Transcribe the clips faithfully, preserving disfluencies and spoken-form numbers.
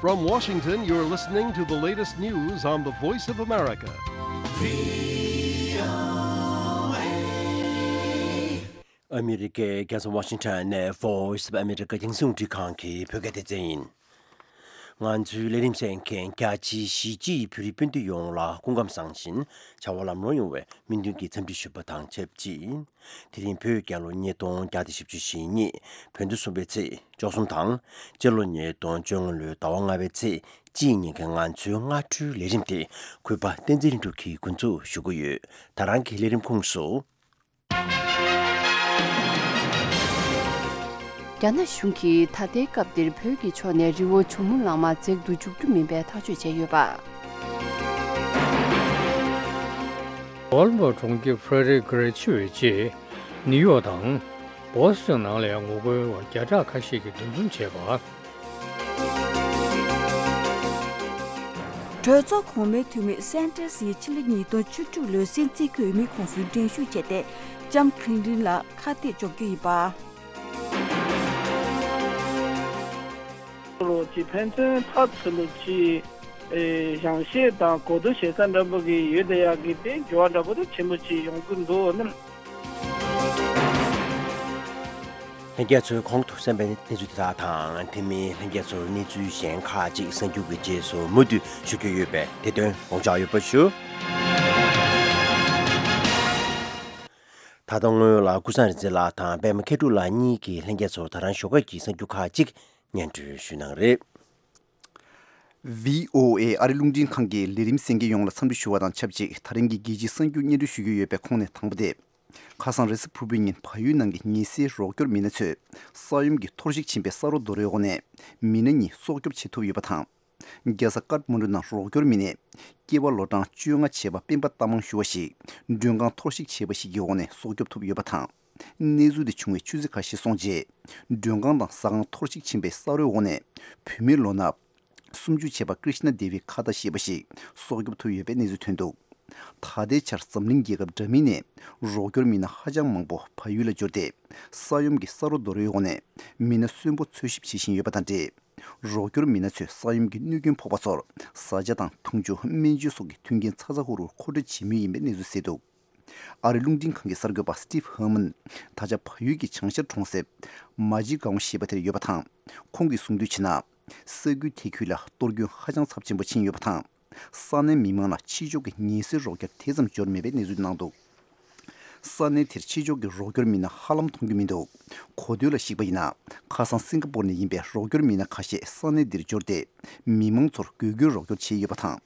From Washington, you're listening to the latest news on the Voice of America. ཨ་མི་རི་ཀའི་རྒྱལ་ས་ཝ་ཤིང་ཊོན་ནས་Voice of America་རྒྱང་སྲིང་རླུང་འཕྲིན་ཁང་གི་བོད་སྐད་སྡེ་ཚན་ཡིན། ང་ཚོའི་ལས་རིམ་གསན་མཁན་རྒྱ་ཆེའི་གཞིས་བྱེས་བོད་རིགས་སྤུན་ཟླ་ཡོངས་ལ་སྐུ་ཁམས་བཟང་ཞིང་བྱ་བ་ལམ་ལྷོང་ཡོང་བའི་སྨོན་འདུན་གྱི་འཚམས་འདྲི་ཞུ་བ་དང་ཆབས་ཅིག་དེ་རིང་བོད་རྒྱལ་ལོ་ཉིས་སྟོང་བརྒྱ་དང་བཞི་བཅུ་ཞེ་གཉིས། བོད་ཟླ་གསུམ་པའི་ཚེས་བཅུ་གསུམ་དང་། སྤྱི་ལོ་ཉིས་སྟོང་བཅོ་ལྔ་ལོའི་ཟླ་བ་ལྔ་པའི་ཚེས་གཅིག་ཉིན་གྱི་ང་ཚོའི་སྔ་དྲོའི་ལས་རིམ་དེ་གུས་པ་བསྟན་འཛིན་ལྷུན་གྲུབ་ཀྱིས་འགོ་འཛུགས་ཞུ་གི་ཡོད། ད་རང་གི་ལས་རིམ་ཁོངས་སུ། རྒྱ་ནག་གཞུང་གིས་ད་ལྟའི་སྐབས་འདིར་བོད་ཀྱི་ཕྱོགས་ནས་རི་བོ་ཇོ་མོ་གླང་མ་འཛེག་ཏུ་འཇུག་རྒྱུ་མིན་པའི་ཐག་གཅོད་བྱས་ཡོད་པ། ཀོ་ལོམ་བྷོ་གྲོང་ཁྱེར་ཧྥེ་རེ་གྷི་རེ་ཆུ་བེད་ཆེད་ནིའུ་ཡོག་དང་བོ་སི་ཊོན་ནང་ལ་ཡང་ངོ་རྒོལ་བ་བརྒྱ་ཕྲག་ཁ་ཤས་ཀྱིས་འདུ་འཛོམས་བྱས་པ། གྲོས་ཚོགས་གོང་མའི་འཐུས་མི་སན་ཏྲེ་སིས་ཕྱི་ལོ་ཉིས་སྟོང་བཅུ་དྲུག་ལོའི་སྲིད་འཛིན་འོས་མིའི་ཁོངས་སུ་འགྲན་ཞུགས་བྱས་ཏེ་ལྕམ་ཁི་ལིན་ཏིན་ལ་ཁ་གཏད་གཅོག་རྒྱུ་ཡིན་པ། ལོ་གཅིག་ཕན་ཚུན་ཐག་ཆོད་ལོ་གཅིག་ཨེ་བཞེངས་བཤད་དང་གོ་བསྡུར་བྱེད་ས་འདྲ་པོ་གི་ཡོད་དེ་ཡག་གི་དེ་འགྱུར་བ་འདྲ་པོ་དེ་ཆེན་པོ་ཅིག་ཡོང་གི་འདུག་ནི། ལྷན་རྒྱས་ཚོས་གོང་དུ་གསན་པའི་གནས་ཚུལ་དེ་དག་དང་དེ་མིན་ལྷན་རྒྱས་ཚོར་གནས་ཚུལ་གཞན་ཁག་ཅིག་གསར་འགྱུར་གྱི་རྗེས་སུ་མུ་མཐུད་ཞུ་རྒྱུ་ཡོད་པས་དེ་དོན་དགོངས་འཇགས་ཡོད་པ་ཞུ། ད་ལྟ་སྔོན་ལ་ཀུན་བཟང་རིག་འཛིན་ལགས་དང་པད་མ་མཁས་གྲུབ་ལགས་གཉིས་ཀྱིས་ལྷན་རྒྱས་ཚོར་ད་རང་ཞོགས་ཀས་ཀྱི་གསར་འགྱུར་ཁག་ཅིག་སྙན་སྒྲོན་ཞུས་གནང་རེད། ཝི་ཨོ་ཨེ་ཨ་རི་རླུང་འཕྲིན་ཁང་གི་ལས་རིམ་གསན་མཁན་ཡོངས་ལ་འཚམས་འདྲི་ཞུ་བ་དང་ཆབས་ཅིག་ད་རིང་གི་རྒྱལ་སྤྱིའི་གསར་འགྱུར་སྙན་སྒྲོན་ཞུ་རྒྱུ་ཡོད་པའི་ཁོངས་ནས་དང་པོ་དེ། ཁ་སང་རེས་གཟའ་ཕུར་བུའི་ཉིན་བལ་ཡུལ་ནང་གི་ཉེན་སེལ་རོགས་སྐྱོར་མི་སྣ་ཚོས་ས་ཡོམ་གྱིས་འཐོར་ཞིག་ཕྱིན་པའི་ས་རོགས་རྡོ་རོའི་འོག་ནས་མི་སྣ་གཉིས་སྲོག་སྐྱོབ་བྱེད་ཐུབ་ཡོད་པ་དང་། རྒྱལ་ས་ཀཏ་མན་ཌུ་ནང་རོགས་སྐྱོར་མི་སྣས་སྐྱེས་པ་ལོ་གྲངས་བཅོ་ལྔ་བྱས་པ་སྤེན་པ་རྟ་མང་ཞུ་བ་ཞིག་མགྲོན་ཁང་འཐོར་ཞིག་བྱས་པ་ཞིག་གི་འོག་ནས་སྲོག་སྐྱོབ་ཐུབ་ཡོད་པ་དང་། གནས་ཚུལ་དེ་བྱུང་བའི་ཆུ་ཚོད་ཁ་ཤས་སོང་རྗེས། མགྲོན་ཁང་དང་ཟ་ཁང་འཐོར་ཞིག་ཕྱིན་པའི་ས་རོའི་འོག་ནས་བུད་མེད་ལོ་ན་སུམ་ཅུ་བྱས་པ་ཀྲི་ཤི་ན་དེ་བི་ཁ་ཏ་ཞེས་པ་ཞིག་སྲོག་སྐྱོབ་ཐུབ་ཡོད་པའི་གནས་ཚུལ་ཐོན་འདུག་ད་ལྟའི་ཆར་འཛམ་གླིང་རྒྱལ་ཁབ་འདྲ་མིན་ནས་རོགས་སྐྱོར་མི་སྣ་ཧ་ཅང་མང་པོ་བལ་ཡུལ་ལ་འབྱོར་ཏེ། ས་ཡོམ་གྱི་ས་རོ་རྡོ་རོའི་འོག་ནས་མི་སྣ་གསོན་པོ་འཚོལ་ཞིབ་བྱེད་བཞིན་ཡོད་པ་དང་འབྲེལ། རོགས་སྐྱོར་མི་སྣ་ཚོས་ས་ཡོམ་གྱི་གནོད་སྐྱོན་ཕོག་པ་ཚོར་བཟའ་བཅའ་དང་འཐུང་ཆུ། སྨན་བཅོས་སོགས་ཀྱི་མཐུན་རྐྱེན་ཚ་ཚ་ཧུར་ཧུར་མཁོ་སྤྲོད་བྱེད་མུས་ཡིན་པའི་གནས་ཚུལ་གསལ་འདུག་ཨ་རིའི་རླུང་འཕྲིན་ཁང་གི་གསར་འགོད་པ་Steve Herman། ད་ཆ་བལ་ཡུལ་གྱི་བྱང་ཤར་གྲོང་གསེབ་མ་ཇི་གའོ་ཞེས་པ་དེར་ཡོད་པ་དང་། ཁོང་གིས་གསུངས་དོན་བྱས་ན། ས་ཁུལ་དེ་ཁུལ་ལ་གཏོར་སྐྱོན་ཧ་ཅང་ཚབས་ཆེན་པོ་ཕྱིན་ཡོད་པ་དང་། ས་གནས་མི་མང་ལ་ཕྱི་ཕྱོགས་ཀྱི་ཉེན་སེལ་རོགས་སྐྱོར་དེ་ཙམ་འབྱོར་མེད་པའི་གནས་ཚུལ་གནང་འདུག་ས་གནས་དེར་ཕྱི་ཕྱོགས་ཀྱི་རོགས་སྐྱོར་མི་སྣ་ཧ་ལམ་མཐོང་རྒྱུ་མི་འདུག་གོ་ཐོས་ལ་གཞིགས་པ་ཡིན་ན། ཁ་སང་སིང་ག་པོར་ནས་ཡིན་པའི་རོགས་སྐྱོར་མི་སྣ་ཁ་ཤས་ས་གནས་འདིར་འབྱོར་ཏེ། མི་མང་ཚོར་དགོས་མཁོའི་རོགས་སྐྱོར་བྱས་ཡོད་པ་དང་།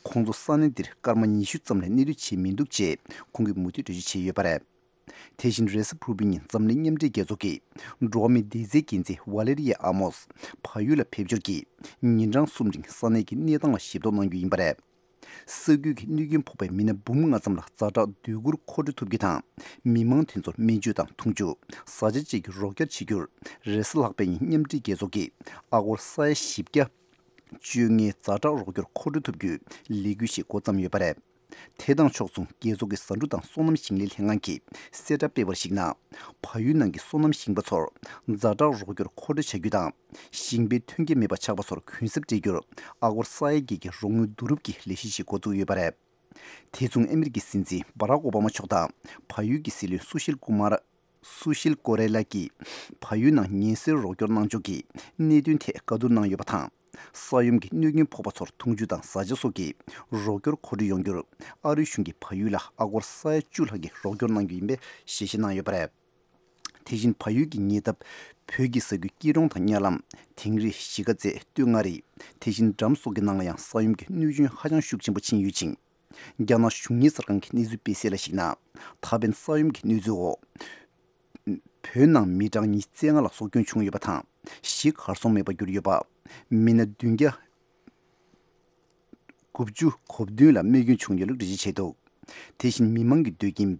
ཁོང་ཚོ་ས་གནས་འདིར་སྐར་མ་ཉི་ཤུ་ཙམ་ལས་གནས་སྡོད་བྱས་མི་འདུག་ཅེས་ཁོང་གིས་མུ་མཐུད་འགྲེལ་བརྗོད་བྱས་ཡོད་པ་རེད། དེ་བཞིན་རེས་གཟའ་ཕུར་བུའི་ཉིན་འཛམ་གླིང་མཉམ་འབྲེལ་རྒྱལ་ཚོགས་ཀྱི་འགྲོ་བ་མིའི་བདེ་རྩའི་འགན་འཛིན་ཝ་ལེ་རི་ཡ་ཨ་མོས་བལ་ཡུལ་ལ་ཕེབས་འབྱོར་གྱིས་ཉིན་གྲངས་གསུམ་རིང་ས་གནས་ཀྱི་གནས་སྟངས་ལ་ཞིབ་རྟོག་གནང་རྒྱུ་ཡིན་པ་རེད། ས་ཁུལ་གྱི་གནོད་སྐྱོན་ཕོག་པའི་མི་སྣ་འབུམ་ལྔ་ཙམ་ལ་ཛ་དྲག་སྡོད་གུར་མཁོ་སྤྲོད་ཐུབ་རྒྱུ་དང་། མི་མང་དེ་ཚོར་སྨན་བཅོས་དང་འཐུང་ཆུ། བཟའ་བཅའ་བཅས་ཀྱི་རོགས་སྐྱོར་བྱེད་རྒྱུར། རེས་གཟའ་ལྷག་པའི་ཉིན་མཉམ་འབྲེལ་རྒྱལ་ཚོགས་ཀྱིས་ཨ་སྒོར་ས་ཡ་བཞི་བརྒྱ་བཅོ་ལྔའི་ཛ་དྲག་རོགས་སྐྱོར་མཁོ་སྤྲོད་ཐུབ་རྒྱུའི་ལས་འགུལ་ཞིག་འགོ་བརྩམས་ཡོད་པ་རེད། དེ་དང་ཕྱོགས་མཚུངས། རྒྱལ་ཚོགས་ཀྱི་ཟ་འབྲུ་དང་སོ་ནམ་ཞིང་ལས་ལྷན་ཁང་གིས་གསལ་བསྒྲགས་སྤེལ་བར་གཞིགས་ན། བལ་ཡུལ་ནང་གི་སོ་ནམ་ཞིང་པ་ཚོར་ཛ་དྲག་རོགས་སྐྱོར་མཁོ་སྤྲོད་བྱ་རྒྱུ་དང་། ཞིང་པའི་ཐོན་སྐྱེད་མེད་པ་ཆགས་པ་ཚོར་གུན་གསབ་སྤྲད་རྒྱུར་ཨ་སྒོར་ས་ཡ་བརྒྱད་ཀྱི་རོགས་དངུལ་བསྡུ་རུབ་ཀྱི་ལས་གཞི་ཞིག་འགོ་བཙུགས་ཡོད་པ་རེད། དེ་མཚུངས། ཨ་མི་རི་ཀའི་སྲིད་འཛིན་བྷ་རག་ཨོ་བྷ་མ་མཆོག་དང་བལ་ཡུལ་གྱི་སྲིད་བློན་སུ་ཤིལ་ཀུ་མར། སུ་ཤིལ་ཀོ་རེ་ལ་གིས་བལ་ཡུལ་ནང་ཉེན་སེལ་རོགས་སྐྱོར་གནང་ཕྱོགས་ཀྱི་གནད་དོན་ཐད་བཀའ་བསྡུར་གནང་ཡོད་པ་དང་། ས་ཡོམ་གྱི་གནོད་སྐྱོན་ཕོག་པ་ཚོར་འཐུང་ཆུ་དང་བཟའ་བཅའ་སོགས་ཀྱི་རོགས་སྐྱོར་མཁོ་སྤྲོད་ཡོང་རྒྱུར། ཨ་རིའི་གཞུང་གིས་བལ་ཡུལ་ལ་ཨ་སྒོར་ས་ཡ་བཅུ་ལྷག་གི་རོགས་སྐྱོར་གནང་རྒྱུ་ཡིན་པའི་ཞལ་བཞེས་གནང་ཡོད་པ་རེད། དེ་བཞིན་བལ་ཡུལ་གྱི་ཉེ་འདབས་བོད་ཀྱི་ས་ཁུལ་སྐྱིད་གྲོང་དང་གཉའ་ལམ། དིང་རི། གཞིས་ཀ་རྩེ། སྟོད་མངའ་རིས། དེ་བཞིན་འགྲམ་སོགས་ཀྱི་ནང་ལ་ཡང་ས་ཡོམ་གྱི་གནོད་སྐྱོན་ཧ་ཅང་ཤུགས་ཆེན་པོ་ཕྱིན་ཡོད་ཅིང་། རྒྱ་ནག་གཞུང་གཉེར་གསར་ཁང་གིས་གནས་ཚུལ་སྤེལ་གསལ་ལ་གཞིགས་ན། ད་ཕན་ས་ཡོམ་གྱི་གནོད་འཚེའི་འོག་བོད་ནང་མི་གྲངས་ཉི་ཤུ་རྩ་ལྔ་ལ་སྲོག་སྐྱོན་བྱུང་ཡོད་པ་དང་། གཞི་གར་སོང་མེད་པར་གྱུར་ཡོད་པ། མི་སྣ་བདུན་བརྒྱ་དགུ་བཅུ་གོ་བདུན་ལ་རྨས་སྐྱོན་བྱུང་ཡོད་ལུགས་འགྲེལ་བརྗོད་བྱས་འདུག་དེ་བཞིན་མི་མང་གི་སྡོད་ཁྱིམ་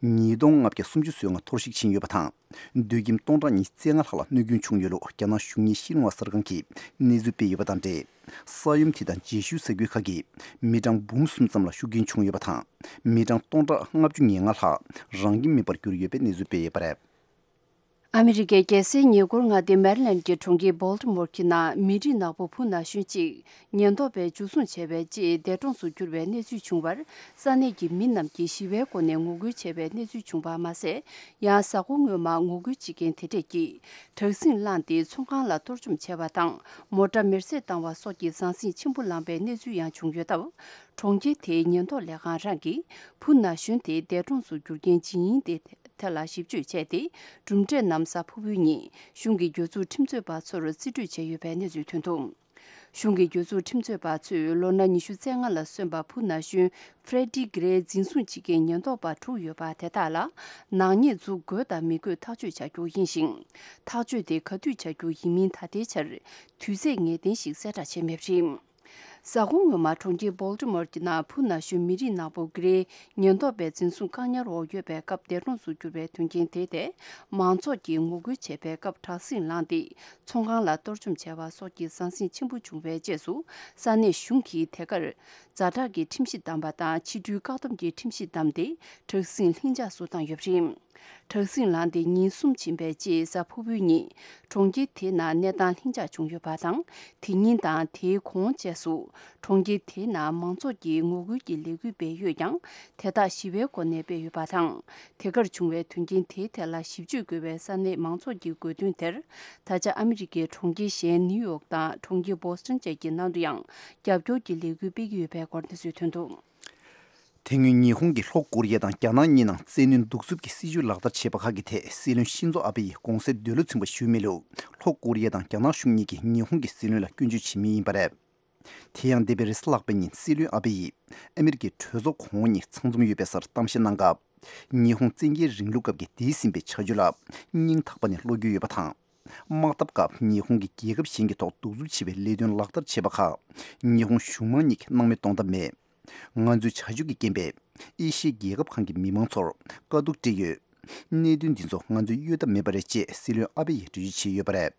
ཉིས་སྟོང་ལྔ་བརྒྱ་སུམ་ཅུ་སོ་ལྔ་འཐོར་ཞིག་ཕྱིན་ཡོད་པ་དང་། སྡོད་ཁྱིམ་སྟོང་ཕྲག་ཉི་ཤུ་རྩ་ལྔ་ལྷག་ལ་གནོད་སྐྱོན་བྱུང་ཡོད་ལུགས་རྒྱ་ནག་གཞུང་གཉེར་ཤིན་ཧྭ་གསར་ཁང་གིས་གནས་ཚུལ་སྤེལ་ཡོད་པ་དང་འབྲེལ། ས་ཡོམ་དེ་དང་རྗེས་ཤུལ་ས་ཁུལ་ཁག་གི་མི་གྲངས་འབུམ་གསུམ་ཙམ་ལ་ཤུགས་རྐྱེན་བྱུང་ཡོད་པ་དང་། མི་གྲངས་སྟོང་ཕྲག་ལྔ་བཅུ་ང་ལྔ་ལྷག་རང་ཁྱིམ་མེད་པར་གྱུར་ཡོད་པའི་གནས་ཚུལ་སྤེལ་ཡོད་པ་རེད། ཨ་མི་རི་ཀའི་རྒྱལ་སའི་ཉེ་འཁོར་མངའ་སྡེ་མེ་རི་ལན་གྱི་གྲོང་ཁྱེར་བོལ་ཏི་མོར་གྱི་ནང་མི་རིགས་ནག་པོ་བུ་ན་གཞོན་གཅིག་ཉེན་རྟོག་པས་འཇུ་བཟུང་བྱས་པའི་རྗེས་འདས་གྲོངས་སུ་གྱུར་བའི་གནས་ཚུལ་བྱུང་བར། ས་གནས་ཀྱི་མི་རྣམས་ཀྱིས་ཞི་བའི་སྒོ་ནས་ངོ་རྒོལ་བྱས་པའི་གནས་ཚུལ་བྱུང་བ་མ་ཟད། ཡང་གཟའ་འཁོར་སྔོན་མ་ངོ་རྒོལ་བྱེད་མཁན་དེ་འདྲས་ཀྱིས་དྲག་ཟིང་བསླངས་ཏེ་ཚོང་ཁང་ལ་གཏོར་བཅོམ་བྱས་པ་དང་། མོ་ཊ་མེར་སྲེག་བཏང་བ་སོགས་ཀྱི་ཟང་ཟིང་ཆེན་པོ་བསླངས་པའི་གནས་ཚུལ་ཡང་བྱུང་ཡོད་སྟབས། གྲོང་ཁྱེར་དེའི་ཉེན་རྟོག་ལས་ཁང་རང་གིས་བུ་ན་གཞོན་དེ་འདས་གྲོངས་སུ་གྱུར་རྐྱེན་ཇི་ཡིན་དེ་ཐད་ལ་ཞིབ་དཔྱོད་བྱས་ཏེ། གྲུབ་འབྲས་རྣམས་གཟའ་ཕུར་བུའི་ཉིན་གཞུང་གི་གྱོད་ཚུལ་ཁྲིམས་རྩོད་པ་ཚོར་རྩིས་སྤྲོད་བྱས་ཡོད་པའི་གནས་ཚུལ་ཐོན་འདུག་གཞུང་གི་གྱོད་ཚུལ་ཁྲིམས་རྩོད་པ་ཚོས་ལོ་ན་ཉི་ཤུ་རྩ་ལྔ་ལ་སོན་པ་བུ་ན་གཞོན་ཧྥྲེ་ཌི་གྷི་རེ་འཛིན་བཟུང་བྱེད་མཁན་ཉེན་རྟོག་པ་དྲུག་ཡོད་པ་དེ་དག་ལ་ནག་ཉེས་འཛུགས་དགོས་དང་མི་དགོས་ཐག་གཅོད་བྱ་རྒྱུ་ཡིན་ཞིང་། ཐག་གཅོད་དེ་ག་དུས་བྱ་རྒྱུ་ཡིན་མིན་ད་ལྟའི་ཆར་དུས་ཚད་ངེས་གཏན་ཞིག་གསལ་བསྒྲགས་བྱས་མེད་པ་རེད། གཟའ་འཁོར་སྔོན་མ་གྲོང་ཁྱེར་བོལ་ཏི་མོར་གྱི་ནང་བུ་ན་གཞོན་མི་རིགས་ནག་པོ་གྷི་རེ་ཉེན་རྟོག་པའི་འཛིན་བཟུང་བཀག་ཉར་འོག་ཡོད་པའི་སྐབས་འདས་གྲོངས་སུ་གྱུར་བའི་དོན་རྐྱེན་དེ་ཐད་མང་ཚོགས་ཀྱིས་ངོ་རྒོལ་བྱས་པའི་སྐབས་དྲག་ཟིང་བསླངས་ཏེ་ཚོང་ཁང་ལ་གཏོར་བཅོམ་བྱས་པ་སོགས་ཀྱི་ཟང་ཟིང་ཆེན་པོ་བྱུང་བའི་རྗེས་སུ། ས་གནས་གཞུང་གིས་དེ་གར་ཛ་དྲག་གི་ཁྲིམས་གཞི་བསྡམས་པ་དང་ཕྱི་འགྲུལ་བཀག་སྡོམ་གྱི་ཁྲིམས་གཞི་བསྡམས་ཏེ་དྲག་ཟིང་ལྷིང་འཇགས་སུ་བཏང་ཡོད་པ་རེད། དྲག་ཟིང་ལངས་ཏེ་ཉིན་གསུམ་ཕྱིན་པའི་རྗེས་གཟའ་ཕུར་བུའི་ཉིན་གྲོང་ཁྱེར་དེའི་ནང་གནས་སྟངས་ལྷིང་འཇགས་བྱུང་ཡོད་པ་དང་། དེ་ཉིན་དང་དེའི་གོང་བཅས་སུ་གྲོང་ཁྱེར་དེའི་ནང་མང་ཚོགས་ཀྱིས་ངོ་རྒོལ་གྱི་ལས་འགུལ་སྤེལ་ཡོད་ཀྱང་། དེ་དག་ཞི་བའི་སྒོ་ནས་སྤེལ་ཡོད་པ་དང་། དེ་གར་བྱུང་བའི་དོན་རྐྱེན་དེའི་ཐད་ལ་ཞིབ་དཔྱོད་དགོས་པའི་ས་གནས་མང་ཚོགས་ཀྱི་དགོས་འདུན་དེར། ད་ཆ་ཨ་མི་རི་ཀའི་གྲོང་ཁྱེར་གཞན་ནིའུ་ཡོག་དང་གྲོང་ཁྱེར་བོ་སི་ཊོན་བཅས་ཀྱི་ནང་དུ་ཡང་རྒྱབ་སྐྱོར་གྱི་ལས་འགུལ་སྤེལ་གྱི་ཡོད་པའི་སྐོར་གནས་ཚུལ་ཐོན་འདུག་དེ་སྔོན་ཉི་ཧོང་གིས་ལྷོ་ཀོ་རི་ཡ་དང་རྒྱ་ནག་གཉིས་ནང་བཙན་གནོན་གདུག་རྩུབ་ཀྱི་སྲིད་བྱུས་ལག་བསྟར་བྱས་པ་ཁག་གི་ཐད་སྲིད་བློན་ཤིན་ཛོ་ཨ་བྷེ་ཡིས་དགོངས་སེལ་འདོད་བློ་ཚིམ་པ་ཞུས་མེད་ལུགས། ལྷོ་ཀོ་རི་ཡ་དང་རྒྱ་ནག་གཞུང་གཉིས་ཀྱིས་ཉི་ཧོང་གི་སྲིད་བློན་ལ་སྐྱོན་བརྗོད་བྱེད་མུས་ཡིན་པ་རེད། དེ་ཡང་འདས་པའི་རེས་གཟའ་ལྷག་པའི་ཉིན་སྲིད་བློན་ཨ་བྷེ་ཡིས་ཨ་མི་རི་ཀའི་གྲོས་ཚོགས་གོང་འོག་གཉིས་ཚང་འཛོམས་ཡོད་པའི་སར་གཏམ་བཤད་གནང་སྐབས། ཉི་ཧོང་བཙན་རྒྱལ་རིང་ལུགས་སྐབས་ཀྱི་འདས་ཟིན་པའི་བྱ་སྤྱོད་ལ་སྙིང་ཐག་པ་ནས་བློ་འགྱོད་ཡོད་པ་དང་། དམག་འཐབ་སྐབས་ཉི་ཧོང་གིས་རྒྱལ་ཁབ་གཞན་གྱི་ཐོག་གདུག་རྩུབ་ཆེ་བའི་ལས་དོན་ལག་བསྟར་བྱས་པ་ཁག་ཉི་ཧོང་གཞུང་མང་གཉིས་ཀྱིས་སྣང་མེད་གཏོང་ཐབས་མེད། ང་ཚོའི་བྱ་སྤྱོད་ཀྱི་རྐྱེན་པས་ཨེ་ཤི་ཡའི་རྒྱལ་ཁབ་ཁག་གི་མི་མང་ཚོར་དཀའ་སྡུག་སྤྲད་ཡོད། གནད་དོན་འདི་ཚོ་ང་ཚོས་གཡོལ་ཐབས་མེད་པ་རེད་ཅེས་སྲིད་བློན་ཨ་བྷེ་ཡིས་འགྲེལ་བརྗོད་བྱས་ཡོད་པ་རེད།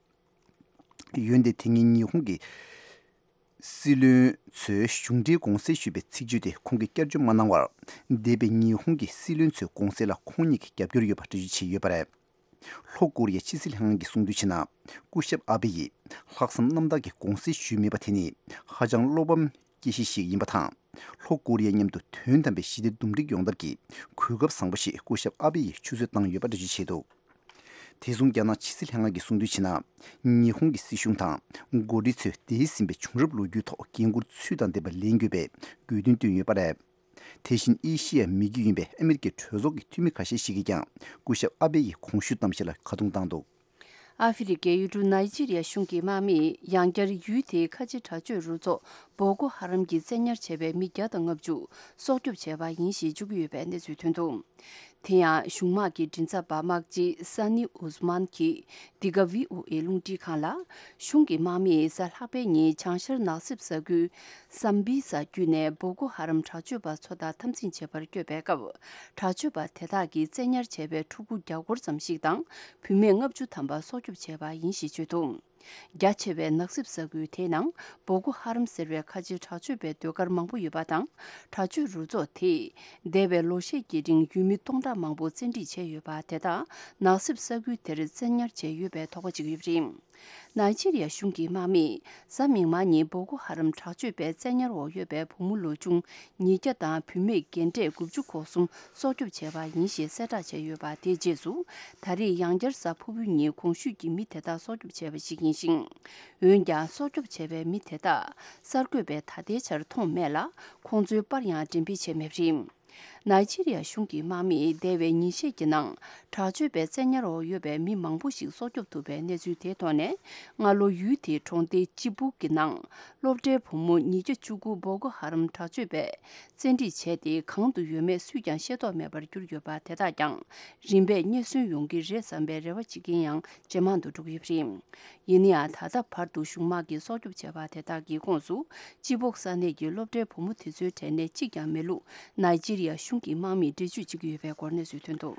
འོན་ཏེ་དེ་སྔའི་ཉི་ཧོང་གི་སྲིད་བློན་ཚོས་གཞུང་འབྲེལ་དགོངས་སེལ་ཞུས་པའི་ཚིག་བརྗོད་དེ་ཁོང་གིས་བསྐྱར་བཅོས་མ་གནང་བར། འདས་པའི་ཉི་ཧོང་གི་སྲིད་བློན་ཚོའི་དགོངས་སེལ་ལ་ཁོང་ཉིད་ཀྱིས་རྒྱབ་སྐྱོར་ཡོད་པ་འགྲེལ་བརྗོད་བྱས་ཡོད་པ་རེད། ལྷོ་ཀོ་རི་ཡའི་ཕྱི་སྲིད་ལྷན་ཁང་གིས་གསུངས་དོན་བྱས་ན། སྐུ་ཞབས་ཨ་བྷེ་ཡིས་ལྷག་བསམ་རྣམ་དག་གིས་དགོངས་སེལ་ཞུས་མེད་པ་དེ་ནི་ཧ་ཅང་བློ་ཕམ་སྐྱེ་གཞི་ཞིག་ཡིན་པ་དང་། ལྷོ་ཀོ་རི་ཡ་མཉམ་དུ་དོན་དམ་པའི་ཞི་བདེ་འདུམ་འགྲིག་ཡོང་ཐབས་ཀྱི་གོ་སྐབས་བཟང་པོ་ཞིག་སྐུ་ཞབས་ཨ་བྷེ་ཡིས་ཆུད་ཟོས་བཏང་ཡོད་པ་འགྲེལ་བརྗོད་བྱས་འདུག་དེ་མཚུངས་རྒྱ་ནག་ཕྱི་སྲིད་ལྷན་ཁང་གིས་གསུངས་དོན་བྱས་ན། ཉི་ཧོང་གི་སྲིད་གཞུང་དང་འགོ་ཁྲིད་ཚོས་འདས་ཟིན་པའི་བྱུང་རབས་ལོ་རྒྱུས་ཐོག་འགན་འཁུར་ཚུལ་དང་ལྡན་པ་ལེན་དགོས་པའི་དགོས་འདུན་བཏོན་ཡོད་པ་རེད། དེ་བཞིན་ཨེ་ཤི་ཡའི་མི་རྒྱུད་ཡིན་པའི་ཨ་མི་རི་ཀའི་གྲོས་ཚོགས་ཀྱི་འཐུས་མི་ཁ་ཤས་ཤིག་གིས་ཀྱང་སྐུ་ཞབས་ཨ་བྷེ་ཡི་གོང་ཞུས་གཏམ་བཤད་ལ་ཁ་རྡུང་བཏང་འདུག་ཨ་ཧྥེ་རི་ཁའི་ཡུལ་གྲུ་ནཱི་ཇི་རི་ཡ་གཞུང་གི་དམག་མིས་ཡང་བསྐྱར་ཡུལ་དེའི་ཁ་ཆེ་དྲག་སྤྱོད་རུ་ཚོགས་བོ་ཀོ་ཧ་རམ་གྱིས་བཙན་ཉར་བྱས་པའི་མི་བརྒྱ་དང་ལྔ་བཅུ་སྲོག་སྐྱོབ་བྱས་པ་ཡིན་ཞེས་བརྗོད་ཀྱི་ཡོད་པའི་གནས་ཚུལ་ཐོན་འདུག་དེ་ཡང་གཞུང་དམག་གི་མགྲིན་ཚབ་པ་དམག་སྤྱི་ས་ནི་ཨུ་ཛི་མན་གྱིས་འདི་ག་བྷི་ཨོ་ཨེ་རླུང་འཕྲིན་ཁང་ལ། གཞུང་གི་དམག་མིས་གཟའ་ལྷག་པའི་ཉིན་བྱང་ཤར་ནགས་གསེབ་ས་ཁུལ་སམ་བི་ས་བརྒྱུད་ནས་བོ་ཀོ་ཧ་རམ་དྲག་སྤྱོད་པ་ཚོ་དང་འཐབ་འཛིང་བྱེད་པར་བསྐྱོད་པའི་སྐབས། དྲག་སྤྱོད་པ་དེ་དག་གིས་བཙན་ཉར་བྱས་པའི་ཕྲུ་གུ་བརྒྱ་སྐོར་ཙམ་ཞིག་དང་བུད་མེད་ལྔ་བཅུ་ཐམ་པ་སྲོག་སྐྱོབ་བྱས་པ་ཡིན་ཞེས་བརྗོད་འདུག་རྒྱ་ཆེ་བའི་ནགས་གསེབ་ས་ཁུལ་དེའི་ནང་བོ་ཀོ་ཧ་རམ་ཟེར་བའི་ཁ་ཆེའི་དྲག་སྤྱོད་པའི་ཟློས་གར་མང་པོ་ཡོད་པ་དང་། དྲག་སྤྱོད་རུ་ཚོགས་དེས་འདས་པའི་ལོ་ཤས་ཀྱི་རིང་ཡུལ་མི་སྟོང་ཕྲག་མང་པོ་བཙན་ཁྲིད་བྱས་ཡོད་པ་དེ་དག་ནགས་གསེབ་ས་ཁུལ་དེར་བཙན་ཉར་བྱས་ཡོད་པའི་དོགས་པ་བྱེད་ཀྱི་ཡོད་པ་རེད། ནཱི་ཇི་རི་ཡ་གཞུང་གི་དམག་མིས་གཟའ་མིག་དམར་ཉིན་བོ་ཀོ་ཧ་རམ་དྲག་སྤྱོད་པའི་བཙན་ཉར་འོག་ཡོད་པའི་བུ་མོ་ལོ་ཆུང་ཉིས་བརྒྱ་དང་བུད་མེད་རྒན་གྲས་དགུ་བཅུ་གོ་གསུམ་སྲོག་སྐྱོབ་བྱས་པ་ཡིན་ཞེས་གསལ་བསྒྲགས་བྱས་ཡོད་པ་དེའི་རྗེས་སུ། ད་རེས་ཡང་བསྐྱར་གཟའ་ཕུར་བུའི་ཉིན་གོང་ཞུས་ཀྱི་མི་དེ་དག་སྲོག་སྐྱོབ་བྱས་པ་ཞིག་ཡིན་ཞིང་། འོན་ཀྱང་སྲོག་སྐྱོབ་བྱས་པའི་མི་དེ་དག་གསར་འགོད་པས་ད་ལྟའི་ཆར་མཐོང་མེད་ལ། ཁོང་ཚོའི་པར་ཡང་འགྲེམས་སྤེལ་བྱས་མེད་པ་རེད། ནཱི་ཇི་རི་ཡ་གཞུང་གི་དམག་མིས་འདས་པའི་ཉིན་ཤས་ཀྱི་ནང་དྲག་སྤྱོད་པའི་བཙན་ཉར་འོག་ཡོད་པའི་མི་མང་པོ་ཞིག་སྲོག་སྐྱོབ་ཐུབ་པའི་གནས་ཚུལ་དེའི་ཐོག་ནས། སྔ་ལོ་ཡུལ་དེའི་གྲོང་སྡེ་ཅི་བུག་གི་ནང་སློབ་གྲྭའི་བུ་མོ་ཉིས་བརྒྱ་བཅུ་དགུ་བོ་ཀོ་ཧ་རམ་དྲག་སྤྱོད་པས་བཙན་ཁྲིད་བྱས་ཏེ། གང་དུ་ཡོད་མེད་སུས་ཀྱང་ཤེས་རྟོགས་མེད་པར་གྱུར་ཡོད་པ་དེ་དག་ཀྱང་རིམ་པས་རྙེད་སོན་ཡོང་གི་རེད་བསམ་པའི་རེ་བ་བྱེད་མཁན་ཡང་ཇེ་མང་དུ་འགྲོ་གི་ཡོད་པ་རེད། ཡིན་ན་ཡང་། ད་ལྟ་བར་དུ་གཞུང་དམག་གིས་སྲོག་སྐྱོབ་བྱས་པ་དེ་དག་གི་ཁོངས་སུ། ཅི་བོག་ས་གནས་ཀྱི་སློབ་གྲྭའི་བུ་མོ་དེ་ཚོའི་གྲས་ནས་གཅིག་ཀྱང་མེད་ལུགས་ནཱི་ཇི་རི་ཡ་གཞུང་གི་དམག་མིས་འགྲེལ་བརྗོད་བྱེད་ཀྱི་ཡོད་པའི་སྐོར་གནས་ཚུལ་ཐོན་འདུག་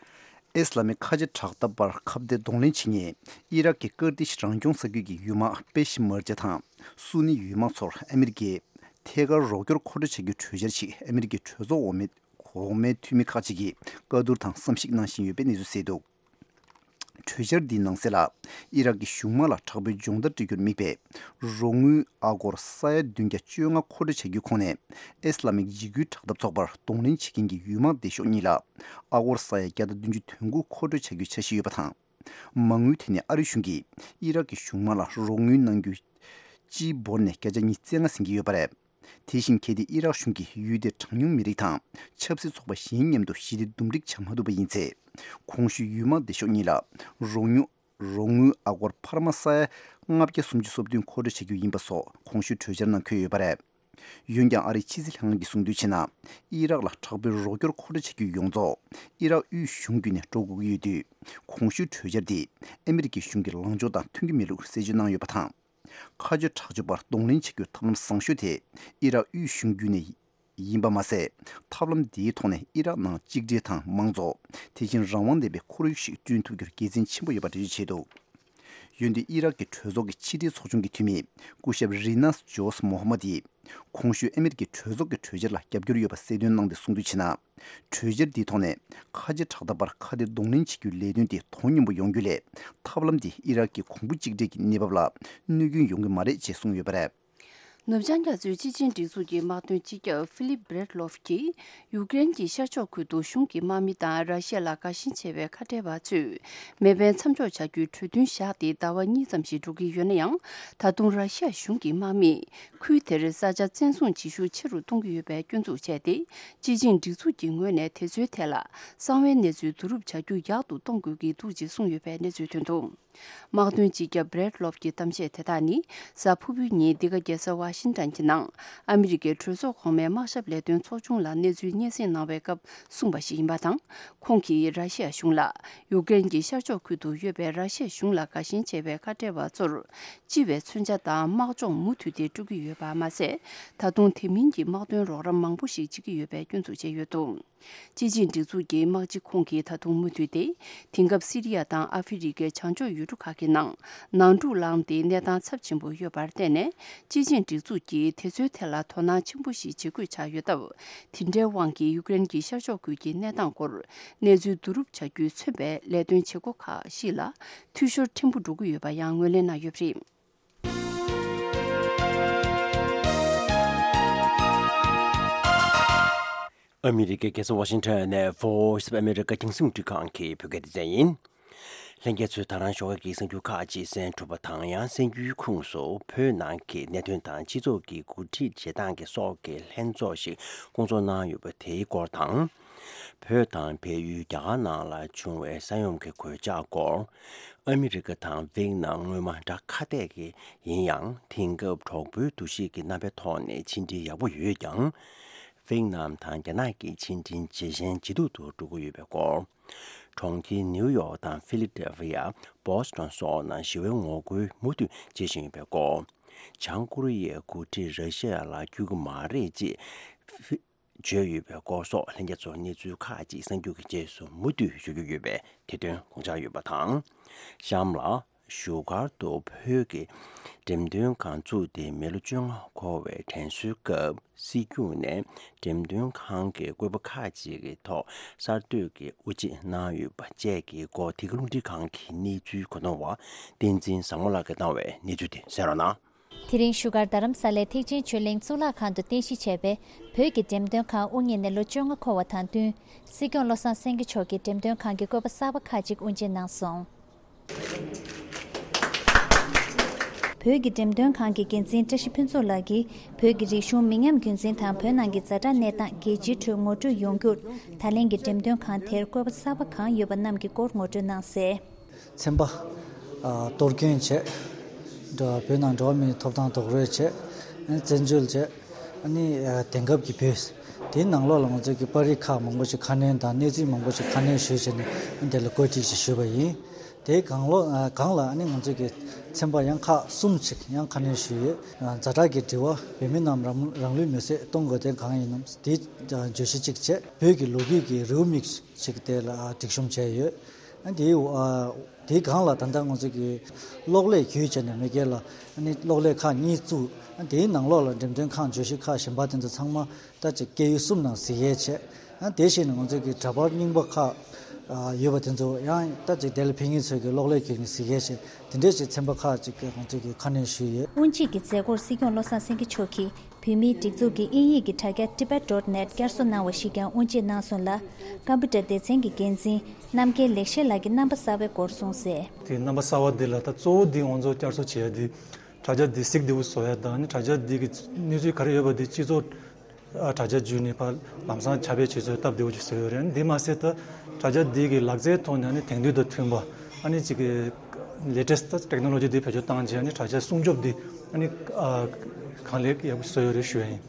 ཨི་སི་ལ་མི་ཁ་ཆེ་དྲག་འཐབ་པར་ཁ་གཏད་གདོང་ལེན་བྱེད་མཁན་ཨི་རག་གི་ཀར་ཏིཤ་རང་སྐྱོང་ས་ཁུལ་གྱི་ཡུལ་དམག་པེ་ཤི་མར་ཇ་དང་སུ་ནི་ཡུལ་དམག་ཚོར་ཨ་མི་རི་ཀས་ཐད་ཀར་རོགས་སྐྱོར་མཁོ་སྤྲོད་བྱ་རྒྱུའི་གྲོས་འཆར་ཞིག་ཨ་མི་རི་ཀའི་གྲོས་ཚོགས་འོག་མའི་འོག་མའི་འཐུས་མི་ཁག་ཅིག་གིས་བཀའ་བསྡུར་དང་བསམ་གཞིག་གནང་བཞིན་ཡོད་པའི་གནས་ཚུལ་གསལ་འདུག་གྲོས་འཆར་འདིའི་ནང་གསལ་ལ། ཨི་རག་གི་གཞུང་དམག་ལ་དྲག་པོའི་སྦྱོང་བརྡར་སྤྲད་རྒྱུར་དམིགས་པའི་རོགས་དངུལ་ཨ་སྒོར་ས་ཡ་བདུན་བརྒྱ་བཅོ་ལྔ་མཁོ་སྤྲོད་བྱ་རྒྱུའི་ཁོངས་ནས་ཨི་སི་ལ་མིག་འཇིགས་སྐུལ་དྲག་འཐབ་ཚོགས་པར་གདོང་ལེན་བྱེད་མཁན་གྱི་ཡུལ་དམག་སྡེ་ཤོག་གཉིས་ལ་ཨ་སྒོར་ས་ཡ་བརྒྱ་དང་བདུན་ཅུ་དོན་དགུ་མཁོ་སྤྲོད་བྱ་རྒྱུའི་འཆར་གཞི་ཡོད་པ་དང་། མ་དངུལ་དེ་ནི་ཨ་རི་གཞུང་གིས་ཨི་རག་གི་གཞུང་དམག་ལ་རོགས་དངུལ་གནང་རྒྱུ་སྤྱིའི་འབོར་ནས་བརྒྱ་ཆ་ཉི་ཤུ་རྩ་ལྔ་ཟིན་གྱི་ཡོད་པ་རེད། དེ་བཞིན་གལ་ཏེ་ཨི་རག་གཞུང་གིས་ཡུལ་དེའི་གྲངས་ཉུང་མི་རིགས་དང་ཆབ་སྲིད་ཚོགས་པ་གཞན་མཉམ་དུ་ཞི་བདེ་འདུམ་འགྲིག་བྱ་མ་ཐུབ་པ་ཡིན་ཚེ། གོང་ཞུས་ཡུལ་དམག་སྡེ་ཤོག་གཉིས་ལ་རོགས་དངུལ་རོགས་དངུལ་ཨ་སྒོར་འཕར་མ་ས་ཡ་ལྔ་བརྒྱ་སུམ་ཅུ་སོ་བདུན་མཁོ་སྤྲོད་བྱ་རྒྱུ་ཡིན་པ་སོགས་གོང་ཞུས་གྲོས་འཆར་ནང་འཁོད་ཡོད་པ་རེད། འོན་ཀྱང་ཨ་རིའི་ཕྱི་སྲིད་ལྷན་ཁང་གིས་གསུངས་དོན་བྱས་ན། ཨི་རག་ལ་དྲག་པོའི་རོགས་སྐྱོར་མཁོ་སྤྲོད་བྱ་རྒྱུ་ཡོངས་རྫོགས་ཨི་རག་དབུས་གཞུང་བརྒྱུད་ནས་འགྲོ་དགོས་ཀྱི་ཡོད་དུས། གོང་ཞུས་གྲོས་འཆར་འདིས་ཨ་མི་རི་ཀའི་གཞུང་གི་ལངས་ཕྱོགས་དང་མཐུན་གྱི་མེད་ལུགས་གསལ་བརྗོད་གནང་ཡོད་པ་དང་། མཁའ་སྤྱོད་དྲག་སྤྱོད་པར་གདོང་ལེན་བྱ་རྒྱུའི་ཐབས་ལམ་བཟང་ཤོས་དེ་ཨི་རག་དབུས་གཞུང་བརྒྱུད་ནས་ཡིན་པ་མ་ཟད། ཐབས་ལམ་འདིའི་ཐོག་ནས་ཨི་རག་ནང་གཅིག་སྒྲིལ་དང་མང་གཙོ། དེ་བཞིན་རང་དབང་ལྡན་པའི་ཁོར་ཡུག་ཞིག་བསྐྲུན་ཐུབ་རྒྱུར་དགེ་མཚན་ཆེན་པོ་ཡོད་པ་འགྲེལ་བརྗོད་བྱས་འདུག་འོན་ཏེ་ཨི་རག་གི་གྲོས་ཚོགས་ཀྱི་ཕྱི་འབྲེལ་ཚོགས་ཆུང་གི་འཐུས་མི་སྐུ་ཞབས་རི་ནཱས་ཇོས་མོ་ཧ་མ་དིས། གོང་ཞུས་ཨ་མི་རི་ཀའི་གྲོས་ཚོགས་ཀྱི་གྲོས་འཆར་ལ་རྒྱབ་སྐྱོར་ཡོད་པ་གསལ་སྟོན་གནང་སྟེ་གསུངས་དོན་བྱས་ན། གྲོས་འཆར་འདིའི་ཐོག་ནས་ཁ་ཆེ་དྲག་འཐབ་པར་ཁ་གཏད་གདོང་ལེན་བྱེད་རྒྱུའི་ལས་དོན་དེ་དོ་མཉམ་པོ་ཡོང་རྒྱུ་ལས། ཐབས་ལམ་འདིས་ཨི་རག་གི་གོང་བུ་གཅིག་སྒྲིལ་གྱི་གནས་བབ་ལ་གནོད་སྐྱོན་ཡོང་གི་མ་རེད་ཅེས་གསུངས་ཡོད་པ་རེད། ནུབ་བྱང་རྒྱ་མཚོའི་སྤྱི་ཆིངས་སྒྲིག་འཛུགས་ཀྱི་དམག་དོན་སྤྱི་ཁྱབ་ཧྥི་ལིབ་བྷེ་རེད་ལོབ་ཀྱིས་ཡུཀ་རེན་གྱི་ཤར་ཕྱོགས་ཁུལ་དུ་གཞུང་གི་དམག་མི་དང་ར་ཤི་ཡ་ལ་དགའ་ཞེན་ཆེ་བའི་ཁ་བྲལ་བ་ཚོས་མེ་འཕེན་མཚམས་འཇོག་བྱ་རྒྱུའི་གྲོས་མཐུན་བཞག་སྟེ་ཟླ་བ་གཉིས་ཙམ་ཞིག་འགྲོ་གི་ཡོད་ན་ཡང་། ད་དུང་ར་ཤི་ཡ་གཞུང་གི་དམག་མིས་ཁུལ་དེར་ས་ཆ་བཙན་བཟུང་བྱེད་ཤུགས་ཆེ་རུ་གཏོང་གི་ཡོད་པའི་སྐྱོན་འཛུགས་བྱས་ཏེ། སྤྱི་ཆིངས་སྒྲིག་འཛུགས་ཀྱི་ངོས་ནས་དེ་ཚོའི་ཐད་ལ་གསང་བའི་གནས་ཚུལ་བསྡུ་རུབ་བྱ་རྒྱུ་ཡག་ཏུ་གཏོང་དགོས་ཀྱི་འདུག་ཅེས་གསུངས་ཡོད་པའི་གནས་ཚུལ་ཐོན་འདུག་དམག་དོན་སྤྱི་ཁྱབ་བྷེ་རེད་ལོབ་ཀྱི་གཏམ་བཤད་དེ་དག་ནི་གཟའ་ཕུར་བུའི་ཉིན་འདི་ག་རྒྱལ་ས་ཝ་ཤིང་ཏན་གྱི་ནང་ཨ་མི་རི་ཀའི་གྲོས་ཚོགས་གོང་མའི་དམག་ཞབས་ལས་དོན་ཚོགས་ཆུང་ལ་གནས་ཚུལ་སྙན་སེང་གནང་བའི་སྐབས་གསུངས་པ་ཞིག་ཡིན་པ་དང་། ཁོང་གིས་ར་ཤི་ཡ་གཞུང་ལ་ཡུཀ་རེན་གྱི་ཤར་ཕྱོགས་ཁུལ་དུ་ཡོད་པའི་ར་ཤི་ཡ་གཞུང་ལ་དགའ་ཞེན་ཆེ་བའི་ཁ་བྲལ་བ་ཚོར་སྤྱི་བའི་མཚོན་ཆ་དང་དམག་སྦྱོང་མུ་མཐུད་དེ་སྤྲོད་ཀྱི་ཡོད་པ་མ་ཟད། ད་དུང་དེ་མིན་གྱི་དམག་དོན་རོགས་རམ་མང་པོ་ཞིག་བྱེད་ཀྱི་ཡོད་པའི་སྐྱོན་འཛུགས་བྱས་ཡོད་འདུག་སྤྱི་ཆིངས་སྒྲིག་འཛུགས་ཀྱི་དམག་སྤྱི་ཁོང་གིས་ད་དུང་མུ་མཐུད་དེ། དེང་སྐབས་སི་རི་ཡ་དང་ཨ་ཧྥེ་རི་ཁའི་བྱང་ཕྱོགས་ཡུལ་གྲུ་ཁག་གི་ནང་ནང་འཁྲུག་ལངས་ཏེ་གནས་སྟངས་ཚབས་ཆེན་པོ་ཡོད་པར་བརྟེན་ནས། སྤྱི་ཆིངས་སྒྲིག་འཛུགས་ཀྱིས་དེ་ཚོའི་ཐད་ལ་དོ་སྣང་ཆེན་པོ་ཞིག་བྱེད་དགོས་ཆགས་ཡོད་སྟབས། དེ་འདྲའི་དབང་གིས་ཡུཀ་རེན་གྱི་ཤར་ཕྱོགས་ཁུལ་གྱི་གནས་སྟངས་སྐོར་གནས་ཚུལ་བསྡུ་རུབ་བྱ་རྒྱུས་མཚོན་པའི་ལས་དོན་བྱེད་སྒོ་ཁག་ཞིག་ལ་འཐུས་ཤོར་ཕྲན་བུ་འགྲོ་གི་ཡོད་པ་ཡང་ངོས་ལེན་གནང་ཡོད་པ་རེད། ཨ་མི་རི་ཀའི་རྒྱལ་ས་ཝ་ཤིང་ཊོན་ནས་Voice of America རྒྱང་སྲིང་རླུང་འཕྲིན་ཁང་གི་བོད་སྐད་སྡེ་ཚན་ཡིན། ལྷན་རྒྱས་ཚོས་ད་རང་ཞོགས་ཀས་ཀྱི་གསར་འགྱུར་ཁག་ཅིག་གསན་གྲུབ་པ་དང་། ཡང་གསར་འགྱུར་ཁུངས་སུ་བོད་ནང་གི་གནད་དོན་དང་སྤྱི་ཚོགས་ཀྱི་འགོ་ཁྲིད་བྱེད་སྟངས་ཀྱི་སོགས་ཀྱི་ལྷན་ཚོགས་ཤིག་བསྐོང་ཚོགས་གནང་ཡོད་པ་དེའི་སྐོར་དང་། བོད་དང་བལ་ཡུལ་རྒྱ་གར་ནང་ལ་བྱུང་བའི་ས་ཡོམ་གྱི་གོད་ཆག་སྐོར། ཨ་མི་རི་ཀ་དང་ཝེག་ནམ་སྔོན་མ་དགྲ་ཁ་གཏད་ཀྱི་ཡིན་ཡང་། དེང་སྐབས་གྲོགས་པོའི་འདུ་ཤེས་ཀྱི་རྣམ་པའི་ཐོག་ནས་ཕྱི་འབྲེལ་ཡག་པོ་ཡོད་ཀྱང་། ཝེག་ནམ་དང་རྒྱ་ནག་གི་ཕྱི་འབྲེལ་ཇེ་ཞན་ཇེ་སྡུག་ཏུ་འགྲོ་གི་ཡོད་པའི་སྐོར། གྲོང་ཁྱེར་ནིའུ་ཡོག་དང་ཧྥི་ལི་ཌེལ་ཕི་ཡ། བོ་སི་ཊོན་སོགས་ནང་ཞི་བའི་ངོ་རྒོལ་མུ་མཐུད་བྱེད་བཞིན་ཡོད་པའི་སྐོར། བྱང་ཀོ་རི་ཡའི་འགོ་ཁྲིད་ར་ཤི་ཡ་ལ་བསྐྱོད་ཀྱི་མ་རེད་ཅེས་བརྗོད་ཡོད་པའི་སྐོར་སོགས། ལྷན་རྒྱས་ཚོར་གནས་ཚུལ་ཁག་ཅིག་གསར་འགྱུར་གྱི་རྗེས་སུ་མུ་མཐུད་ཞུ་རྒྱུ་ཡོད་པས། དེ་དོན་དགོངས་འཇགས་ཡོད་པ་དང་། གཤམ་ལ། བཞུགས་སྒར་དུ་བོད་ཀྱི་འགྲེམས་སྟོན་ཁང་བཙུགས་ཏེ་མི་ལོ་བཅོ་ལྔ་འཁོར་བའི་དྲན་གསོའི་སྐབས། སྲིད་སྐྱོང་ནས་འགྲེམས་སྟོན་ཁང་གི་བཀོད་པ་ཁག་ཅིག་གི་ཐོག་གསར་གཏོད་ཀྱི་དབུ་འབྱེད་གནང་ཡོད་པ་བཅས་ཀྱི་སྐོར། དེ་ག་རླུང་འཕྲིན་ཁང་གི་གནས་ཚུལ་གོ་ནོར་བ་བསྟན་འཛིན་བཟང་མོ་ལགས་ཀྱིས་བཏང་བའི་གནས་ཚུལ་དེ་གསན་རོགས་གནང་། དེ་རིང་བཞུགས་སྒར་རྡ་རམ་ས་ལའི་ཐེག་ཆེན་ཆོས་གླིང་གཙུག་ལག་ཁང་དུ་རྟེན་གཞི་བྱས་པའི་བོད་ཀྱི་འགྲེམས་སྟོན་ཁང་དབུ་བརྙེས་ནས་ལོ་བཅོ་ལྔ་འཁོར་བ་དང་བསྟུན། སྲིད་སྐྱོང་བློ་བཟང་སེང་གེ་མཆོག་གིས་འགྲེམས་སྟོན་ཁང་གི་བཀོད་པ་གསར་པ་ཁག་ཅིག་དབུ་འབྱེད་གནང་སོང་། བོད་ཀྱི་འགྲེམས་སྟོན་ཁང་གི་འགན་འཛིན་བཀྲ་ཤིས་ཕུན་ཚོགས་ལགས་ཀྱིས། བོད་ཀྱི་རིག་གཞུང་མི་ཉམས་རྒྱུན་འཛིན་དང་། བོད་ནང་གི་ཛ་དྲག་གནས་སྟངས་རྒྱལ་སྤྱིའི་ཁྲོད་ངོ་སྤྲོད་ཡོང་རྒྱུར། ད་ལན་གྱི་འགྲེམས་སྟོན་ཁང་དེར་བཀོད་པ་གསར་པ་གང་ཡོད་པ་རྣམས་ཀྱི་སྐོར་ངོ་སྤྲོད་གནང་གསལ། ཚན་པ། ཨ། གཏོར་སྐྱོན་བྱས། འགྲོ་བ་བོད་ནང་འགྲོ་བ་མིའི་ཐོབ་ཐང་རྡོག་རོལ་བྱས། ཨ་ནི་བཙན་བྱོལ་བྱས། ཨ་ནི་ཨ་དེང་སྐབས་ཀྱི་བོད། དེའི་ནང་ལོགས་ལ་ང་ཚོས་ཀྱི་པར་རིས་ཁག་མང་པོ་ཞིག་ཁ་སྣོན་དང་གནས་ཚུལ་མང་པོ་ཞིག་ཁ་སྣོན་ཞུས་བྱས་ནས། ཨ་ནི་དེ་ལ་བཀོད་སྒྲིག་ཞིག་ཞུས་པ་ཡིན། དེའི་སྒང་ལོགས། ཨ་སྒང་ལ་ཨ་ནི་ང་ཚོས་ཀྱི་ཚན་པ་ཡང་ཁག་གསུམ་ཞིག་ཡང་ཁ་སྣོན་ཞུས་ཡོད། ཨ་ཛ་དྲག་གི་དྲི་བ། བོད་མི་རྣམས་རང་རང་ལུས་མེར་སྲེག་གཏོང་དགོས་དོན་གང་ཡིན་ནམ། དེའི་བརྗོད་གཞི་གཅིག་བྱས། བོད་ཀྱི་ལོ་རྒྱུས་ཀྱི་རེའུ་མིག་ཞིག་དེ་ལ་ཨ་སྒྲིག་གཤོམ་བྱས་ཡོད། ཨ་དེའི་ཨ་དེའི་སྒང་ལ་ད་ལྟ་ང་ཚོ་གི་གློག་ཀླད་བརྒྱུད་བྱས་ནས་མ་གི་ལ། ཨ་ནི་གློག་ཀླད་ཁག་གཉིས་བཙུགས། ཨ་དེའི་ནང་ལོགས་ལ་འགྲེམས་སྟོན་ཁང་བརྗོད་གཞི་ཁག་གཞན་པ་དེ་ཚོ་ཚང་མ་ད་ཅིག་སྐད་ཡིག་གསུམ་ནང་གཟིགས་ཡས་བྱས། ཨ་དེ་བཞིན་ང་ཚོ་གི་འདྲ་པར་རྙིང་པ་ཁག་ ཡོད་པ་དེ་ཚོ་ཡང་ད་ཅིག་དེ་ལ་ཕེབས་མཁན་ཚོས་ཀྱི་གློག་ཀླད་ཀྱི་གཟིགས་མཁན་ཞིག་དེ་འདྲས་ཅིག་ཚན་པ་ཁག་ཅིག་གི་ང་ཚོས་ཀྱི་ཁ་སྣོན་ཞུས་ཡོད། དབུ་འབྱེད་ཀྱི་མཛད་སྒོར་སྲིད་སྐྱོང་བློ་བཟང་སེང་གེ་མཆོག་གིས་བོད་མིའི་སྒྲིག་འཛུགས་ཀྱི་དབྱིན་ཡིག་གི་དྲ་རྒྱ་ཊི་བེཊ་ཌོཊ་ནེཊ་བསྐྱར་གསོ་གནང་བ་ཞིག་ཀྱང་དབུ་འབྱེད་གནང་སོང་ལ། ཀམ་པུ་ཊར་སྡེ་ཚན་གྱི་འགན་འཛིན་རྣམ་རྒྱལ་ལེགས་བཤད་ལགས་ཀྱིས་རྣམ་པ་གསར་པའི་སྐོར་གསུངས་གསལ། དེ་རྣམ་པ་གསར་པ་འདི་ལ་ད་གཙོ་བོ་འདི་ང་ཚོ་བསྐྱར་གསོ་བྱེད་ཡ་འདི་དྲ་རྒྱ་འདི་གཟིགས་བདེ་པོ་བཟོ་ཡ་དང་ནི་དྲ་རྒྱ་འདི་གི་གནས་ཚུལ་ག་རེ་ཡོད་པ་འདི་སྤྱི་ཚོགས་ཨ་དྲ་རྒྱ་བརྒྱུད་ནས་ཕར་ལམ་སང་ཁྱབ་སྤེལ་བྱེད་ཚུལ་སྟབས་བདེ་པོ་ཅིག་བཟོས་ཡོད་རེད། འདི་མ་ཟད་ད་དྲ་རྒྱ་འདི་གི་ལག་རྩལ་ཐོག་ནས་ཨ་ནི་དེང་དུས་དང་མཐུན་པ་ཨ་ནི་ཅིག་གི་ལེ་ཊེསི་ཊི་ཊེག་ནོ་ལོ་ཇི་འདི་བེད་སྤྱོད་བཏང་རྗེས་ཨ་ནི་དྲ་རྒྱ་སྲུང་སྐྱོབ་འདི་ཨ་ནི་ཨ་གང་ལེགས་ཡག་པོ་བཟོས་ཡོད་རེད་ཞུ་ཡ་ཡིན།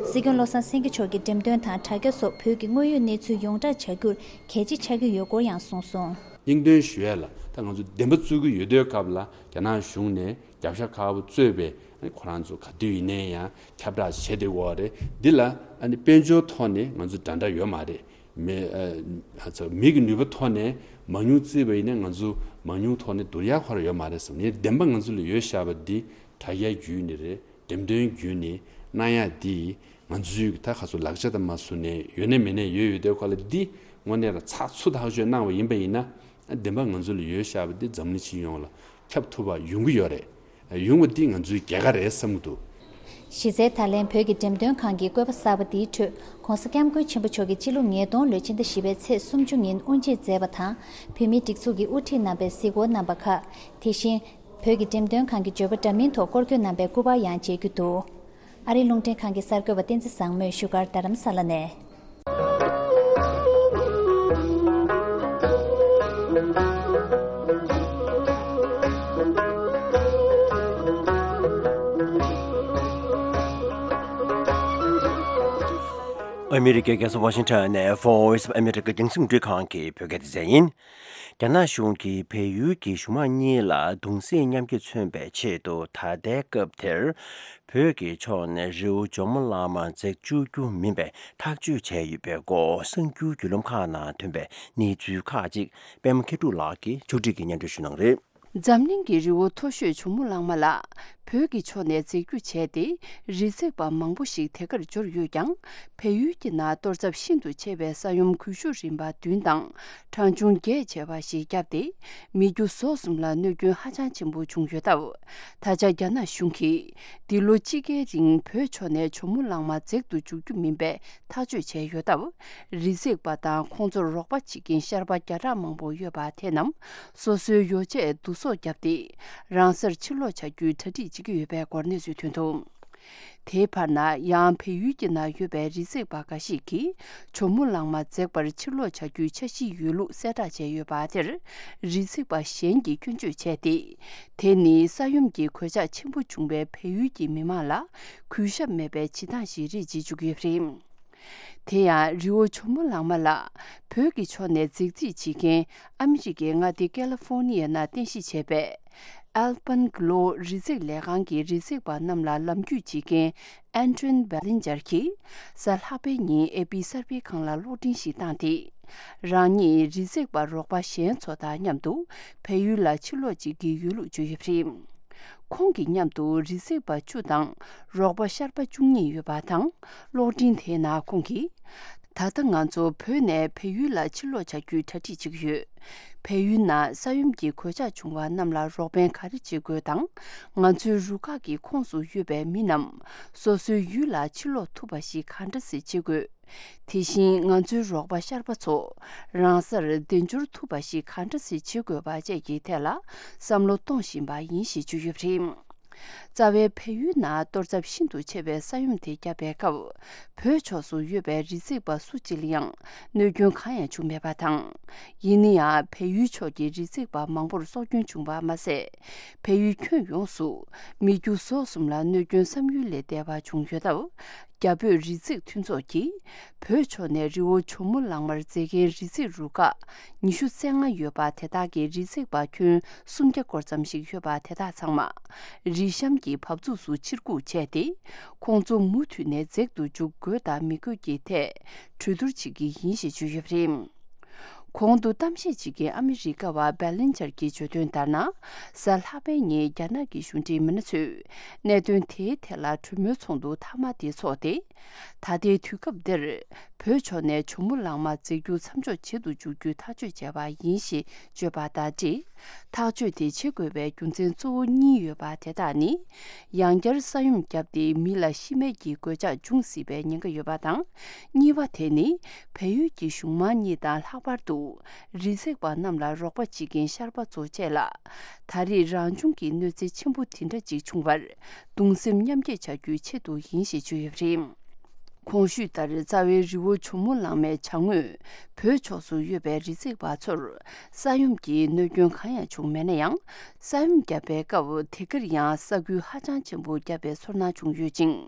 སྲིད་སྐྱོང་བློ་བཟང་སེང་གེ་མཆོག་གིས་འགྲེམས་སྟོན་དང་དྲ་རྒྱ་སོགས་བོད་ཀྱི་དངོས་ཡོད་གནས་ཚུལ་ཡོངས་བསྒྲགས་བྱ་རྒྱུར་གལ་ཆེ་ཆགས་ཀྱི་ཡོད་སྐོར་ཡང་གསུངས་སོང་། སྙིང་དོན་ཞུ་ཡ་ལ་ད་ང་ཚོ་འདེམས་པ་བཙུགས་ཀྱི་ཡོད་དུས་སྐབས་ལ་རྒྱ་ནག་གཞུང་ནས་རྒྱབ་ཤ་ཁ་པོ་གཙོས་པའི་ཁོ་རང་ཚོ་ག་དུས་ཡིན་ནའི་ཡང་ཁྱབ་བསྒྲགས་བྱེད་བསྡད་ཡོད་རེད། འདི་ལ་ཨ་ནི་དཔལ་འབྱོར་ཐོག་ནས་ང་ཚོ་འདྲ་འདྲ་ཡོད་མ་རེད། མི་ཨ་ཚོ་མི་གི་ནུས་པ་ཐོག་ནས་མང་ཉུང་བརྩིས་པ་ཡིན་ན་ང་ཚོ་མང་ཉུང་ཐོག་ནས་བསྡུར་ཡ་ཁོ་རང་ཡོད་མ་རེད་བསམ་ནས་བདེན་པ་ང་ཚོ་ལ་ཡོད་བཞག་པ་འདི་དྲ་རྒྱ་བརྒྱུད་ནས་རེད། འགྲེམས་སྟོན་བརྒྱུད་ནས་གནང་ཡ་འདི་ང་ཚོའི་ད་ག་ཚོད་ལག་ཆ་དང་མ་བཟུང་ནས་ཡོད་ནས་མེད་ནས་ཡོད་ཡོད་དེ་ཁོ་ལ་འདི་དངོས་གནས་ལ་ཚགས་ཚུད་ཐག་ཆོད་གནང་བ་ཡིན་པ་ཡིན་ན་བདེན་པ་ང་ཚོ་ལ་ཡོད་བཞག་པ་འདི་འཛམ་གླིང་སྤྱི་ཡོངས་ལ་ཁྱབ་ཐུབ་པ་ཡོང་གི་ཡོད་རེད། ཡོང་བ་འདི་ང་ཚོའི་རྒྱལ་ཁ་རེད་བསམ་གྱི་འདུག་གཞི་རྩའི་ད་ལན་བོད་ཀྱི་འགྲེམས་སྟོན་ཁང་གི་བཀོད་པ་གསར་པ་འདིའི་ཁྲོད་༧གོང་ས་༧སྐྱབས་མགོན་ཆེན་པོ་མཆོག་གིས་སྤྱི་ལོ་ཉིས་སྟོང་ལོའི་ཕྱི་ཟླ་བཞི་པའི་ཚེས་སུམ་ཅུ་ཉིན་དབུ་འབྱེད་མཛད་པ་དང་། བོད་མིའི་སྒྲིག་འཛུགས་ཀྱི་དབུ་ཁྲིད་རྣམ་པས་གཟིགས་སྐོར་གནང་པ་ཁག་དེ་བཞིན། བོད་ཀྱི་འགྲེམས་སྟོན་ཁང་གི་བརྗོད་པ་འདྲ་མིན་ཐོག་སྐོར་སྐྱོད་གནང་པའི་སྐུ་པར་ཡང་མཇལ་རྒྱུ་འདུག་ཨ་རིའི་རླུང་འཕྲིན་ཁང་གི་གསར་འགོད་པ་བསྟན་འཛིན་བཟང་མོས་བཞུགས་སྒར་རྡ་རམ་ས་ལ་ནས། ཨ་མི་རི་ཀའི་རྒྱལ་ས་ཝ་ཤིང་ཊོན་ནས་Voice of America་རྒྱང་སྲིང་རླུང་འཕྲིན་ཁང་གི་བོད་སྐད་སྡེ་ཚན་ཡིན། རྒྱ་ནག་གཞུང་གིས་བལ་ཡུལ་གྱི་གཞུང་མང་གཉིས་ལ་གདུང་སེམས་མཉམ་སྐྱེད་མཚོན་པའི་ཆེད་དུ་ད་ལྟའི་སྐབས་དེར་བོད་ཀྱི་ཕྱོགས་ནས་རི་བོ་ཇོ་མོ་གླང་མ་འཛེགས་བཅུག་རྒྱུ་མིན་པའི་ཐག་གཅོད་བྱས་ཡོད་པའི་སྐོར་གསར་འགྱུར་བརྒྱུད་ལམ་ཁག་ནང་ཐོན་པའི་གནས་ཚུལ་ཁག་ཅིག་པད་མ་མཁས་གྲུབ་ལགས་ཀྱིས་ཕྱོགས་སྒྲིག་གིས་སྙན་སྒྲོན་ཞུ་གནང་རེད། འཛམ་གླིང་གི་རི་བོ་མཐོ་ཤོས་ཇོ་མོ་གླང་མ་ལ་བོད་ཀྱི་ཕྱོགས་ནས་འཛེགས་རྒྱུ་བྱས་ཏེ་རི་འཛེག་པ་མང་པོ་ཞིག་དེ་གར་འབྱོར་ཡོད་ཀྱང་། བལ་ཡུལ་གྱི་ནང་གཏོར་ཚབས་ཤིན་ཏུ་ཆེ་བའི་ས་ཡོམ་འགུལ་ཤུགས་རིམ་པ་བདུན་དང་གྲངས་ཆུང་བརྒྱད་བྱས་པ་ཞིག་བརྒྱབ་སྟེ། མི་རྒྱུ་ཟོག་གསུམ་ལ་གནོད་སྐྱོན་ཧ་ཅང་ཆེན་པོ་བྱུང་ཡོད་སྟབས། ད་ཆ་རྒྱ་ནག་གཞུང་གིས་འདི་ལོ་དཔྱིད་ཀའི་རིང་བོད་ཕྱོགས་ནས་ཇོ་མོ་གླང་མ་འཛེག་ཏུ་འཇུག་རྒྱུ་མིན་པའི་ཐག་གཅོད་བྱས་ཡོད་སྟབས། རི་འཛེག་པ་དང་ཁོང་ཚོར་རོགས་པ་བྱེད་མཁན་ཤར་པ་བརྒྱ་ཕྲག་མང་པོ་ཡོད་པ་དེ་རྣམས་སོ་སོའི་ཡོ་བྱད་བསྡུ་གསོག་བརྒྱབ་སྟེ། རང་སར་ཕྱིར་ལོག་བྱ་རྒྱུའི་གྲ་སྒྲིག་བྱེད་ཀྱི་ཡོད་པའི་སྐོར་གནས་ཚུལ་ཐོན་འདུག་དེའི་བར་ན་ཡང་བལ་ཡུལ་གྱི་ནང་ཡོད་པའི་རི་འཛེག་པ་འགའ་ཞིག་གིས་ཇོ་མོ་གླང་མ་འཛེག་པར་ཕྱིར་ལོག་བྱ་རྒྱུའི་འཆར་གཞིའི་ཡོད་ལུགས་གསལ་བསྒྲགས་བྱས་ཡོད་པ་དེར། རི་འཛེག་པ་གཞན་གྱིས་སྐྱོན་བརྗོད་བྱས་ཏེ། དེ་ནི་ས་ཡོམ་གྱི་གོད་ཆག་ཆེན་པོ་བྱུང་བའི་བལ་ཡུལ་གྱི་མི་མང་ལ་གུས་ཞབས་མེད་པའི་བྱེད་སྟངས་ཤིག་རེད་ཅེས་བརྗོད་ཀྱི་ཡོད་པ་རེད། དེ་ཡང་རི་བོ་ཇོ་མོ་གླང་མ་ལ་བོད་ཀྱི་ཕྱོགས་ནས་འཛེག་རྩིས་བྱེད་མཁན་ཨ་མི་རི་ཀའི་མངའ་སྡེ་ཀེ་ལི་ཧྥོ་ནི་ཡའི་ནང་རྟེན་གཞི་བྱས་པའི་Alpenglow རི་འཛེག་ལས་ཁང་གི་རི་འཛེག་པ་རྣམས་ལ་ལམ་རྒྱུས་བྱེད་མཁན་Adrian Bellinger གྱིས་གཟའ་ལྷག་པའི་ཉིན་ཨེ་པི་གསར་སྤེལ་ཁང་ལ་གློག་འཕྲིན་ཞིག་བཏང་སྟེ། རང་ཉིད་རི་འཛེག་པ་རོགས་པ་གཞན་ཚོ་དང་མཉམ་དུ་བལ་ཡུལ་ལ་ཕྱིར་ལོག་བྱེད་ཀྱི་ཡོད་ལུགས་བརྗོད་ཡོད་པ་རེད། ཁོང་གི་མཉམ་དུ་རི་འཛེག་པ་བཅུ་དང་རོགས་པ་ཤར་པ་བཅུ་གཉིས་ཡོད་པ་དང་། གློག་འཕྲིན་དེའི་ནང་ཁོང་གིས། ད་ལྟ་ང་ཚོ་བོད་ནས་བལ་ཡུལ་ལ་ཕྱིར་ལོག་བྱ་རྒྱུའི་གྲ་སྒྲིག་བྱེད་ཀྱི་ཡོད། བལ་ཡུལ་ནང་ས་ཡོམ་གྱི་གོད་ཆག་བྱུང་བ་རྣམས་ལ་རོགས་ཕན་ག་རེ་བྱེད་དགོས་དང་། ང་ཚོའི་རུ་ཁག་གི་ཁོངས་སུ་ཡོད་པའི་མི་རྣམས་སོ་སོའི་ཡུལ་ལ་ཕྱིར་ལོག་ཐུབ་པ་ཞིག་གང་འདྲ་སེ་བྱེད་དགོས། དེ་བཞིན་ང་ཚོའི་རོགས་པ་ཤར་པ་ཚོ་རང་སར་བདེ་འབྱོར་ཐུབ་པ་ཞིག་གང་འདྲ་སེ་བྱེད་དགོས་པ་བཅས་ཀྱི་ཐད་ལ་བསམ་བློ་གཏོང་བཞིན་པ་ཡིན་ཞེས་བརྗོད་ཡོད་པ་རེད། རྩ་བའི་བལ་ཡུལ་ནང་གཏོར་ཚབས་ཤིན་ཏུ་ཆེ་བའི་ས་ཡོམ་དེ་བརྒྱབ་པའི་སྐབས། བོད་ཕྱོགས་སུ་ཡོད་པའི་རི་འཛེག་པ་སུ་གཅིག་ལ་ཡང་གནོད་སྐྱོན་གང་ཡང་བྱུང་མེད་པ་དང་། ཡིན་ན་ཡང་བལ་ཡུལ་ཕྱོགས་ཀྱི་རི་འཛེག་པ་མང་པོར་སྲོག་སྐྱོན་བྱུང་བ་མ་ཟད། བལ་ཡུལ་ཁྱོན་ཡོངས་སུ་མི་རྒྱུ་ཟོག་གསུམ་ལ་གནོད་སྐྱོན་བསམ་ཡུལ་ལས་འདས་པ་བྱུང་ཡོད་སྟབས། རྒྱ་བོད་རི་འཛེག་མཐུན་ཚོགས་ཀྱིས་བོད་ཕྱོགས་ནས་རི་བོ་ཇོ་མོ་གླང་མར་འཛེག་མཁན་རི་འཛེག་རུ་ཁག་ཉི་ཤུ་རྩ་ལྔ་ཡོད་པ་དེ་དག་གི་རི་འཛེག་པ་ཁྱོན་སུམ་བརྒྱ་སྐོར་ཙམ་ཞིག་ཡོད་པ་དེ་དག་ཚང་མ་རི་གཤམ་གྱི་བབས་ཚུགས་སུ་ཕྱིར་འགུག་བྱས་ཏེ། ཁོང་ཚོ་མུ་མཐུད་ནས་འཛེག་ཏུ་འཇུག་དགོས་དང་མི་དགོས་ཀྱི་ཐད་གྲོས་བསྡུར་བྱེད་ཀྱི་ཡིན་ཞེས་བརྗོད་ཡོད་པ་རེད། གོང་དུ་གཏམ་བཤད་བྱེད་མཁན་ཨ་མི་རི་ཀ་བ་བྷེ་ལིན་ཇར་གྱིས་བརྗོད་དོན་ལྟར་ན། གཟའ་ལྷག་པའི་ཉིན་རྒྱ་ནག་གི་གཞུང་འབྲེལ་མི་སྣ་ཚོས་གནད་དོན་དེའི་ཐད་ལ་གྲོས་མོལ་ཚོགས་འདུ་མཐའ་མ་དེ་འཚོགས་ཏེ། ད་ལྟའི་དུས་སྐབས་འདིར་བོད་ཕྱོགས་ནས་ཇོ་མོ་གླང་མ་འཛེགས་རྒྱུ་མཚམས་འཇོག་བྱེད་དུ་འཇུག་རྒྱུའི་ཐག་གཅོད་བྱས་པ་ཡིན་ཞེས་བརྗོད་པ་དང་འབྲེལ། ཐག་གཅོད་དེ་བྱེད་དགོས་པའི་རྒྱུ་མཚན་གཙོ་བོ་གཉིས་ཡོད་པ་དེ་དག་ནི། ཡང་བསྐྱར་ས་ཡོམ་བརྒྱབ་སྟེ་མི་ལ་ཤི་རྨས་ཀྱི་གོད་ཆག་འབྱུང་སྲིད་པའི་ཉེན་ཁ་ཡོད་པ་དང་། གཉིས་པ་དེ་ནི་བལ་ཡུལ་གྱི་གཞུང་མང་གཉིས་དང་ལྷག་པར་དུ་རི་འཛེག་པ་རྣམས་ལ་རོགས་པ་བྱེད་མཁན་ཤར་པ་ཚོ་བཅས་ལ། ད་རེས་རང་བྱུང་གི་གནོད་འཚེ་ཆེན་པོ་དེ་འདྲ་ཅིག་བྱུང་བར་གདུང་སེམས་མཉམ་སྐྱེད་བྱ་རྒྱུའི་ཆེད་དུ་ཡིན་ཞེས་བརྗོད་ཡོད་པ་རེད། གོང་ཞུས་ལྟར་རྩ་བའི་རི་བོ་ཇོ་མོ་གླང་མའི་བྱང་ངོས་བོད་ཕྱོགས་སུ་ཡོད་པའི་རི་འཛེག་པ་ཚོར་ས་ཡོམ་གྱི་གནོད་སྐྱོན་གང་ཡང་བྱུང་མེད་ན་ཡང་། ས་ཡོམ་བརྒྱབ་པའི་སྐབས་དེ་གར་ཡང་ས་ཁུལ་ཧ་ཅང་ཆེན་པོ་བརྒྱབ་པའི་ཚོར་སྣང་བྱུང་ཡོད་ཅིང་།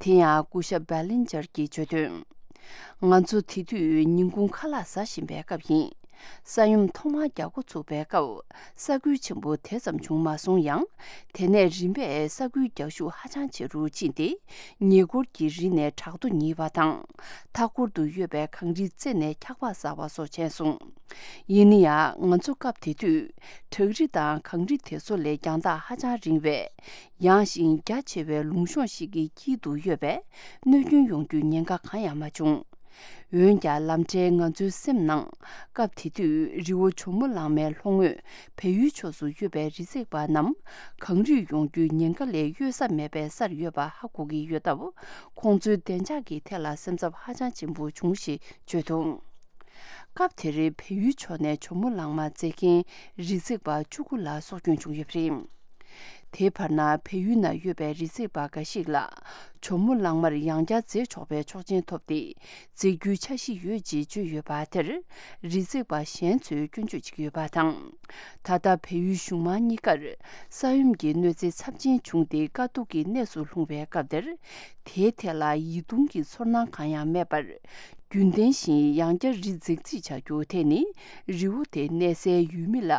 དེ་ཡང་སྐུ་ཞབས་བྷེ་ལིན་ཇར་གྱིས་བརྗོད་དོན། ང་ཚོ་དེ་དུས་ཉིན་གུང་ཁ་ལག་ཟ་བཞིན་པའི་སྐབས་ཡིན། ས་ཡོམ་ཐོག་མར་རྒྱག་འགོ་ཚུགས་པའི་སྐབས་ས་ཁུལ་ཆེན་པོ་དེ་ཙམ་བྱུང་མ་སོང་ཡང་། དེ་ནས་རིམ་པས་ས་ཁུལ་རྒྱག་ཤུགས་ཧ་ཅང་ཆེ་རུ་ཕྱིན་ཏེ། ཉེ་འཁོར་གྱི་རི་ནས་བྲག་རྡོ་ཉིལ་བ་དང་། མཐའ་འཁོར་དུ་ཡོད་པའི་གངས་རིའི་རྩེ་ནས་འཁྱག་པ་ཟགས་པ་སོགས་བྱས་སོང་། ཡིན་ན་ཡང་ང་ཚོ་སྐབས་དེ་དུས་བྲག་རི་དང་གངས་རི་དེ་ཚོ་ལས་རྒྱང་ཐག་ཧ་ཅང་རིང་བས། ཡངས་ཤིང་རྒྱ་ཆེ་བའི་ལུང་གཤོང་ཞིག་གི་དཀྱིལ་དུ་ཡོད་པས་གནོད་སྐྱོན་ཡོང་རྒྱུའི་ཉེན་ཁ་གང་ཡང་མ་བྱུང་། འོན་ཀྱང་ལམ་འཕྲལ་ང་ཚོའི་སེམས་ནང་སྐབས་དེ་དུས་རི་བོ་ཇོ་མོ་གླང་མའི་ལྷོ་ངོས་བལ་ཡུལ་ཕྱོགས་སུ་ཡོད་པའི་རི་འཛེག་པ་རྣམས་གངས་རིས་ཡོང་རྒྱུའི་ཉེན་ཁ་ལས་གཡོལ་ས་མེད་པའི་སར་ཡོད་པ་ཧ་གོ་གི་ཡོད་སྟབས། ཁོང་ཚོའི་བདེ་འཇགས་ཀྱི་ཐད་ལ་སེམས་འཚབ་ཧ་ཅང་ཆེན་པོ་བྱུང་ཞེས་བརྗོད་འདུག་སྐབས་དེར་བལ་ཡུལ་ཕྱོགས་ནས་ཇོ་མོ་གླང་མ་འཛེག་མཁན་རི་འཛེག་པ་བཅུ་དགུ་ལ་སྲོག་སྐྱོན་བྱུང་ཡོད་པ་རེད། དེའི་བར་ན་བལ་ཡུལ་ན་ཡོད་པའི་རི་འཛེག་པ་འགའ་ཞིག་ལ་ཇོ་མོ་གླང་མར་ཡང་བསྐྱར་འཛེག་ཆོག་པའི་ཆོག་མཆན་ཐོབ་སྟེ་འཛེག་རྒྱུའི་འཆར་གཞི་ཡོད་ཅེས་བརྗོད་ཡོད་པ་དེར་རི་འཛེག་པ་གཞན་ཚོས་སྐྱོན་བརྗོད་བྱེད་ཀྱི་ཡོད་པ་དང་། ད་ལྟ་བལ་ཡུལ་གཞུང་མང་གཉིས་ཀར་ས་ཡོམ་གྱི་གནོད་འཚེ་ཚབས་ཆེན་བྱུང་སྟེ་དཀའ་སྡུག་གི་གནས་སུ་ལྷུང་བའི་སྐབས་དེར་དེའི་ཐད་ལ་ཡིད་གདུང་གི་ཚོར་སྣང་གང་ཡང་མེད་པར། རྒྱུན་ལྡན་བཞིན་ཡང་བསྐྱར་རི་འཛེག་རྩིས་བྱ་རྒྱུ་དེ་ནི་རི་བོ་དེ་གནས་སའི་ཡུལ་མི་ལ་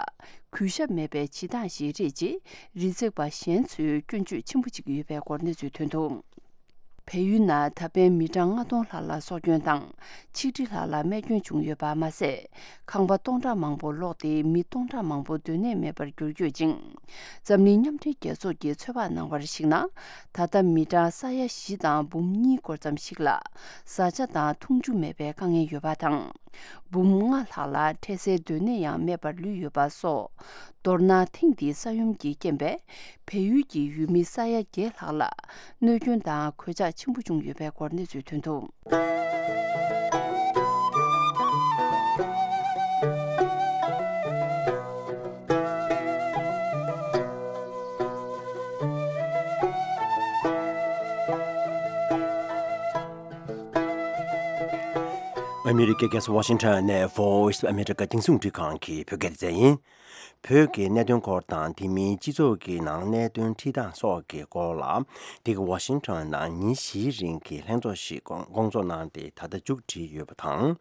གུས་ཞབས་མེད་པའི་བྱེད་སྟངས་ཤིག་རེད་ཅེས་རི་འཛེག་པ་གཞན་ཚོས་སྐྱོན་བརྗོད་ཆེན་པོ་བྱེད་ཀྱི་ཡོད་པའི་སྐོར་གནས་ཚུལ་ཐོན་འདུག་བལ་ཡུལ་ནང་ད་ཕན་མི་གྲངས་ལྔ་སྟོང་ལྷག་ལ་སྲོག་སྐྱོན་དང་ཆིག་ཁྲི་ལྷག་ལ་རྨས་སྐྱོན་བྱུང་ཡོད་པ་མ་ཟད། ཁང་པ་སྟོང་ཕྲག་མང་པོ་ལོག་སྟེ་མི་སྟོང་ཕྲག་མང་པོ་སྡོད་གནས་མེད་པར་གྱུར་ཡོད་ཅིང་། འཛམ་གླིང་མཉམ་འབྲེལ་རྒྱལ་ཚོགས་ཀྱིས་ཚོད་དཔག་གནང་བར་གཞིགས་ན། ད་ལྟ་མི་གྲངས་ས་ཡ་བཞི་དང་འབུམ་གཉིས་སྐོར་ཙམ་ཞིག་ལ་བཟའ་བཅའ་དང་འཐུང་ཆུ་མེད་པའི་དཀའ་ངལ་ཡོད་པ་དང་། འབུམ་ལྔ་ལྷག་ལ་འཕྲལ་སེལ་སྡོད་གནས་ཡང་མེད་པར་ལུས་ཡོད་པ་སོགས། མདོར་ན་ཐེངས་འདིའི་ས་ཡོམ་གྱི་རྐྱེན་པས་བལ་ཡུལ་གྱི་ཡུལ་མི་ས་ཡ་བརྒྱད་ལྷག་ལ་གནོད་སྐྱོན་དང་གོད་ཆག་ཆེན་པོ་བྱུང་ཡོད་པའི་སྐོར་གནས་ཚུལ་ཐོན་འདུག་ཨ་མི་རི་ཀའི་རྒྱལ་ས་ཝ་ཤིང་ཊོན་ནས་Voice of America་རྒྱང་སྲིང་རླུང་འཕྲིན་ཁང་གི་བོད་སྐད་སྡེ་ཚན་ཡིན། བོད་ཀྱི་གནད་དོན་སྐོར་དང་དེ་མིན་སྤྱི་ཚོགས་ཀྱི་ནང་གནད་དོན་འཁྲིད་སྟངས་སོགས་ཀྱི་སྐོར་ལ། འདི་ག་ཝ་ཤིང་ཊོན་ནང་ཉིན་བཞིའི་རིང་གི་ལྷན་ཚོགས་ཤིག་སྐོང་སྐོང་ཚོགས་གནང་སྟེ་ད་ལྟ་མཇུག་བསྒྲིལ་ཡོད་པ་དང་།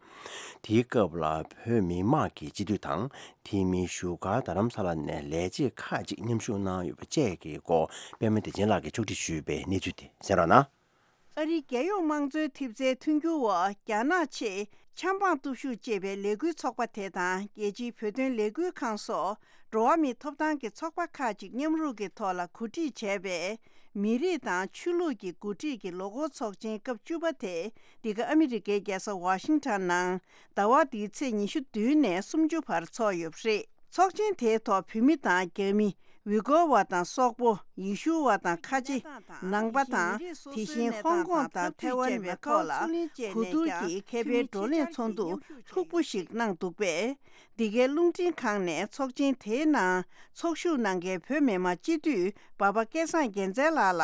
དེའི་སྐབས་ལ་བོད་མི་མང་གི་སྤྱི་འཐུས་དང་དེ་མིན་བཞུགས་སྒར་རྡ་རམ་ས་ལ་ནས་ལས་བྱེད་ཁག་ཅིག་མཉམ་ཞུགས་གནང་ཡོད་པ་བཅས་ཀྱི་སྐོར་པད་མ་བདེ་ཆེན་ལགས་ཀྱིས་ཕྱོགས་སྒྲིག་ཞུས་པའི་གནས་ཚུལ་དེ་གསན་རོགས་གནང་། ཨ་རིའི་རྒྱལ་ཡོངས་དམངས་གཙོའི་ཐེབས་རྩའི་མཐུན་འགྱུར་འོག་རྒྱ་ནག་ཆེད་ཆབ་འབངས་སྟོབས་ཤུགས་ཅེས་པའི་ལས་འགུལ་ཚོགས་པ་དེ་དང་རྒྱལ་སྤྱིའི་བོད་དོན་ལས་འགུལ་ཁང་སོགས་འགྲོ་བ་མིའི་ཐོབ་ཐང་གི་ཚོགས་པ་ཁག་ཅིག་མཉམ་རུབ་ཀྱི་ཐོག་ལ་གོ་སྒྲིག་བྱས་པའི་མི་རིགས་དང་ཆོས་ལུགས་ཀྱི་འགོ་ཁྲིད་ཀྱི་ལོ་འཁོར་ཚོགས་ཆེན་སྐབས་བཅུ་པ་དེ་འདི་ག་ཨ་མི་རི་ཀའི་རྒྱལ་ས་ཝ་ཤིང་ཊོན་ནང་ཟླ་བ་འདིའི་ཚེས་ཉི་ཤུ་བདུན་ནས་སུམ་ཅུ་བར་འཚོགས་ཡོད་པ་རེད། ཚོགས་ཆེན་དེའི་ཐོག་བོད་མི་དང་རྒྱ་མི། ཝི་གོ་བ་དང་སོག་པོ། ཡེ་ཤུ་བ་དང་ཁ་ཆེ། ནང་པ་དང་། དེ་བཞིན་ཧོང་ཀོང་དང་ཐའེ་ཝན་བཅས་པའི་ཐོག་ལ་གོ་བསྡུར་གྱིས་མཁས་པའི་བགྲོ་གླེང་ཚོགས་འདུ་ལྷུག་པོ་ཞིག་གནང་འདུག་པས། འདི་གའི་རླུང་འཕྲིན་ཁང་ནས་ཚོགས་ཆེན་དེའི་ནང་ཚོགས་ཞུགས་གནང་མཁན་བོད་མི་མང་སྤྱི་འཐུས་འབའ་པ་སྐལ་བཟང་རྒྱལ་མཚན་ལགས་ལ་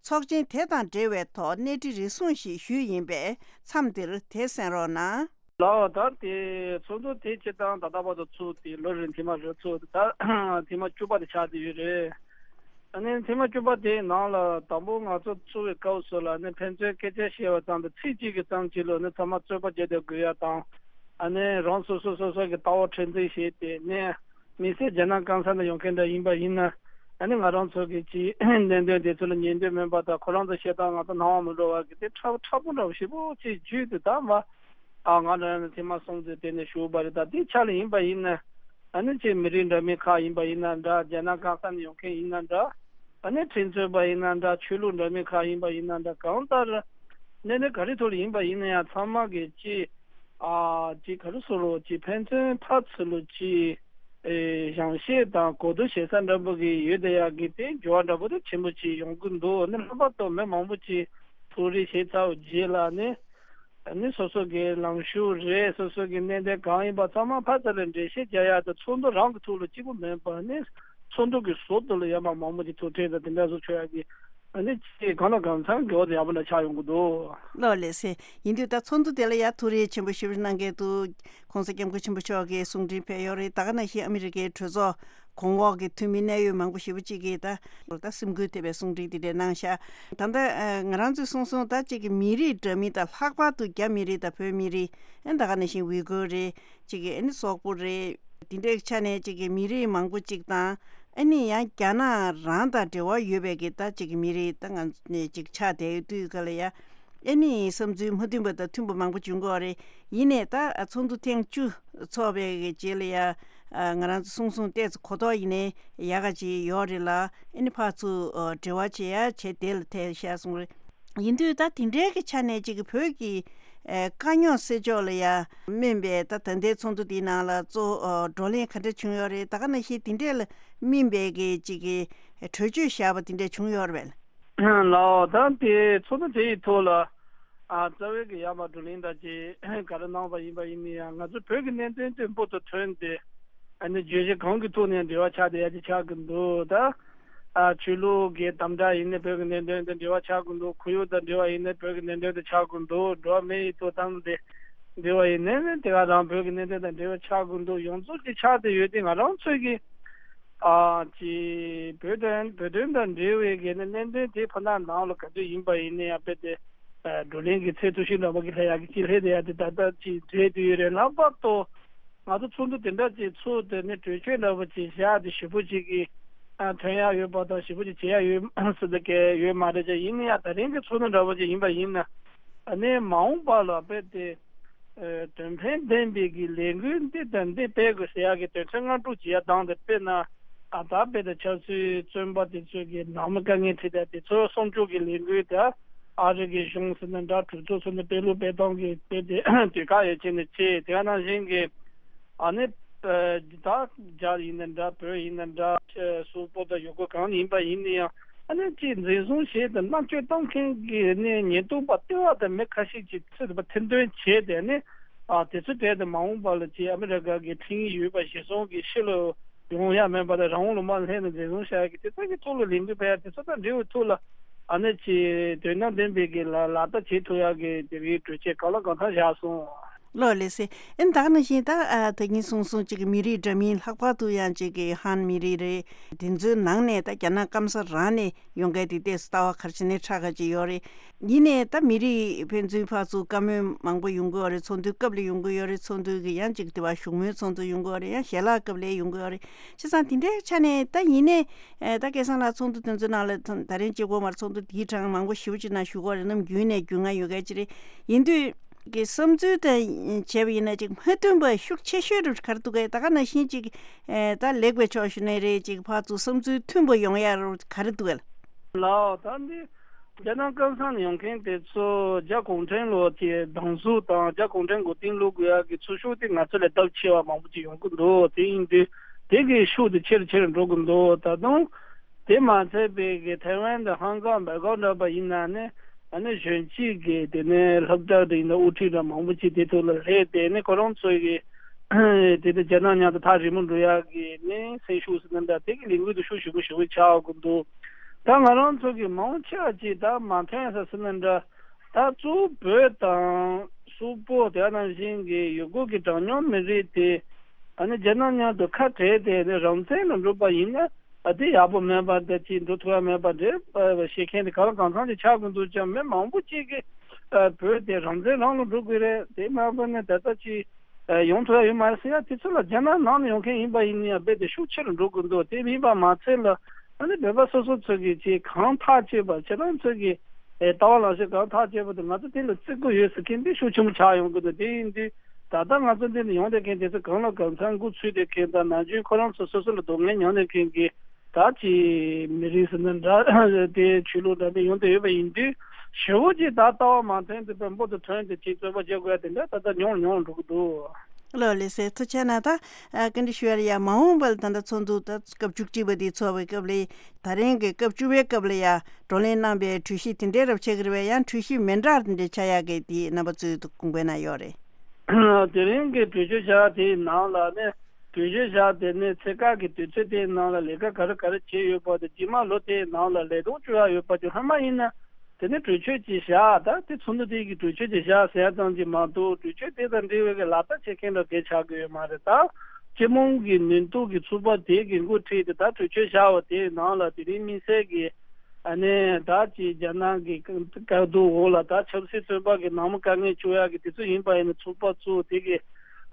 ཚོགས་ཆེན་དེ་དང་འབྲེལ་བའི་ཐོག་གནས་འདྲི་རེ་ཟུང་ཞིག་ཞུས་ཡིན་པས་མཚམས་འདིར་དེ་གསན་རོགས་གནང་། ལགས་ད་དེ་ཚོགས་འདུ་དེ་སྤྱིར་བཏང་ད་ལྟ་བར་དུ་ཚུགས་ཏེ་ལོ་རེ་ཐེངས་མ་རེ་ཚུགས་ཏེ་ད་ཐེངས་མ་བཅུ་པ་དེ་ཆགས་བསྡད་ཡོད་རེད། ཨ་ནི་ཐེངས་མ་བཅུ་པ་དེའི་ནང་ལ་དང་པོ་ང་ཚོ་ཚུགས་པའི་སྐབས་སུ་ལ་ནི་ཕན་ཚུན་སྐད་ཆ་བཤད་པ་ཙམ་དང་ཚིག་གཅིག་གི་ཙམ་གཅིག་ལ་ནི་ཚང་མ་རྩོད་པ་བརྒྱབ་བསྡད་དགོས་ཡ་དང་། ཨ་ནི་རང་སོ་སོ་སོ་སོ་གི་ལྟ་བ་མཁྲེགས་འཛིན་བྱས་ཏེ་ནི་དམིགས་བསལ་རྒྱ་ནག་སྐམ་ས་ནས་ཡོང་མཁན་འདྲ་ཡིན་པ་ཡིན་ན། ཨ་ནི་ང་རང་ཚོ་གི་ཅིག་གནད་དོན་དེ་ཚོ་ལ་ཉན་འདོད་མེད་པ་དང་ཁོ་རང་ཚོ་བཤད་སྟངས་ང་ཚོ་སྣང་བ་མི་འགྲོ་བ་གི་དེ་ཕྲ་ཕྲ་པོ་འདྲ་བོ་ཞེ་པོ་ཅིག་བརྒྱུད་དེ་ད་མ། ཨ་ང་རང་ནས་ཐེངས་མ་སོང་ཚེ་དེ་ནས་ཞུགས་པ་རེད། ད་དེ་ཆ་ལ་ཡིན་པ་ཡིན་ན། ཨ་ནི་ཅིག་མི་རིགས་འདྲ་མིན་ཁག་ཡིན་པ་ཡིན་ན་འདྲ། རྒྱ་ནག་གང་ས་ནས་ཡོང་མཁན་ཡིན་ན་འདྲ། ཨ་ནི་ཁྲིམས་རྩོད་པ་ཡིན་ན་འདྲ། ཆོས་ལུགས་འདྲ་མིན་ཁག་ཡིན་པ་ཡིན་ན་འདྲ། གང་ལྟར་གནས་སྟངས་ག་རེ་ཐོག་ལ་ཡིན་པ་ཡིན་ན་ཡང་ཚང་མ་གི་ཅིག་ཨ་ཅིག་ག་རེ་ཟེར་རོ། ཅིག་ཕན་ཚུན་ཕར་ཚུར་ལ་ཅིག་ཨེ་བྱམས་བརྩེ་དང་གོ་བསྡུར་བྱེད་ས་འདྲ་པོ་གི་ཡོད་དེ་ཡག་གི་དེ་འགྱུར་བ་འདྲ་པོ་དེ་ཆེན་པོ་ཅིག་ཡོང་གི་འདུག་ཨ་ནི་ལྷག་པར་དུ་མི་མང་པོ་ཅིག་ཐུགས་རེ་བཞེས་ཚར་བའི་རྗེས་ལ་ནི། ཨ་ནི་སོ་སོ་གི་ལངས་ཕྱོགས་རེད། སོ་སོ་གི་གནད་དོན་གང་ཡིན་པ་ཚང་མ་ཕར་ཚུར་ལ་འགྲེལ་བཤད་རྒྱག་ཡག་དང་། ཚོགས་འདུ་རང་གི་ཐོག་ལ་གཅིག་པུ་མིན་པར་ནི་ཚོགས་འདུ་གི་ཟུར་དུ་ལ་ཡང་མ་མང་པོ་ཅིག་ཐུག་འཕྲད་དང་དེ་འདྲ་བཟོ་ཆོག་ཡག་གི། ཨ་ནི་ཅིག་གང་ལ་གང་འཚམ་གི་འོག་ཏུ་ཡག་པོ་འདྲ་ཆགས་ཡོང་གི་འདུག་ལགས་ལགས་སེ། ཡིན་དུས་ད་ཚོགས་འདུ་དེ་ལ་ཡང་ཐུགས་རེ་ཆེན་པོ་ཞེ་པོ་གནང་མཁན་འདུག་གོང་ས་སྐྱབས་མགོན་ཆེན་པོ་མཆོག་གིས་གསུང་འཕྲིན་ཕེབས་ཡོད་རེད། ད་ག་ནང་བཞིན་ཨ་མི་རི་ཀའི་གྲོས་ཚོགས་གོང་འོག་གི་འཐུས་མི་གནད་ཡོད་མང་པོ་ཞེ་པོ་ཅིག་གིས་ད་ད་སེམས་འགུལ་ཐེབས་པའི་གསུང་འཕྲིན་དེ་འདྲ་གནང་ཤག་ད་ལྟ་ཨ་ང་རང་ཚོས་གསུངས་སོང་། ད་ཅིག་གི་མི་རིགས་འདྲ་མིན་དང་། ལྷག་པར་དུ་རྒྱ་མི་རིགས་དང་བོད་མི་རིགས། ཨ་ད་ག་ནང་བཞིན་ཝི་གུར་རེད། ཅིག་གི་ཨ་ནི་སོག་པོ་རེད། དེ་འདྲའི་ཆ་ནས་ཅིག་གི་མི་རིགས་མང་པོ་ཅིག་དང་། ཨ་ནི་ཡང་རྒྱ་ནག་རང་དང་འབྲེལ་བ་ཡོད་པའི་གི་ད་ཅིག་གི་མི་རིགས་ད་ང་ནས་ཅིག་ཆགས་བསྡད་ཡོད་དུས་ག་ལ་ཡ། ཨ་ནི་བསམ་ཚུལ་མ་མཐུན་པ་དང་མཐུན་པ་མང་པོ་བྱུང་གི་ཡོད་རེད། ཡིན་ནའི་ད་ཚོགས་འདུ་ཐེངས་བཅུ་ཚོགས་པའི་གི་རྗེས་ལ་ཡ། ང་རང་ཚོ་གསུང་གསུང་ཏོག་ཙམ་གོ་རྟོགས་ཡིན་ནའི་ཡག་ག་ཅིག་ཡོད་རེད་ལ། ཨ་ནི་ཕར་ཚུར་འབྲེལ་བ་བྱེད་ཡ་བྱེད་བདེ་ལ་ཐལ་ཤག་གསུངས་རེད། ཡིན་དུས་ད་དེ་འདྲའི་གི་ཆ་ནས་ཅིག་གི་བོད་ཀྱི་ཨེ་དཀའ་རྙོག་སེལ་ཕྱོགས་ལ་ཡ་སྨིན་པའི་ད་ད་ལྟའི་ཚོགས་འདུ་འདིའི་ནང་ལ་གཙོ་བོ་བགྲོ་གླེང་ག་འདྲ་བྱུང་ཡོད་རེད། ད་ག་ནང་བཞིན་དེ་འདྲས་ལ་སྨིན་པའི་གི་ཅིག་གི་གྲོས་ཆོད་བཞག་པ་དེ་འདྲས་བྱུང་ཡོད་རེད་པས། ལགས། ད་དེ་ཚོགས་འདུ་དེ་ཡི་ཐོག་ལ་ཨ་རྩ་བའི་གི་ཡར་མར་བགྲོ་གླེང་ད་ཅིག་ག་རེ་གནང་བ་ཡིན་པ་ཡིན་ན་ཡང་། ང་ཚོ་བོད་ཀྱི་གནད་དོན་དེ་འབུར་དུ་ཐོན་ཏེ། ཨ་ནི་བརྗོད་གཞི་གང་གི་ཐོག་ནས་འབྲེལ་བ་ཆགས་བསྡད་ཡ་ཅིག་ཆགས་ཀྱི་འདུག་ད་ཨ་ཆོས་ལུགས་ཀྱི་དམ་དྲག་ཡིན་ནའི་བོད་ཀྱི་གནད་དོན་དང་འབྲེལ་བ་ཆགས་ཀྱི་འདུག་ཁོར་ཡུག་དང་འབྲེལ་བ་ཡིན་ནའི་བོད་ཀྱི་གནད་དོན་དང་ཆགས་ཀྱི་འདུག་འགྲོ་བ་མིའི་ཐོབ་ཐང་དང་འབྲེལ་བ་ཡིན་ནའི་དེ་ག་རང་བོད་ཀྱི་གནད་དོན་དང་འབྲེལ་བ་ཆགས་ཀྱི་འདུག་ཡོངས་རྫོགས་ཀྱི་ཆགས་བསྡད་ཡོད་དེ། ང་རང་ཚོས་ཀྱི་ཨ་ཅིག་བོད་དོན་བོད་དོན་དང་འབྲེལ་བའི་གི་གནད་དོན་དེ་ཕ་ནང་ནང་ལ་ག་དུས་ཡིན་པ་ཡིན་ནའི་ཡང་དཔེ་དེ། བགྲོ་གླེང་གི་ཚད་མཐོ་ཤོས་འདྲ་པོ་གི་ལྷ་ཡག་གི་ཅིག་ལྷེ་དེ་ཡག་དེ་ད་ལྟ་ཅིག་རེད་དུ་ཡོད་རེད། ལྷག་པར་དུ་ང་ཚོ་ཚོགས་འདུ་དེ་འདྲ་ཅིག་ཚུགས་དེ་ནས་གྲོས་ཆོད་འདྲ་པོ་ཅིག་བཞག་དེ་ཞེ་པོ་ཅིག་གི་ཐོན་ཡག་ཡོད་པ་དང་ཞེ་པོ་ཅིག་བྱེད་ཡག་ཡོད་སྲིད་དེ་གས་ཡོད་མ་རེད་ཅེས། ཡིན་ན་ཡང་ད་རིང་གི་ཚོགས་འདུ་འདྲ་པོ་ཅིག་ཡིན་པ་ཡིན་ན། ཨ་ནི་མ་འོངས་པ་ལ་དཔེ་དེ་དོན་ཕན་ལྡན་པའི་གི་ལས་འགུལ་འདི་དང་འདི་སྤེལ་དགོས་ཟེར་ཡག་གི་དོན་ཚན་ལྔ་དྲུག་ཅིག་ཡར་བཏང་སྟེ། དཔེར་ན་ཨ་ད་དཔེ་དང་ཆབ་སྲིད་བཙོན་པ་དེ་ཚོ་གི་ནང་མི་དཀའ་ངལ་འཕྲད་དེ་དེ་ཚོ་སྲུང་སྐྱོབ་ཀྱི་ལས་འགུལ་དེ་ཨ་རི་གི་གཞུང་ཟེར་ན་འདྲ། གྲོས་ཚོགས་ཟེར་ན་དཔེ་ལུགས་སྤེལ་སྟངས་ཀྱི་དཔེ་དེ་དུས་ཁག་ཡོད་ཆེ་ནས་ཆེ། དེ་ག་ནང་བཞིན་གི་ཨ་ནི་ད་རྒྱ་ཡིན་ན་འདྲ། བོད་ཡིན་ན་འདྲ། སོག་པོ་དང་ཡུ་གུར་གང་ཡིན་པ་ཡིན་ན་ཡང་། ཨ་ནི་ཅིག་འཛིན་བཟུང་བྱས་དང་མནར་གཅོད་བཏང་མཁན་གྱི་ནི་ཉེན་རྟོག་པ་ལྟེ་བ་དང་མི་ཁ་ཤས་ཀྱིས་ཚུར་ཐེར་འདོན་བྱས་ཏེ་ནི། ཨ་དེ་ཚོའི་གྲས་དེ་མ་འོངས་པ་ལ་ཅིག་ཨ་མི་རི་ཀ་གི་ཁྲིམས་ཡིག་ཡོད་པ་གཞིར་བཟུང་གིས་ཕྱི་ལ་ཡོང་ཡ་མེད་པ་དང་། རང་དབང་ལུང་པར་སླེབས་ནས་འཛིན་བཟུང་བྱ་ཡ་གི་དེ་ཚོ་གི་ཐོག་ལ་ལས་འགུལ་སྤེལ་ཡ་དེ་ཚོ་དང་འབྲེལ་བའི་ཐོག་ལ། ཨ་ནི་ཅིག་དོན་དང་ལྡན་པའི་གི་ལ་ལག་བསྟར་བྱེད་ཐུབ་ཡ་གི་དེ་གི་གྲོས་ཆོད་གང་ལ་གང་འཚམ་བཞག་སོང་། ལགས་ལགས་སེ། ཨ་ནི་ད་ག་ནང་བཞིན་ད་ཨ་ད་གིན་གསུངས་སོང་། ཅིག་གི་མི་རིགས་འདྲ་མིན། ལྷག་པར་དུ་ཡང་ཅིག་གི་ཧན་མི་རིགས་རེད། དེ་ཚོའི་ནང་ནས་ད་རྒྱ་ནག་སྐམ་ས་རང་ནས་ཡོང་མཁན་དེ་ཏོག་ཙམ་ལྟ་བ་ག་རེ་བྱས་ནས་ཁྲ་ཁ་ཅིག་ཡོད་རེད། ཡིན་ནའི་ད་མི་རིགས་ཕན་ཚུན་ཕར་ཚུར་བཀའ་མོལ་མང་པོ་ཡོང་གི་ཡོད་རེད། ཚོགས་འདུའི་སྐབས་ལ་ཡོང་གི་ཡོད་རེད། ཚོགས་འདུ་གི་ཡང་ཅིག་དེ་བ་བཞུགས་མོལ་ཚོགས་འདུ་ཡོང་གི་ཡོད་རེད། ཡང་ཞལ་ལག་སྐབས་ལ་ཡོང་གི་ཡོད་རེད། བྱས་ཙང་དེ་འདྲའི་ཆ་ནས་ད་ཡིན་ནའི་ཨ་ད་སྐལ་བཟང་ལགས་ཚོགས་འདུ་དེ་ཚོའི་ནང་ལ་ད་ད་རིང་གཅིག་པོ་མ་རེད། ཚོགས་འདུ་དེའི་གྲངས་མང་པོ་ཞེ་པོ་ཅིག་ནང་ཞུགས་ཀྱི་ཡོད་རེད། ནམ་རྒྱུན་ནས་རྒྱུས་མངའ་ཡོད་མཁན་ཅིག་རེད། ཡིན་དུས་ཀྱི་བསམ་ཚུལ་དང་བྱས་པ་ཡིན་ན་ཅིག་མ་མཐུན་པ་ཤུགས་ཆེ་ཤོས་རུ་ག་རེ་འདུག་གས། ད་ག་ནང་བཞིན་ཅིག་ཨེ་ད་ལེགས་པའི་ཕྱོགས་ཞུ་ནའི་རེད། ཅིག་ཕར་ཚུར་བསམ་ཚུལ་མཐུན་པོ་ཡོང་ཡ་རུ་ག་རེ་འདུག་གས། ལགས། ད་འདི་རྒྱ་ནག་སྐམ་ས་ནས་ཡོང་མཁན་དེ་ཚོ་རྒྱ་གུང་ཁྲན་ལོ་ཀྱི་སྡང་ཟུག་དང་རྒྱ་གུང་ཁྲན་མགོ་རྟིང་སློག་དགོས་ཡ་གི་ཚོར་ཤུགས་དེ་ང་ཚོ་ལས་ལྡབ་ཆེ་བ་མང་པོ་ཅིག་ཡོང་གི་འདུག་དེ་ཡིན་དུས་དེ་གི་ཤུགས་དེ་ཆེ་རུ་ཆེ་རུ་འགྲོ་གི་འདུག་ད་དུང་དེ་མ་ཚད་པའི་གི་ཐའེ་ཝན་དང་ཧང་ཀང་སྦེལ་ཀོབ་འདྲ་པ་ཡིན་ན་ནི། ཨ་ནི་གཞོན་སྐྱེས་ཀྱི་དེ་ནས་སློབ་གྲྭ་དེ་ཡིན་ན་དབུ་ཁྲིད་འདྲ་མང་པོ་ཅིག་དེ་ཐོག་ལ་སླེབས་ཏེ་ནི་ཁོ་རང་ཚོ་གི་དེ་དེ་རྒྱ་ནག་མཉམ་དུ་ཐག་རིང་མོ་འགྲོ་ཡག་གི་ནི་སེམས་ཤུགས་ཟེར་ན་འདྲ། དེ་གི་ལས་འགུལ་དེ་ཤུགས་ཞེ་པོ་ཞེ་པོ་ཆགས་ཀྱི་འདུག་ད་ང་རང་ཚོ་གི་མང་ཆེ་བ་ཅིག་ད་མ་ཐོན་ས་ཟེར་ན་འདྲ། ད་གཙོ་བོ་བོད་དང་སོག་པོ་དེ་ནང་བཞིན་གྱི་ཡུ་གུར་གྱི་གྲངས་ཉུང་མི་རིགས་དེ་ཨ་ནི་རྒྱ་ནག་མཉམ་དུ་ཁ་བྲལ་ཏེ་ནི་རང་བཙན་ལ་འགྲོ་པ་ཡིན་ན། ཨ་དེ་ཡག་པོ་མེད་པ་འདྲ་ཅིག་འགྲོ་ཐུབ་ཡ་མེད་པ་འདྲ་བཤད་མཁན་དེ་གང་ལ་གང་འཚམ་ཅིག་ཆགས་ཀྱི་འདུག་ཀྱང་། མི་མང་པོ་ཅིག་གིས་ཨ་བོད་དེ་རང་བཙན་རང་ལ་འགྲོ་དགོས་རེད། དེ་མ་བོད་ནས་ད་ལྟ་ཅིག་ཨ་ཡོང་ཐུབ་ཡ་ཡོད་མ་རེད་ཟེར་ཡ་དེ་ཚོ་ལ་རྒྱ་ནག་ནང་ནས་ཡོང་མཁན་ཡིན་པ་ཡིན་ན་ཡང་རྦད་དེ་ཤུགས་ཆེ་རུ་འགྲོ་གི་འདུག་དེ་ཡིན་པ་མ་ཚད་ལ་ཨ་ནི་བོད་པ་སོ་སོ་ཚོ་གིས་ཅིག་གང་ཐག་ཆོད་པ་ཁྱེད་རང་ཚོ་གིས་ ལྟ་བ་ལངས་ཕྱོགས་གང་ཐག་ཆོད་པ་དེ་ང་ཚོ་དེ་ལ་བརྩི་བཀུར་ཡོད་ཟེར་མཁན་དེ་ཤུགས་ཆེན་པོ་ཆགས་ཡོང་གི་འདུག་དེ་ཡིན་དུས་ད་ལྟ་ང་ཚོ་འདི་ལ་ཡོང་བསྡད་མཁན་དེ་ཚོ་གང་ལ་གང་འཚམ་འགོ་ཚུགས་བསྡད་མཁན་དང་ནམ་རྒྱུན་ཁོ་རང་ཚོ་སོ་སོ་ལ་སྡུག་བསྔལ་མྱོང་བསྡད་མཁན་གྱི་ད་ཅི་མི་རིགས་ཟེར་ན་འདྲ་དེ་ཆོས་ལུགས་འདྲ་མིན་ཡོང་བསྡད་ཡོད་པ་ཡིན་དུས་ཞེ་པོ་ཅིག་ད་ལྟ་བ་མ་ཐོན་དུས་པའི་འབུར་དུ་ཐོན་ཏེ་ཅིག་རྩོད་པ་བྱེད་དགོས་ཡ་དེ་འདྲ་ད་ལྟ་ཉུང་ཉུང་འགྲོ་གི་འདུག་ལགས་ལགས་སེ། ཐུགས་རྗེ་གནང་། ད་ཨ་བཀའ་འདྲི་ཞུ་ཡ་ལ་ཡ་མ་འོངས་པ་ལ་ད་ལྟ་ཚོགས་འདུ་ད་སྐབས་བཅུ་གཅིག་པ་འདི་ཚོགས་པའི་སྐབས་ལ་ད་རིང་གི་སྐབས་བཅུ་པའི་སྐབས་ལ་ཡ་བགྲོ་གླེང་གནང་པའི་གྲོས་གཞི་དེ་འདྲའི་རབ་ཆགས་ཀྱི་རེད་པས། ཡང་གྲོས་གཞི་མི་འདྲ་དེ་འདྲའི་ཆགས་ཡག་གི་དེ་རྣམ་པ་ཚོའི་དགོངས་པའི་ནང་ཡོད་རེད། དེ་རིང་གི་གྲོས་ཆོད་བཞག་དེའི་ནང་ལ་ནི་གྲོས་ཆོད་བཞག་དེ་ནི་ཚེ་སྐབས་ཀྱི་དུས་ཚོད་དེའི་ནང་ལ་ལས་ཀ་ག་རེ་ག་རེ་བྱས་ཡོད་པ་དང་རྗེས་མ་ལོ་དེའི་ནང་ལ་ལས་དོན་བཅོ་ཡག་ཡོད་པ་དེ་སྔོན་མ་ཡིན་ན། དེ་ནི་གྲོས་ཆོད་ཅིག་བཞག་ད་དེ་ཚོགས་འདུ་དེ་གི་གྲོས་ཆོད་ཅིག་བཞག་ཟེར་ཡ་ཙམ་གྱིས་མ་གཏོགས་གྲོས་ཆོད་དེ་དང་འབྲེལ་བའི་གི་ལག་བསྟར་བྱེད་མཁན་འདྲ་གས་ཆགས་ཀྱི་ཡོད་མ་རེད། ད་སྤྱི་དམངས་ཀྱི་ནུས་སྟོབས་ཀྱི་ཚོགས་པ་དེ་གི་འགོ་ཁྲིད་དེ་ད་གྲོས་ཆོད་བཞག་པ་དེའི་ནང་ལ་དེ་རིང་དམིགས་བསལ་གྱི་ཨ་ནི་ད་ཅིག་རྒྱ་ནག་གི་བཀག་སྡོམ་འོག་ལ་ད་ཆབ་སྲིད་བཙོན་པ་གི་ནང་མི་དཀའ་ངལ་བཅོ་ཡག་གི་དེ་ཚོ་ཡིན་པ་ཡིན་ན་ཚོགས་པ་ཚོ་དེ་གི་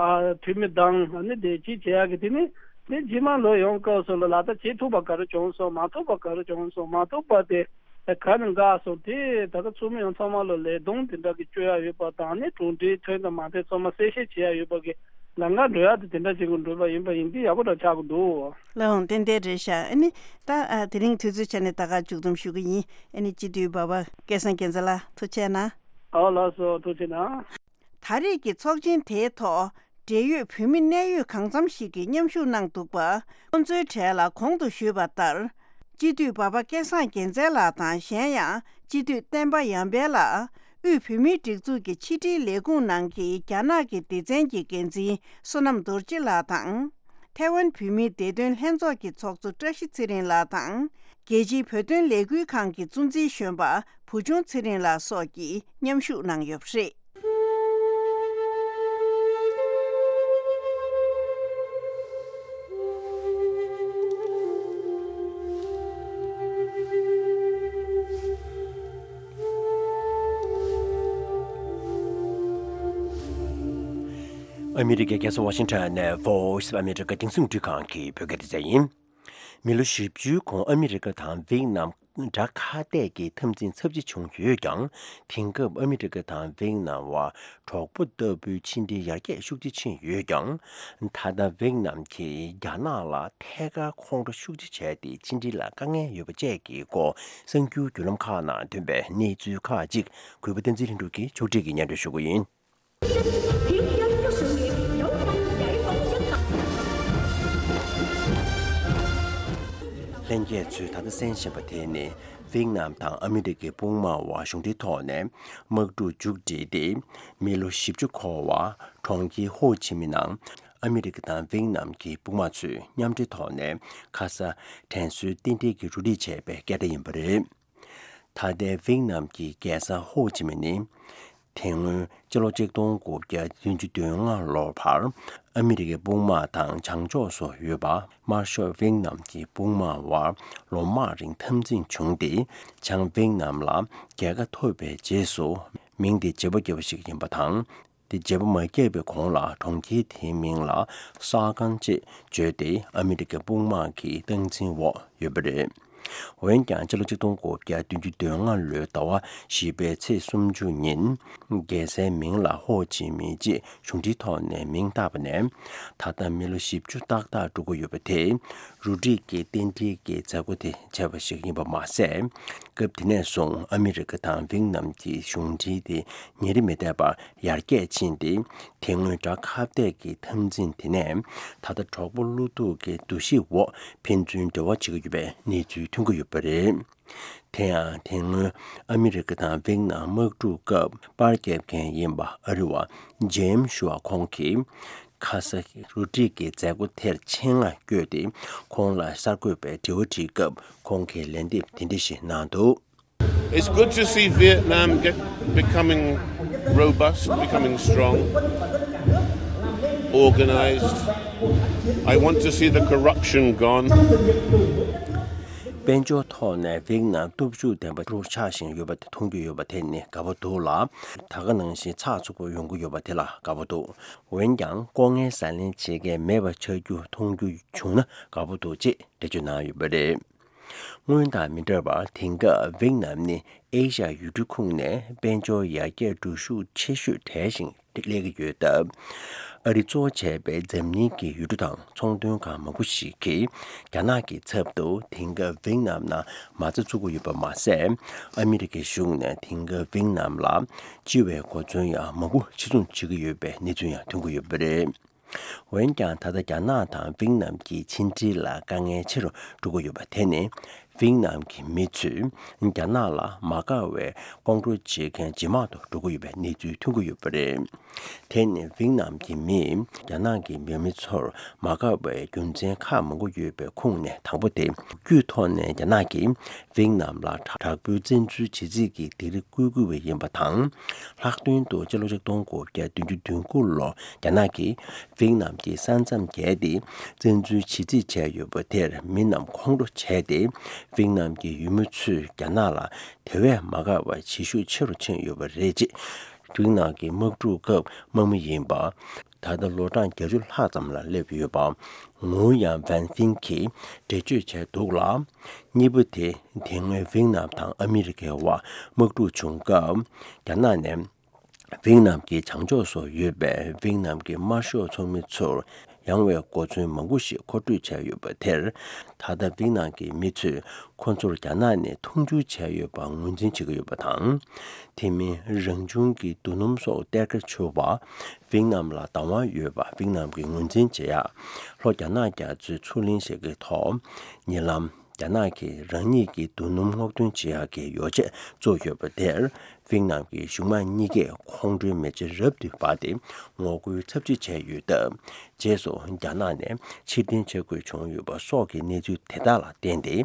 ཨ་འཐུས་མི་དང་ཨ་ནི་བདེ་སྐྱིད་བྱེད་ཡག་གི་དེ་ནི་དེ་རྗེས་མ་ལོ་ཡོང་སྐབས་སུ་ལ་ལག་བསྟར་བྱེད་ཐུབ་པ་ག་རེ་བྱུང་སོང་མ་ཐུབ་པ་ག་རེ་བྱུང་སོང་མ་ཐུབ་པ་དེ། ག་ནས་འགག་སོང་དེ་ད་ལྟ་ཚོགས་མི་ཡོངས་ཚང་མ་ལ་ལས་དོན་དེ་འདྲ་གི་བཅོ་ཡག་ཡོད་པ་དང་ནི་གྲུབ་འབྲས་ཐོན་དང་མ་ཐོན་ཚང་མ་གསལ་བཤད་བྱེད་ཡག་ཡོད་པ་གི་ལམ་ཁ་འགྲོ་ཡག་དེ་དེ་འདྲ་ཅིག་གི་འགྲོ་བ་ཡིན་པ་ཡིན་དུས་ཡག་པོ་འདྲ་ཆགས་ཀྱི་འདུག་ལགས་འོང་། ཏན་ཏན་རེད་ཤག་ཨ་ནི་ད་ཨ་དེ་རིང་དུས་ཚོད་ཆ་ནས་ད་ག་མཇུག་བསྡོམས་ཞུ་གི་ཡིན། ཨ་ནི་སྤྱི་འཐུས་འབའ་པ་སྐལ་བཟང་རྒྱལ་མཚན་ལགས་ཐུགས་རྗེ་གནང་། ཨོ་ལགས་སོ་ཐུགས་རྗེ་གནང་། ད་རེས་ཀྱི་ཚོགས་ཆེན་དེའི་ཐོག་འབྲེལ་ཡོད་བོད་མི་གནད་ཡོད་གང་འཚམ་ཞིག་གིས་མཉམ་ཞུགས་གནང་འདུག་པ། ཁོང་ཚོའི་གྲས་ལ་གོང་དུ་ཞུས་པ་ལྟར། སྤྱི་འཐུས་འབའ་པ་སྐལ་བཟང་རྒྱལ་མཚན་ལགས་དང་གཞན་ཡང་སྤྱི་འཐུས་བསྟན་པ་ཡར་འཕེལ་ལགས། དབུས་བོད་མིའི་སྒྲིག་འཛུགས་ཀྱི་ཕྱི་དྲིལ་ལས་ཁུངས་ནང་གི་རྒྱ་ནག་གི་སྡེ་ཚན་གྱི་འགན་འཛིན་བསོད་ནམས་རྡོ་རྗེ་ལགས་དང་། ཐའེ་ཝན་བོད་མིའི་བདེ་དོན་ལྷན་ཚོགས་ཀྱི་ཚོགས་གཙོ་བཀྲ་ཤིས་ཚེ་རིང་ལགས་དང་། རྒྱལ་སྤྱིའི་བོད་དོན་ལས་འགུལ་ཁང་གི་གཙོ་འཛིན་གཞོན་པ་བུ་ཆུང་ཚེ་རིང་ལགས་སོགས་ཀྱིས་མཉམ་ཞུགས་གནང་ཡོད་པ་རེད། ཨ་མི་རི་ཀའི་རྒྱལ་ས་ཝ་ཤིང་ཊོན་ནས་Voice of America་རྒྱང་སྲིང་རླུང་འཕྲིན་ཁང་གི་བོད་སྐད་སྡེ་ཚན་ཡིན། མི་ལོ་བཞི་བཅུའི་གོང་ཨ་མི་རི་ཀ་དང་ཝེ་ནམ་དགྲ་ཁ་གཏད་ཀྱི་འཐབ་འཛིང་ཚབས་ཆེ་བྱུང་ཡོད་ཀྱང་། དེང་སྐབས་ཨ་མི་རི་ཀ་དང་ཝེ་ནམ་བར་གྲོགས་པོ་ལྟ་བུའི་ཕྱི་འབྲེལ་ཡར་རྒྱས་ཤུགས་ཆེ་ཕྱིན་ཡོད་ཀྱང་། ད་ལྟ་ཝེ་ནམ་གྱིས་རྒྱ་ནག་ལ་ཐད་ཀར་ཁོང་ཁྲོ་ཤུགས་ཆེ་བྱས་ཏེ་ཕྱི་འབྲེལ་ལ་དཀའ་ངལ་ཡོད་པ་བཅས་ཀྱི་སྐོར་གསར་འགྱུར་བརྒྱུད་ལམ་ཁག་ནང་ཐོན་པའི་གནས་ཚུལ་ཁག་ཅིག་གུས་པ་བསྟན་འཛིན་ལྷུན་གྲུབ་ཀྱིས་ཕྱོགས་སྒྲིག་གིས་སྙན་སྒྲོན་ཞུ་གི་ཡིན། ལྷན་རྒྱས་ཚོས་ད་ལྟ་གསན་བཞིན་པ་དེ་ནི་ཝེ་ནམ་དང་ཨ་མི་རི་ཀའི་དཔུང་དམག་དབར་གཞུང་འབྲེལ་ཐོག་ནས་དམག་འཁྲུག་མཇུག་བསྒྲིལ་ཏེ། མི་ལོ་བཞི་བཅུ་འཁོར་བར་གྲོང་ཁྱེར་ཧོ་ཅི་མི་ནང་ཨ་མི་རི་ཀ་དང་ཝེ་ནམ་གྱི་དཔུང་དམག་ཚོས་མཉམ་འབྲེལ་ཐོག་ནས་ཁ་ས་དྲན་གསོའི་རྟེན་འབྲེལ་གྱི་རུ་སྒྲིག་བྱས་པའི་སྐད་སྒྲ་ཡིན་པ་རེད། ད་ལྟའི་ཝེ་ནམ་གྱི་རྒྱལ་ས་ཧོ་ཅི་མིན་ནི། དེ་སྔོན་སྤྱི་ལོ་ཆིག་སྟོང་དགུ་བརྒྱ་བདུན་ཅུ་དོན་ལྔ་ལོར་བར་ཨ་མི་རི་ཀའི་དཔུང་དམག་དང་བྱང་ཕྱོགས་སུ་ཡོད་པ་དམར་ཤོག་ཝེ་ནམ་གྱི་དཔུང་དམག་དབར་ལོ་མང་རིང་འཐབ་འཛིང་བྱུང་སྟེ། བྱང་ཝེ་ནམ་ལ་རྒྱལ་ཁ་ཐོབ་པའི་རྗེས་སུ་མིང་དེ་བརྗེ་པོ་བརྒྱབ་པ་ཞིག་ཡིན་པ་དང་། དེ་བརྗེ་པོ་མ་བརྒྱབ་པའི་གོང་ལ་གྲོང་ཁྱེར་དེའི་མིང་ལ་ས་ཀན་ཅེས་བརྗོད་དེ་ཨ་མི་རི་ཀའི་དཔུང་དམག་གི་སྟངས་འཛིན་འོག་ཡོད་པ་རེད། འོན་ཀྱང་སྤྱི་ལོ་ཆིག་སྟོང་དགུ་བརྒྱ་བདུན་ཅུ་དོན་ལྔ་ལོའི་ཟླ་བ་བཞི་པའི་ཚེས་སུམ་ཅུ་ཉིན། རྒྱལ་སའི་མིང་ལ་ཧོ་ཅི་མིན་ཅེས་གཞུང་འབྲེལ་ཐོག་ནས་མིང་བཏགས་པ་ནས་ད་ལྟ་མི་ལོ་བཞི་བཅུ་ཏག་ཏག་འགྲོ་གི་ཡོད་པ་དེ་རུ་སྒྲིག་གི་རྟེན་འབྲེལ་གྱི་མཛད་སྒོ་དེ་བྱས་པ་ཞིག་ཡིན་པ་མ་ཟད། སྐབས་དེ་ནས་བཟུང་ཨ་མི་རི་ཀ་དང་ཝེ་ནམ་གྱི་གཞུང་འབྲེལ་དེ་ཉིན་རེ་མི་འདས་པར་ཡར་རྒྱས་ཕྱིན་ཏེ། དེ་སྔོན་དགྲ་ཁ་གཏད་ཀྱི་འཐབ་འཛིང་དེ་ནས་ད་ལྟ་གྲོགས་པོ་བློ་ཐུག་གི་འདུ་ཤེས་འོག་ཕན་ཚུན་འབྲེལ་བ་བྱེད་ཀྱི་ཡོད་པའི་གནས་ཚུལ་ཐོན་གྱི་ཡོད་པ་རེད། དེ་ཡང་དེ་སྔོན་ཨ་མི་རི་ཀ་དང་ཝེ་ནམ་དམག་འཁྲུག་སྐབས་པར་རྒྱབ་མཁན་ཡིན་པ་ཨ་རི་བ་ཇེམ་ཞུ་བ་ཁོང་གིས་ཁ་ས་རུ་སྒྲིག་གི་མཛད་སྒོ་དེར་ཆེད་མངགས་བསྐྱོད་དེ་ཁོང་ལ་གསར་འགོད་པའི་དྲི་བ་དྲིས་སྐབས་ཁོང་གིས་ལན་འདེབས་དེ་འདྲ་ཞིག་གནང་འདུག It's good to see Vietnam get, becoming robust, becoming strong, organized. I want to see the corruption gone. དཔལ་འབྱོར་ཐོག་ནས་ཝེ་ནམ་སྟོབས་ཤུགས་ལྡན་པ་རུ་ཆགས་བཞིན་ཡོད་པ་དེ་མཐོང་རྒྱུ་ཡོད་པ་དེ་ནི་དགའ་པོ་འདུག་ལ། ད་ག་ནང་བཞིན་ཚགས་ཚུད་པོ་ཡོང་གི་ཡོད་པ་དེ་ལ་དགའ་པོ་འདུག་འོན་ཀྱང་ལྐོག་རྔན་ཟ་ལེན་བྱེད་མཁན་མེད་པ་ཆགས་རྒྱུ་མཐོང་རྒྱུ་བྱུང་ན་དགའ་པོ་འདུག་ཅེས་འགྲེལ་བརྗོད་གནང་ཡོད་པ་རེད། སྔོན་དང་མི་འདྲ་བར་དེང་སྐབས་ཝེད་ནམ་ནི་ཨེ་ཤ་ཡ་ཡུལ་གྲུ་ཁོངས་ནས་དཔལ་འབྱོར་ཡར་རྒྱས་འགྲོ་ཤུགས་ཆེ་ཤོས་གྲས་ཤིག་སླེབས་ཀྱི་ཡོད་སྟབས། ཨ་རི་གཙོ་བོ་བྱས་པའི་འཛམ་གླིང་གི་ཡུལ་གྲུ་དང་ཚོང་དོན་ཁང་མང་པོ་ཞིག་གིས་རྒྱ་ནག་གི་ཚབ་ཏུ་དེང་སྐབས་ཝེད་ནམ་ནང་མ་རྩ་བཙུགས་ཀྱི་ཡོད་པ་མ་ཟད། ཨ་མི་རི་ཀའི་གཞུང་ནས་དེང་སྐབས་ཝེད་ནམ་ལ་སྤྱི་བའི་གོ་མཚོན་ཡང་མང་པོ་ཕྱིར་ཚོང་བྱེད་ཀྱི་ཡོད་པའི་གནས་ཚུལ་ཡང་ཐོན་གྱི་ཡོད་པ་རེད། འོན་ཀྱང་། ད་ལྟ་རྒྱ་ནག་དང་ཝེད་ནམ་གྱི་ཕྱི་འབྲེལ་ལ་དཀའ་ངལ་ཆེ་རུ་འགྲོ་གི་ཡོད་པ་དེ་ནི། ཝེད་ནམ་གྱི་མི་ཚོས་རྒྱ་ནག་ལ་མ་དགའ་བའི་ལྐོག་འགྲོ་བྱེད་མཁན་ཇེ་མང་དུ་འགྲོ་གི་ཡོད་པའི་གནས་ཚུལ་ཐོན་གྱི་ཡོད་པ་རེད། དེ་ནི་ཝེད་ནམ་གྱི་མིས་རྒྱ་ནག་གི་འོས་མི་ཚོར་མ་དགའ་བའི་རྒྱུ་མཚན་ཁག་མང་པོ་ཡོད་པའི་ཁོངས་ནས་དང་པོ་དེ། རྒྱུའི་ཐོག་ནས་རྒྱ་ནག་གིས་ཝེད་ནམ་ལ་དྲག་པོའི་བཙན་འཛུལ་བྱེད་རྩིས་ཀྱི་སྡིགས་ར་བསྐུལ་དགོས་པ་ཡིན་པ་དང་། ལྷག་དོན་དུ་ཕྱི་ལོ་ཆིག་སྟོང་དགུ་བརྒྱ་བདུན་ཅུ་དོན་དགུ་ལོར་རྒྱ་ནག་གིས་ཝེད་ནམ་གྱི་ས་མཚམས་བརྒལ་ཏེ་བཙན་འཛུལ་བྱེད་རྩིས་བྱས་ཡོད་པ་དེར་མི་རྣམས་ཁོང་ཁྲོ་བྱས་ཏེ། ཝེད་ནམ་གྱི་འོས་མི་ཚོས་རྒྱ་ནག་ལ་དེ་བས་མ་དགའ་བ་བྱེད་ཤུགས་ཆེ་རུ་ཕྱིན་ཡོད་པ་རེད། ཅེས། ཝེད་ནམ་གྱི་དམག་འཁྲུག་སྐབས་དམག་མི་ཡིན་པ། ད་ལྟ་ལོ་གྲངས་བརྒྱད་ཅུ་ལྷག་ཙམ་ལ་སླེབས་ཡོད་པ། ངུའུ་ཡང་ཝན་ཧྥིན་གྱིས་འགྲེལ་བརྗོད་བྱས་འདུག་ལ། གཉིས་པ་དེ། དེ་སྔོན་ཝེད་ནམ་དང་ཨ་མི་རི་ཀའི་དབར་དམག་འཁྲུག་བྱུང་སྐབས། རྒྱ་ནག་ནས་ཝེད་ནམ་གྱི་བྱང་ཕྱོགས་སུ་ཡོད་པའི་ཝེད་ནམ་གྱི་དམར་ཤོག་ཚོགས་མི་ཚོར་ཡང་བའི་གོ་མཚོན་མང་པོ་ཞིག་མཁོ་སྤྲོད་བྱས་ཡོད་པ་དེར། ད་ལྟ་ཝེད་ནམ་གྱི་མི་ཚོས་ཁོ་ཚོར་རྒྱ་ནག་ནས་མཐོང་ཆུང་བྱས་ཡོད་པ་ངོས་འཛིན་བྱེད་ཀྱི་ཡོད་པ་དང་། དེ་མིན་རང་བྱུང་གི་རྡོ་སྣུམ་སོགས་གཏེར་ཁ་འཚོལ་བར་ཝེད་ནམ་ལ་བདག་དབང་ཡོད་པ་ཝེད་ནམ་གྱིས་ངོས་འཛིན་བྱེད་ཡག་ལྷོ་རྒྱ་ནག་རྒྱ་མཚོའི་མཚོ་གླིང་ཞིག་གི་ཐོག་ཉེ་ལམ་རྒྱ་ནག་གིས་རང་ཉིད་ཀྱི་རྡོ་སྣུམ་སྔོག་འདོན་བྱེད་ཡག་གི་ཡོ་བྱད་བཙུགས་ཡོད་པ་དེར། ཝེད་ནམ་གྱི་གཞུང་མང་གཉིས་ཀས་ཁོང་ཁྲོའི་མེ་ལྕེ་རབ་ཏུ་འབར་ཏེ་ངོ་རྒོལ་ཚབས་ཆེ་བྱས་ཡོད་སྟབས། རྗེས་སུ་རྒྱ་ནག་ནས་ཕྱིར་འཐེན་བྱེད་དགོས་བྱུང་ཡོད་པ་སོགས་ཀྱི་གནས་ཚུལ་དེ་དག་ལ་བརྟེན་ཏེ།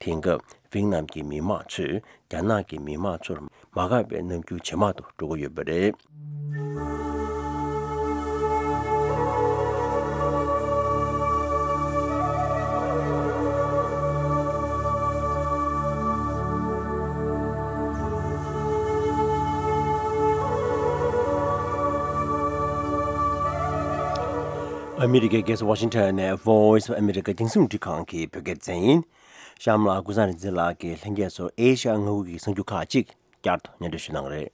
དེང་སྐབས་ཝེད་ནམ་གྱི་མི་དམངས་ཚོས་རྒྱ་ནག་གི་མི་དམངས་ཚོར་མ་དགའ་བའི་རྣམ་འགྱུར་ཇེ་མང་དུ་འགྲོ་གི་ཡོད་པ་རེད། ཨ་མི་རི་ཀའི་རྒྱལ་ས་ཝ་ཤིང་ཊོན་ནས་Voice of America རྒྱང་སྲིང་རླུང་འཕྲིན་ཁང་གི་བོད་སྐད་སྡེ་ཚན་ཡིན། གཤམ་ལ་ཀུན་བཟང་རིག་འཛིན་ལགས་ཀྱིས་ལྷན་རྒྱས་ཚོར་ཨེ་ཤ་ཡ་མངའ་ཁུལ་གྱི་གསར་འགྱུར་ཁག་ཅིག་བསྐྱར་དུ་སྙན་སྒྲོན་ཞུ་གནང་གི་རེད།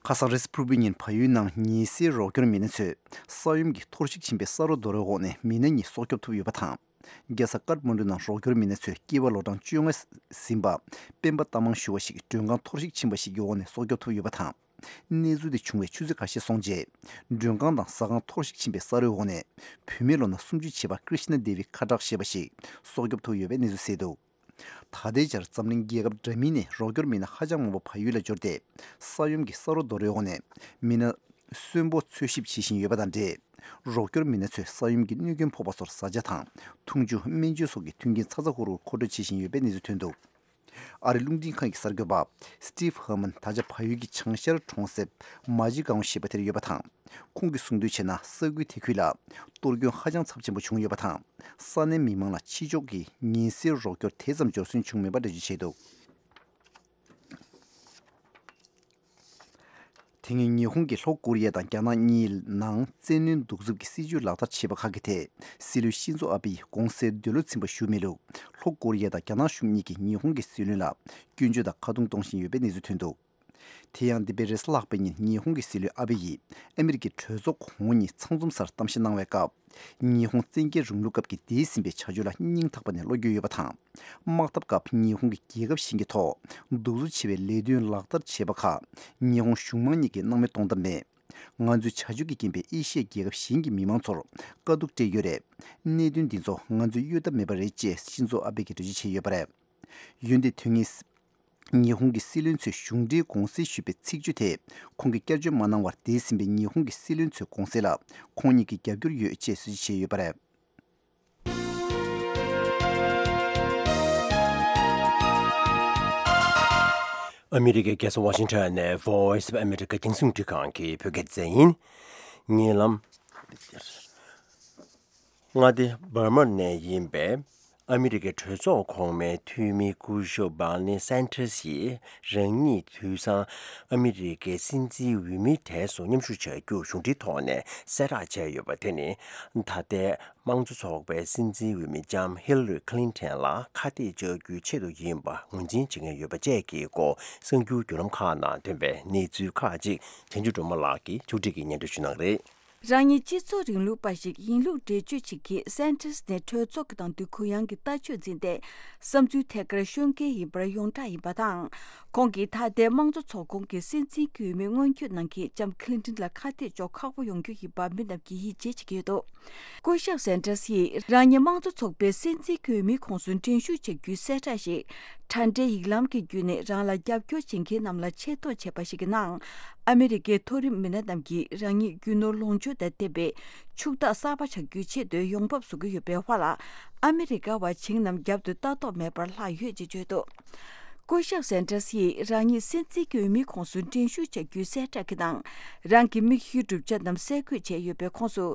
ཁ་སང་རེས་གཟའ་ཕུར་བུའི་ཉིན་བལ་ཡུལ་ནང་ཉི་ཟེར་རོགས་སྐྱོར་མི་སྣ་ཚོས་ས་ཡོམ་གྱིས་འཐོར་ཞིག་ཕྱིན་པའི་ས་རོ་རྡོ་རོའི་འོག་ནས་མི་སྣ་གཉིས་སྲོག་སྐྱོབ་ཐུབ་ཡོད་པ་དང་། རྒྱལ་ས་ཀཏ་མན་ཌུ་ནང་རོགས་སྐྱོར་མི་སྣ་ཚོས་སྐྱེས་པ་ལོ་གྲངས་བཅོ་ལྔ་ཟིན་པ་སྤེན་པ་རྟ་མང་ཞུ་བ་ཞིག་མགྲོན་ཁང་འཐོར་ཞིག་ཕྱིན་པ་ཞིག་གི་འོག་ནས་སྲོག་སྐྱོབ་ཐུབ་ཡོད་པ་དང་། གནས་ཚུལ་དེ་བྱུང་བའི་ཆུ་ཚོད་ཁ་ཤས་སོང་རྗེས། མགྲོན་ཁང་དང་ཟ་ཁང་འཐོར་ཞིག་ཕྱིན་པའི་ས་རོའི་འོག་ནས་བུད་མེད་ལོ་ན་སུམ་ཅུ་བྱེད་པ་ཀྲི་ཤི་ན་དེ་བི་ཁ་ཏྲག་ཞེས་པ་ཞིག་སྲོག་སྐྱོབ་ཐུབ་ཡོད་པའི་གནས་ཚུལ་གསལ་འདུག་ད་ལྟའི་ཆར་འཛམ་གླིང་རྒྱལ་ཁབ་འདྲ་མིན་ནས་རོགས་སྐྱོར་མི་སྣ་ཧ་ཅང་མང་པོ་བལ་ཡུལ་ལ་འབྱོར་ཏེ། ས་ཡོམ་གྱི་ས་རོ་རྡོ་རོའི་འོག་ནས་མི་སྣ་གསོན་པོ་འཚོལ་ཞིབ་བྱེད་བཞིན་ཡོད་པ་དང་འབྲེལ། རོགས་སྐྱོར་མི་སྣ་ཚོས་ས་ཡོམ་གྱི་གནོད་སྐྱོན་ཕོག་པ་ཚོར་བཟའ་བཅའ་དང་འཐུང་ཆུ། སྨན་བཅོས་སོགས་ཀྱི་མཐུན་རྐྱེན་ཚ་ཚ་ཧུར་ཧུར་མཁོ་སྤྲོད་བྱེད་བཞིན་ཡོད་པའི་གནས་ཚུལ་ཐོན་འདུག་ཨ་རིའི་རླུང་འཕྲིན་ཁང་གི་གསར་འགོད་པ་Steve Herman ད་ཆ་བལ་ཡུལ་གྱི་བྱང་ཤར་གྲོང་གསེབ་མ་ཇི་གའོ་ཞེས་པ་དེར་ཡོད་པ་དང་། ཁོང་གིས་གསུངས་དོན་བྱས་ན། ས་ཁུལ་དེ་ཁུལ་ལ་གཏོར་སྐྱོན་ཧ་ཅང་ཚབས་ཆེན་པོ་བྱུང་ཡོད་པ་དང་། ས་གནས་མི་མང་ལ་ཕྱི་ཕྱོགས་ཀྱི་ཉི་ཟེར་རོགས་སྐྱོར་དེ་ཙམ་འབྱོར་སོན་བྱུང་མེད་པ་འགྲེལ་བརྗོད་བྱས་འདུག་དེ་སྔོན་ཉི་ཧོང་གིས་ལྷོ་ཀོ་རི་ཡ་དང་རྒྱ་ནག་གཉིས་ནང་བཙན་གནོན་གདུག་རྩུབ་ཀྱི་སྲིད་ཇུས་ལག་བསྟར་བྱས་པ་ཁག་གི་ཐད། སྲིད་བློན་ཤིན་ཛོ་ཨ་བྷེ་ཡིས་དགོངས་སེལ་འདོད་བློ་ཚིམ་པ་ཞུ་མེད་ལུགས། ལྷོ་ཀོ་རི་ཡ་དང་རྒྱ་ནག་གཞུང་གཉིས་ཀྱིས་ཉི་ཧོང་གི་སྲིད་བློན་ལ་སྐྱོན་བརྗོད་དང་ཁ་རྡུང་གཏོང་བཞིན་ཡོད་པའི་གནས་ཚུལ་ཐོན་འདུག་དེ་ཡང་འདས་པའི་རེས་གཟའ་ལྷག་པའི་ཉིན་ཉི་ཧོང་གི་སྲིད་བློན་ཨ་བྷེ་ཡིས་ཨ་མི་རི་ཀའི་གྲོས་ཚོགས་གོང་འོག་གཉིས་ཚང་འཛོམས་སར་གཏམ་བཤད་གནང་བའི་སྐབས། ཉི་ཧོང་བཙན་རྒྱལ་རིང་ལུགས་སྐབས་ཀྱི་འདས་ཟིན་པའི་བྱ་སྤྱོད་ལ་སྙིང་ཐག་པ་ནས་བློ་འགྱོད་ཡོད་པ་དང་། དམག་འཐབ་སྐབས་ཉི་ཧོང་གིས་རྒྱལ་ཁབ་གཞན་གྱི་ཐོག་གདུག་རྩུབ་ཆེ་བའི་ལས་དོན་ལག་བསྟར་བྱས་པ་ཁག་ཉི་ཧོང་གཞུང་མང་གཉིས་ཀྱིས་སྣང་མེད་གཏོང་ཐབས་མེད། ང་ཚོའི་བྱ་སྤྱོད་ཀྱི་རྐྱེན་པས་ཨེ་ཤི་ཡའི་རྒྱལ་ཁབ་གཞན་གྱི་མི་མང་ཚོར་དཀའ་སྡུག་སྤྲད་ཡོད་རེད། གནད་དོན་འདི་ཚོ་ང་ཚོས་གཡོལ་ཐབས་མེད་པ་རེད་ཅེས་ཤིན་ཛོ་ཨ་བྷེ་གིས་འགྲེལ་བརྗོད་བྱས་ཡོད་པ་རེད། འོན་ཏེ་དོན་ངེས། ཉི་ཧོང་གི་སྲིད་བློན་ཚོས་གཞུང་འབྲེལ་དགོངས་སེལ་ཞུས་པའི་ཚིག་བརྗོད་དེ་ཁོང་གིས་བསྐྱར་བརྗོད་མ་གནང་བར། འདས་ཟིན་པའི་ཉི་ཧོང་གི་སྲིད་བློན་ཚོའི་དགོངས་སེལ་ལ་ཁོང་ཉིད་ཀྱིས་རྒྱབ་སྐྱོར་ཡོད་ཅེས་གསལ་བརྗོད་བྱས་ཡོད་པ་རེད། ཨ་མི་རི་ཀའི་རྒྱལ་ས་ཝ་ཤིང་ཊོན་ནས་Voice of America རྒྱང་སྲིང་རླུང་འཕྲིན་ཁང་གི་བོད་སྐད་སྡེ་ཚན་ཡིན། ཉེ་ལམ་མངའ་སྡེ་འབར་མ་ནས་ཡིན་པའི་ ཨ་མི་རི་ཀའི་གྲོས་ཚོགས་གོང་མའི་འཐུས་མི་སྐུ་ཞབས་Bernie Sanders་ཡིས་རང་ཉིད་དུས་སང་ཨ་མི་རི་ཀའི་སྲིད་འཛིན་འོས་མིའི་གྲས་སུ་མཉམ་ཞུགས་བྱ་རྒྱུར་གཞུང་འབྲེལ་ཐོག་ནས་གསལ་བསྒྲགས་བྱས་ཡོད་པ་དེ་ནི། ད་ལྟའི་དམངས་གཙོ་ཚོགས་པའི་སྲིད་འཛིན་འོས་མི་ལྕམ་Hillary Clinton་ལ་ཁ་གཏད་གཅོག་རྒྱུའི་ཆེད་དུ་ཡིན་པ་ངོས་འཛིན་བྱེད་མཁན་ཡོད་པ་བཅས་ཀྱི་སྐོར་གསར་འགྱུར་བརྒྱུད་ལམ་ཁག་ནང་ཐོན་པའི་གནས་ཚུལ་ཁག་ཅིག་བྱང་ཆུབ་སྒྲོལ་མ་ལགས་ཀྱིས་ཕྱོགས་སྒྲིག་གིས་སྙན་སྒྲོན་ཞུ་གནང་གི་རེད། རང་ཉིད་སྤྱི་ཚོགས་རིང་ལུགས་པ་ཞིག་ཡིན་ལུགས་འགྲེལ་བརྗོད་བྱེད་མཁན་Sanders་ནས་གྲོས་ཚོགས་ཀྱི་ནང་དུ་གུ་ཡངས་ཀྱི་ལྟ་སྤྱོད་འཛིན་ཏེ། བསམ་ཚུལ་ཐད་ཀར་ཤོད་མཁན་ཡིན་པར་ཡོངས་གྲགས་ཡིན་པ་དང་། ཁོང་གིས་ད་ལྟའི་དམངས་གཙོ་ཚོགས་ཁོངས་ཀྱི་སྲིད་འཛིན་གྱི་འོས་མི་མངོན་འཁྱོལ་གནང་མཁན་ལྕམ་Clinton་ལ་ཁ་གཏད་གཅོག་ཁག་པོ་ཡོང་རྒྱུ་ཡིན་པ་མི་རྣམས་ཀྱིས་ཡིད་ཆེས་བྱེད་ཀྱི་ཡོད་འདུག་སྐུ་ཞབས་Sanders་ཡིས་རང་ཉིད་དམངས་གཙོ་ཚོགས་པའི་སྲིད་འཛིན་གྱི་འོས་མིའི་ཁོངས་སུ་འགྲན་ཞུགས་བྱ་རྒྱུའི་གསལ་བསྒྲགས་ཤིག་དྲ་འབྲེལ་ཡིག་ལམ་གྱི་བརྒྱུད་ནས་རང་ལ་རྒྱབ་སྐྱོར་བྱེད་མཁན་རྣམས་ལ་ཆེ་མཐོང་བྱས་པ་ཞིག་གི་ནང་། ཨ་མི་རི་ཀའི་མཐོ་རིམ་མི་སྣ་རྣམས་ཀྱིས་རང་ཉིད་རྒྱུ་ནོར་ལོངས་སྤྱོད་དང་ལྡན་པའི་ཕྱུག་བདག་གསར་པ་ཆགས་རྒྱུའི་ཆེད་དུ་ཡོང་འབབ་བཟོ་གི་ཡོད་པའི་དབར་ལ། ཨ་མི་རི་ཀ་བ་བྱིངས་རྣམས་རྒྱབ་ཏུ་ལྟ་རྟོག་མེད་པར་ལྷག་ཡོད་ཅེས་བརྗོད་འདུག་སྐུ་ཞབས་Sanders་ཡིས་རང་ཉིད་སྲིད་འཛིན་གྱི་འོས་མིའི་ཁོངས་སུ་འགྲན་ཞུགས་བྱ་རྒྱུའི་གསལ་བསྒྲགས་ཀྱི་ནང་། རང་གི་མིག་ཤེལ་གྲུབ་ཆ་རྣམས་གསལ་བཀོད་བྱས་ཡོད་པའི་ཁོངས་སུ།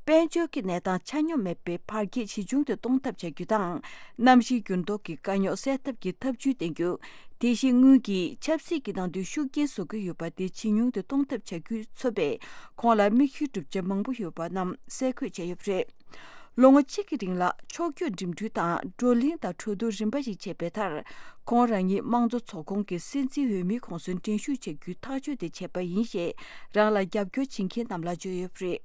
དཔལ་འབྱོར་གྱི་གནས་སྟངས་ཆ་སྙོམས་མེད་པའི་བར་ཁྱད་ཇེ་ཆུང་དུ་གཏོང་ཐབས་བྱ་རྒྱུ་དང་། གནམ་གཤིས་འགྱུར་ལྡོག་གི་དཀའ་རྙོག་སེལ་ཐབས་ཀྱི་ཐབས་ཇུས་བསྟེན་རྒྱུ། དེ་བཞིན་དངུལ་གྱིས་ཆབ་སྲིད་ཀྱི་ནང་དུ་ཤུགས་རྐྱེན་བཟོ་གི་ཡོད་པ་དེ་ཇེ་ཉུང་དུ་གཏོང་ཐབས་བྱ་རྒྱུ་མཚོན་པའི་ཁོང་ལ་མིག་ཤེལ་གྲུབ་ཆ་མང་པོ་ཡོད་པ་རྣམས་གསལ་བཀོད་བྱས་ཡོད་པ་རེད། ལོ་ངོ་གཅིག་གི་རིང་ལ་ཕྱོགས་བསྐྱོད་འགྲིམ་འགྲུལ་དང་བགྲོ་གླེང་དང་གྲོས་བསྡུར་རིམ་པ་ཞིག་བྱས་པའི་མཐར། ཁོང་རང་ཉིད་དམངས་གཙོ་ཚོགས་ཁོངས་ཀྱི་སྲིད་འཛིན་འོས་མིའི་ཁོངས་སུ་འགྲན་ཞུགས་བྱ་རྒྱུའི་ཐག་གཅོད་དེ་བྱས་པ་ཡིན་ཞེས་རང་ལ་རྒྱབ་སྐྱོར་བྱེད་མཁན་རྣམས་ལ་བརྗོད་ཡོད་པ་རེད།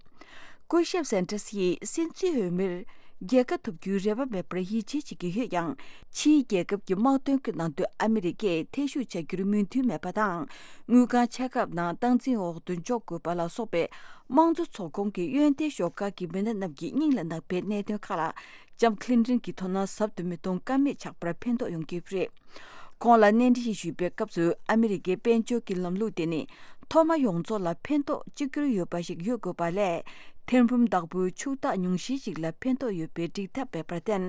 སྐུ་ཞབས་Sanders་ཡིས་སྲིད་འཛིན་འོས་མིར་རྒྱལ་ཁ་ཐོབ་རྒྱུའི་རེ་བ་མེད་པར་ཡིད་ཆེས་བྱེད་ཀྱི་ཡོད་ཀྱང་། ཕྱིའི་རྒྱལ་ཁབ་ཀྱི་དམག་དོན་གྱི་ནང་དུ་ཨ་མི་རི་ཀས་ཐེ་ཞུགས་བྱ་རྒྱུར་མོས་མཐུན་མེད་པ་དང་། དངུལ་ཁང་ཆེ་ཁག་ནང་སྟངས་འཛིན་འོག་ཏུ་འཇོག་དགོས་པ་ལ་སོགས་པའི་དམངས་གཙོ་ཚོགས་ཁོངས་ཀྱི་གཡོན་ཐལ་ཤོག་ཁག་གི་མི་སྣ་རྣམས་ཀྱི་སྙིང་ལ་བརྣག་པའི་གནད་དོན་ཁག་ལ་ལྕམ་Clinton་གྱིས་དོ་སྣང་ཟབ་ཏུ་མི་གཏོང་ཀ་མེད་ཆགས་པར་ཕན་ཐོགས་ཡོང་གི་ཡོད་པ་རེད། ཁོང་ལ་གནས་འདྲི་ཞིག་ཞུས་པའི་སྐབས་སུ་ཨ་མི་རི་ཀའི་དཔལ་འབྱོར་གྱི་ལམ་ལུགས་དེ་ནི་མཐོ་དམའ་ཡོངས་རྫོགས་ལ་ཕན་ཐོགས་གཅིག་གྱུར་ཡོད་པ་ཞིག་ཡོད་དགོས་པ་ལས། ཐེར་འབུམ་བདག་པོའི་ཕྱུག་བདག་ཉུང་ཤས་ཤིག་ལ་ཕན་ཐོགས་ཡོད་པའི་འགྲིག་ཐབས་མེད་པར་བརྟེན།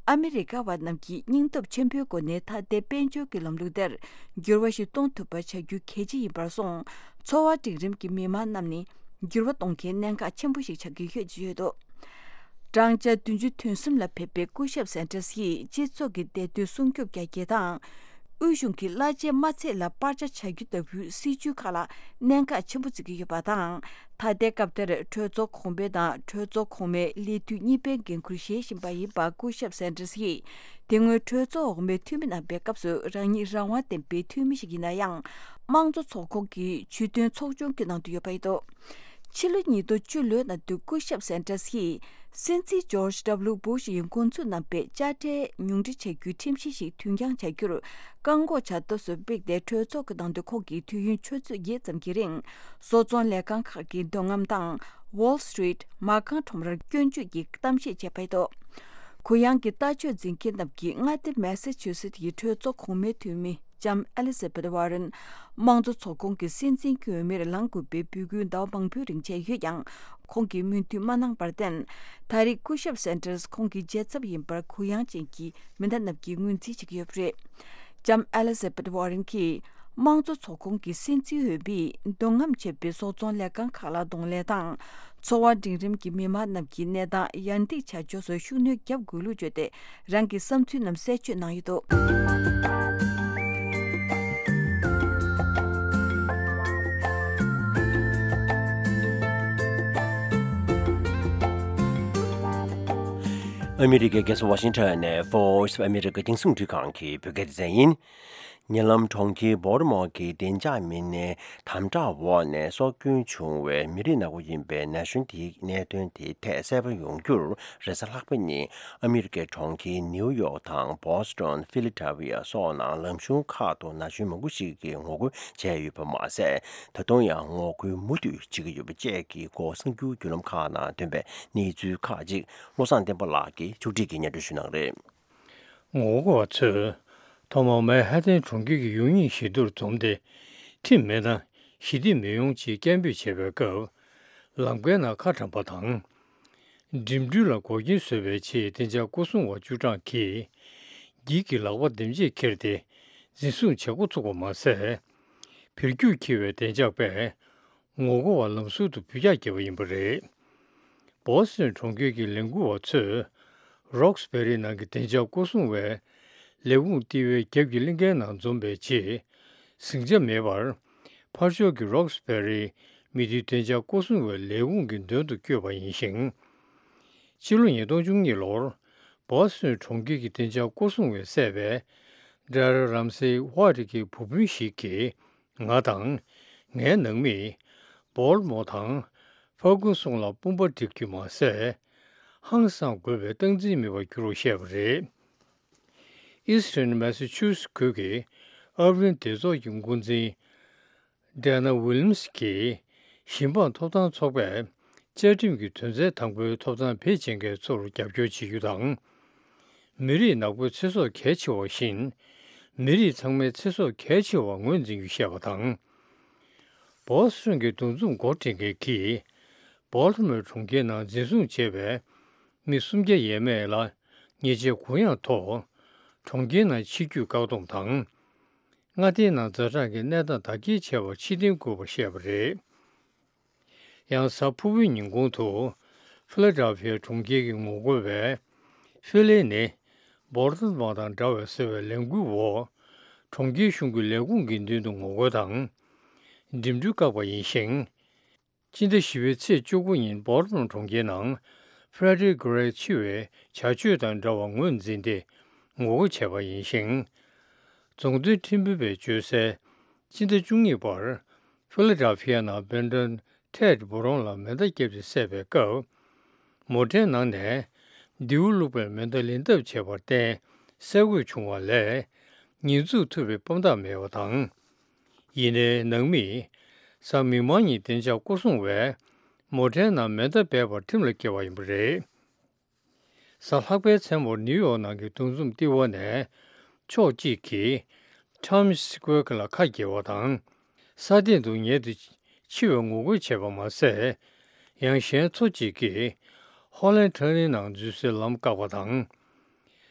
ཨ་མི་རི་ཀ་བ་རྣམས་ཀྱིས་སྙིང་སྟོབས་ཆེན་པོའི་སྒོ་ནས་ད་ལྟའི་དཔལ་འབྱོར་གྱི་ལམ་ལུགས་དེར་འགྱུར་བ་ཞིག་གཏོང་ཐུབ་པ་བྱ་རྒྱུ་གལ་ཆེ་ཡིན་པར་སོང་། འཚོ་བ་འབྲིང་རིམ་གྱི་མི་མང་རྣམས་ནི་འགྱུར་བ་གཏོང་མཁན་གནད་འགག་ཆེན་པོ་ཞིག་ཆགས་ཀྱི་ཡོད་ཅེས་བརྗོད་འདུག་བགྲང་བྱ་བདུན་ཅུ་དོན་གསུམ་ལ་ཕེབས་པའི་སྐུ་ཞབས་Sanders་ཡིས་སྤྱི་ཚོགས་ཀྱི་བདེ་སྡོད་སྲུང་སྐྱོབ་རྒྱ་སྐྱེད་དང་། དབུས་གཞུང་གི་གླ་ཆའི་དམའ་ཚད་ལ་སྤར་ཆ་བྱ་རྒྱུ་ལྟ་བུའི་སྲིད་ཇུས་ཁག་ལ་གནད་འགག་ཆེན་པོ་བརྩི་གི་ཡོད་པ་དང་། ད་ལྟའི་སྐབས་དེར་གྲོས་ཚོགས་གོང་འཕེལ་དང་གྲོས་ཚོགས་གོང་མའི་ལས་དུས་གཉིས་པའི་འགན་འཁུར་བཞེས་བཞིན་པ་ཡིན་པ་སྐུ་ཞབས་Sanders་ཡིས། དེ་སྔོན་གྲོས་ཚོགས་འོག་མའི་འཐུས་མི་གནང་པའི་སྐབས་སུ་རང་ཉིད་རང་དབང་ལྡན་པའི་འཐུས་མི་ཞིག་ཡིན་ན་ཡང་། དམངས་གཙོ་ཚོགས་ཁོངས་ཀྱི་ཇུས་འདོན་ཚོགས་ཆུང་གི་ནང་དུ་ཡོད་པ་ཡིན་འདུག་ཕྱི་ལོ་ཉིས་སྟོང་བཅུ་ལོའི་ནང་དུ་སྐུ་ཞབས་Sanders་ཡིས་སྲིད་འཛིན་George W Bush་ཡིས་འགོ་འཛུགས་གནང་པའི་དཔྱ་ཁྲལ་ཉུང་འཕྲི་བྱ་རྒྱུའི་ཁྲིམས་གཞི་ཞིག་དུས་འགྱངས་བྱ་རྒྱུར་བཀག་འགོག་བྱ་ཐབས་སུ་དམིགས་ཏེ་གྲོས་ཚོགས་ཀྱི་ནང་དུ་ཁོང་གིས་དུས་ཡུན་ཆུ་ཚོད་བརྒྱད་ཙམ་གྱི་རིང་བཟོ་ཚོང་ལས་ཁང་ཁག་གི་འདོད་རྔམ་དང་Wall Street་མ་རྐང་ཁྲོམ་རར་སྐྱོན་བརྗོད་ཀྱི་གཏམ་བཤད་བྱས་པ་ཡིན་འདུག་གུ་ཡངས་ཀྱི་ལྟ་སྤྱོད་འཛིན་མཁན་རྣམས་ཀྱིས་མངའ་སྡེ་Massachusetts་ཡི་གྲོས་ཚོགས་གོང་མའི་འཐུས་མི། ལྕམ་Elizabeth Warren་དམངས་གཙོ་ཚོགས་ཁོངས་ཀྱི་སྲིད་འཛིན་གྱི་འོས་མིར་ལངས་དགོས་པའི་འབོད་སྐུལ་ཟླ་བ་མང་པོའི་རིང་བྱས་ཡོད་ཀྱང་། ཁོང་གིས་མོས་མཐུན་མ་གནང་བར་བརྟེན། ད་རེས་སྐུ་ཞབས་Sanders་ཁོང་གི་རྒྱལ་ཚབ་ཡིན་པར་གུ་ཡངས་ཅན་གྱི་མི་སྣ་རྣམས་ཀྱིས་ངོས་འཛིན་བྱེད་ཀྱི་ཡོད་པ་རེད། ལྕམ་Elizabeth Warren་གྱིས་དམངས་གཙོ་ཚོགས་ཁོངས་ཀྱི་སྲིད་འཛིན་འོས་མིས་འདོད་རྔམ་ཆེ་བའི་བཟོ་ཚོང་ལས་ཁང་ཁག་ལ་གདོང་ལེན་དང་། འཚོ་བ་འབྲིང་རིམ་གྱི་མི་མང་རྣམས་ཀྱི་གནས་སྟངས་ཡར་འདེགས་བྱ་ཕྱོགས་སུ་ཤུགས་སྣོན་བརྒྱབ་དགོས་ལུགས་བརྗོད་དེ། རང་གི་བསམ་ཚུལ་རྣམས་གསལ་བརྗོད་གནང་ཡོད་འདུག་ཨ་མི་རི་ཀའི་རྒྱལ་ས་ཝ་ཤིང་ཊོན་ནས་Voice of America་རྒྱང་སྲིང་རླུང་འཕྲིན་ཁང་གི་བོད་སྐད་སྡེ་ཚན་ཡིན། ཉེ་ལམ་གྲོང་ཁྱེར་Baltimore་གྱི་བདེ་འཇགས་མི་སྣའི་དམ་དྲག་འོག་ནས་སྲོག་སྐྱོན་བྱུང་བའི་མི་རིགས་ནག་པོ་ཡིན་པའི་ན་གཞོན་དེའི་གནད་དོན་དེའི་ཐད་གསལ་པོ་ཡོང་རྒྱུར། རེས་གཟའ་ལྷག་པ་ཉིན་ཨ་མི་རི་ཀའི་གྲོང་ཁྱེར་ནིའུ་ཡོག་དང་Boston Philadelphia་སོགས་ནང་ལམ་གཞུང་ཁག་ཏུ་ན་གཞོན་མང་པོ་ཞིག་གིས་ངོ་རྒོལ་བྱས་ཡོད་པ་མ་ཟད། ད་དུང་ཡང་ངོ་རྒོལ་མུ་མཐུད་བྱེད་ཀྱི་ཡོད་པ་བཅས་ཀྱི་སྐོར་གསར་འགྱུར་བརྒྱུད་ལམ་ཁག་ནང་ཐོན་པའི་གནས་ཚུལ་ཁག་ཅིག་བློ་བཟང་བསྟན་པ་ལགས་ཀྱིས་ཕྱོགས་སྒྲིག་གིས་སྙན་སྒྲོན་ཞུ་གནང་རེད། ངོ་རྒོལ་བ་ཚོས་ཐོག་མར་མན་ཧ་ཏན་གྲོང་ཁྱེར་གྱི་ཡུལ་མིའི་བཞི་མདོར་འཛོམས་ཏེ། ཁྲིམས་མེད་ན་ཞི་བདེ་མི་ཡོང་ཅེས་སྐད་འབོད་བྱས་པའི་སྐབས། ལམ་ཀའི་ནང་ཁ་གྲམ་པ་དང་། འགྲིམ་འགྲུལ་ལ་འགོག་རྐྱེན་བཟོས་པའི་ཆེད་བདེ་འཇགས་སྐུ་སྲུང་བ་བཅུ་གྲངས་ཀྱིས་འགྱིག་གི་ལག་པ་འདེམས་བྱས་ཁྱེར་ཏེ་འཛིན་བཟུང་བྱེད་འགོ་ཚུགས་པ་མ་ཟད། འཕེལ་འགྱུར་འཁྱེར་བའི་བདེ་འཇགས་པས་ངོ་རྒོལ་བ་ལམ་ཟུར་དུ་འབུད་རྒྱག་བརྒྱབ་པ་ཡིན་པ་རེད། Boston་གྲོང་ཁྱེར་གྱི་ལས་འགུལ་བ་ཚོས་ རོགས་སྦེ་རི་ནང་གི་བདེ་འཇགས་སྐོར་སྲུང་བས་ལས་ཁུངས་ལྟེ་བའི་རྒྱབ་ཀྱི་གླིང་གའི་ནང་འཛོམས་པའི་རྗེས། ཟིང་ཆ་མེད་པར་ཕར་ཕྱོགས་ཀྱི་རོགས་སྦེ་རི་མི་སྡེའི་བདེ་འཇགས་སྐོར་སྲུང་བའི་ལས་ཁུངས་ཀྱི་མདུན་དུ་བསྐྱོད་པ་ཡིན་ཞིང་། ཕྱི་ལོ་ཉིས་སྟོང་བཅུ་གཉིས་ལོར་བོ་སི་ཊོན་གྲོང་ཁྱེར་གྱི་བདེ་འཇགས་སྐོར་སྲུང་བས་བསད་པའི་ཌེ་ར་རམ་སེ་ཝ་ཏི་གི་བུ་སྤུན་ཞིག་གིས། ང་དང་། ངའི་ནང་མིས། སྦོལ་མོ་དང་། ཕར་ཀུ་སོང་ལ་དཔུང་པ་སྒྲིག་རྒྱུ་མ་ཟད། ཧང་སང་དགོས་པའི་སྟངས་འཛིན་མེད་པར་གྱུར་བར་བཤད་པ་རེད། ཨིས་ཊརན་མེ་སི་ཆུ་སི་ཁུལ་གྱི་ཨར་ཝིན་སྡེ་ཚོགས་ཀྱི་འགོ་འཛིན། ཌེ་ན་ཝི་ལི་ཡམ་སི་གིས། ཞིང་འབངས་ཐོབ་ཐང་ཚོགས་པས། བཅའ་ཁྲིམས་ཀྱི་དོན་ཚན་དང་པོའི་ཐོབ་ཐང་བེད་སྤྱད་མཁན་ཚོར་རྒྱབ་སྐྱོར་བྱེད་རྒྱུ་དང་། མི་རིགས་ནག་པོའི་ཚེ་སྲོག་གལ་ཆེ་བ་བཞིན། མི་རིགས་ཚང་མའི་ཚེ་སྲོག་གལ་ཆེ་བར་ངོས་འཛིན་རྒྱུ་བཤད་པ་དང་། བོ་སི་ཊོན་གྱི་འདུ་འཛོམས་འགོ་འདྲེན་མཁན་གྱིས། སྦོལ་ཊི་མོར་གྲོང་ཁྱེར་ནང་འཛིན་བཟུང་བྱས་པའི་མི་སུམ་བརྒྱ་ཡས་མས་ལ་ཉེས་ཆད་གུ་ཡངས་ཐོག་གྲོང་ཁྱེར་ནང་ཕྱིར་སྐྱོད་བཀག་སྡོམ་དང་། མངའ་སྡེའི་ནང་ཛ་དྲག་གི་གནས་སྟངས་དར་རྒྱས་བྱས་པར་ཕྱིར་འཐེན་དགོས་པར་བཤད་པ་རེད། ཡང་གཟའ་ཕུར་བུའི་ཉིན་གུང་དུ་ཕི་ལ་ཌེལ་ཕི་ཡ་གྲོང་ཁྱེར་གྱི་ངོ་རྒོལ་བས། ཕི་ལེ་ནི་སྦོལ་ཊི་མོ་དང་འདྲ་བས་ཟེར་བའི་ལས་འགུལ་འོག་གྲོང་ཁྱེར་གཞུང་གི་ལས་ཁུངས་ཀྱི་མདུན་དུ་ངོ་རྒོལ་དང་། འགྲིམ་འགྲུལ་བཀག་པ་ཡིན་ཞིང་། སྤྱི་ཟླ་བཞི་པའི་ཚེས་བཅུ་དགུ་ཉིན་སྦོལ་ཊི་མོ་གྲོང་ཁྱེར་ནང་ཕེ་རེ་ཌི་གྷི་རེག་འཆི་བའི་བྱ་སྤྱོད་དང་འདྲ་བར་ངོས་འཛིན་ཏེ་ངོ་རྒོལ་བྱས་པ་ཡིན་ཞིང་། རྫོང་དོན་ཁྲིམས་དཔོན་པས་བརྗོད་གསལ། སྤྱི་ཟླ་བཅུ་གཉིས་པར་ཕི་ལ་ཌེལ་ཕི་ཡ་ནང་སྦེན་ཊོན་ཊེད་སྦོ་རོན་ལ་མེ་མདའ་བརྒྱབ་སྟེ་བསད་པའི་སྐབས། མོ་ཊའི་ནང་ནས་མདེའུ་བླུགས་པའི་མེ་མདའ་ལེན་ཐབས་བྱས་པར་བརྟེན་གསལ་འགོད་བྱུང་བ་ལས། ཉེས་འཛུགས་ཐུབ་པའི་དཔང་རྟགས་མེད་པ་དང་། ཡིན་ནའི་ནང་མིས། གཟའ་མིག་དམར་ཉིན་བདེ་འཇགས་སྐོར་སྲུང་བས་མོ་ཊའི་ནང་མེ་མདའ་སྦས་པར་ཁྲིམས་ལ་འགལ་བ་ཡིན་པ་རེད། གཟའ་ལྷག་པའི་མཚན་མོར་ནིའུ་ཡོག་ནང་གི་འདུ་འཛོམས་ལྟེ་བ་ནས་ཕྱོགས་གཅིག་གིས་ཊའེམ་སི་སི་ཀོ་ཝེར་ལ་ཁ་གྱེས་པ་དང་། ས་སྟེང་དུ་ཉལ་ཏེ་འཆི་བའི་ངོ་རྒོལ་བྱས་པ་མ་ཟད། ཡང་གཞན་ཚོ་གཅིག་གིས་ཧོ་ལན་ཊར་ནིང་ནང་འཛུལ་སའི་ལམ་བཀག་པ་དང་།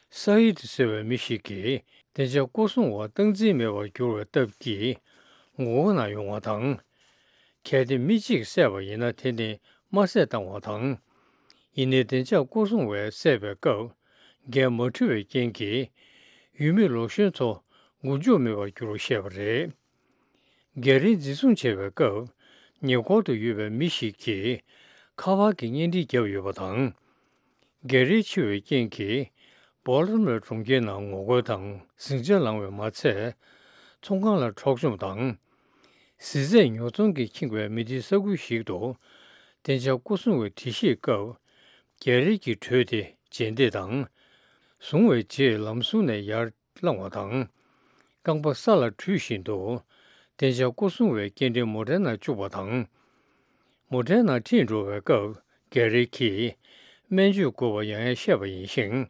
ས་ཡི་ཏི་ཟེར་བའི་མི་ཞིག་གིས་བདེ་འཇགས་སྐོར་སྲུང་བ་སྟངས་འཛིན་མེད་པར་གྱུར་བའི་སྟབས་ཀྱིས་ངོ་རྒོལ་གནང་ཡོང་བ་དང་། གལ་ཏེ་མི་གཅིག་བསད་པ་ཡིན་ན་དེ་ནི་དམར་བསད་བཏང་བ་དང་། ཡིན་ནའི་བདེ་འཇགས་སྐོར་སྲུང་བས་བསད་པའི་སྐབས་འགན་མ་འཁྲི་བའི་རྐྱེན་གྱིས་ཡུལ་མི་ལོ་གཞོན་ཚོ་མགོ་མཇུག་མེད་པར་གྱུར་བར་བཤད་པ་རེད། སྒེར་རའི་འཛིན་བཟུང་བྱས་པའི་སྐབས་ཉེ་འཁོར་དུ་ཡོད་པའི་མི་ཞིག་གིས་ཁ་པར་གྱི་བརྙན་འཕྲིན་བརྒྱབ་ཡོད་པ་དང་། སྒེར་རའི་འཆི་བའི་རྐྱེན་གྱིས་སྦོལ་ཊི་མོར་གྲོང་ཁྱེར་ནང་ངོ་རྒོལ་དང་ཟིང་ཆ་ལངས་བས་མ་ཚད། ཚོང་ཁང་ལ་འཕྲོག་བཅོམ་དང་། གཟི་རྫས་ཉོ་ཚོང་གིས་ཁེངས་པའི་མི་སྡེའི་ས་ཁུལ་ཞིག་ཏུ་བདེ་འཇགས་སྐོར་སྲུང་བའི་འགྲེལ་བཤད་སྐབས་སྒེར་རའི་གི་གྲོས་དེ་རྗེས་འདེད་དང་། བཟུང་བའི་རྗེས་ལམ་ཟུར་ནས་ཡར། བསླངས་པ་དང་། རྐང་པ་ས་ལ་བྲུས་བཞིན་དུ། བདེ་འཇགས་སྐོར་སྲུང་བའི་སྐྱེལ་འདྲེན་མོ་ཊའི་ནང་བཅུག་པ་དང་། མོ་ཊའི་ནང་ཁྲིད་འགྲོ་བའི་སྐབས་སྒེར་རའི་གིས་སྨན་བཅོས་དགོས་པ་ཡང་ཡང་བཤད་པ་ཡིན་ཞིང་།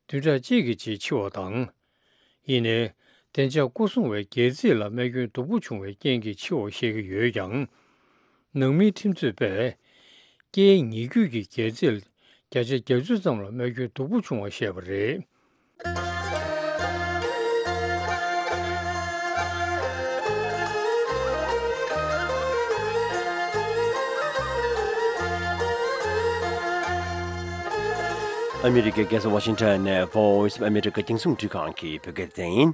བདུན་ཕྲག་གཅིག་གི་རྗེས་འཆི་བ་དང་། ཡིན་ནའི། བདེ་འཇགས་སྐོར་སྲུང་བའི་སྒལ་ཚིགས་ལ་རྨས་སྐྱོན་སྡུག་པོ་བྱུང་བའི་རྐྱེན་གྱིས་འཆི་བ་བཤད་ཀྱི་ཡོད་ཀྱང་། ནང་མིའི་ཁྲིམས་རྩོད་པས། སྐྱེས་ཉེ་རྒྱུད་ཀྱི་སྒལ་ཚིགས་བརྒྱ་ཆ་བརྒྱད་ཅུ་ཙམ་ལ་རྨས་སྐྱོན་སྡུག་པོ་བྱུང་བ་བཤད་པ་རེད། ཨ་མི་རི་ཀའི་རྒྱལ་ས་ཝ་ཤིང་ཊོན་ནས་Voice of America་རྒྱང་སྲིང་འཕྲིན་ཁང་གི་བོད་སྐད་སྡེ་ཚན་ཡིན།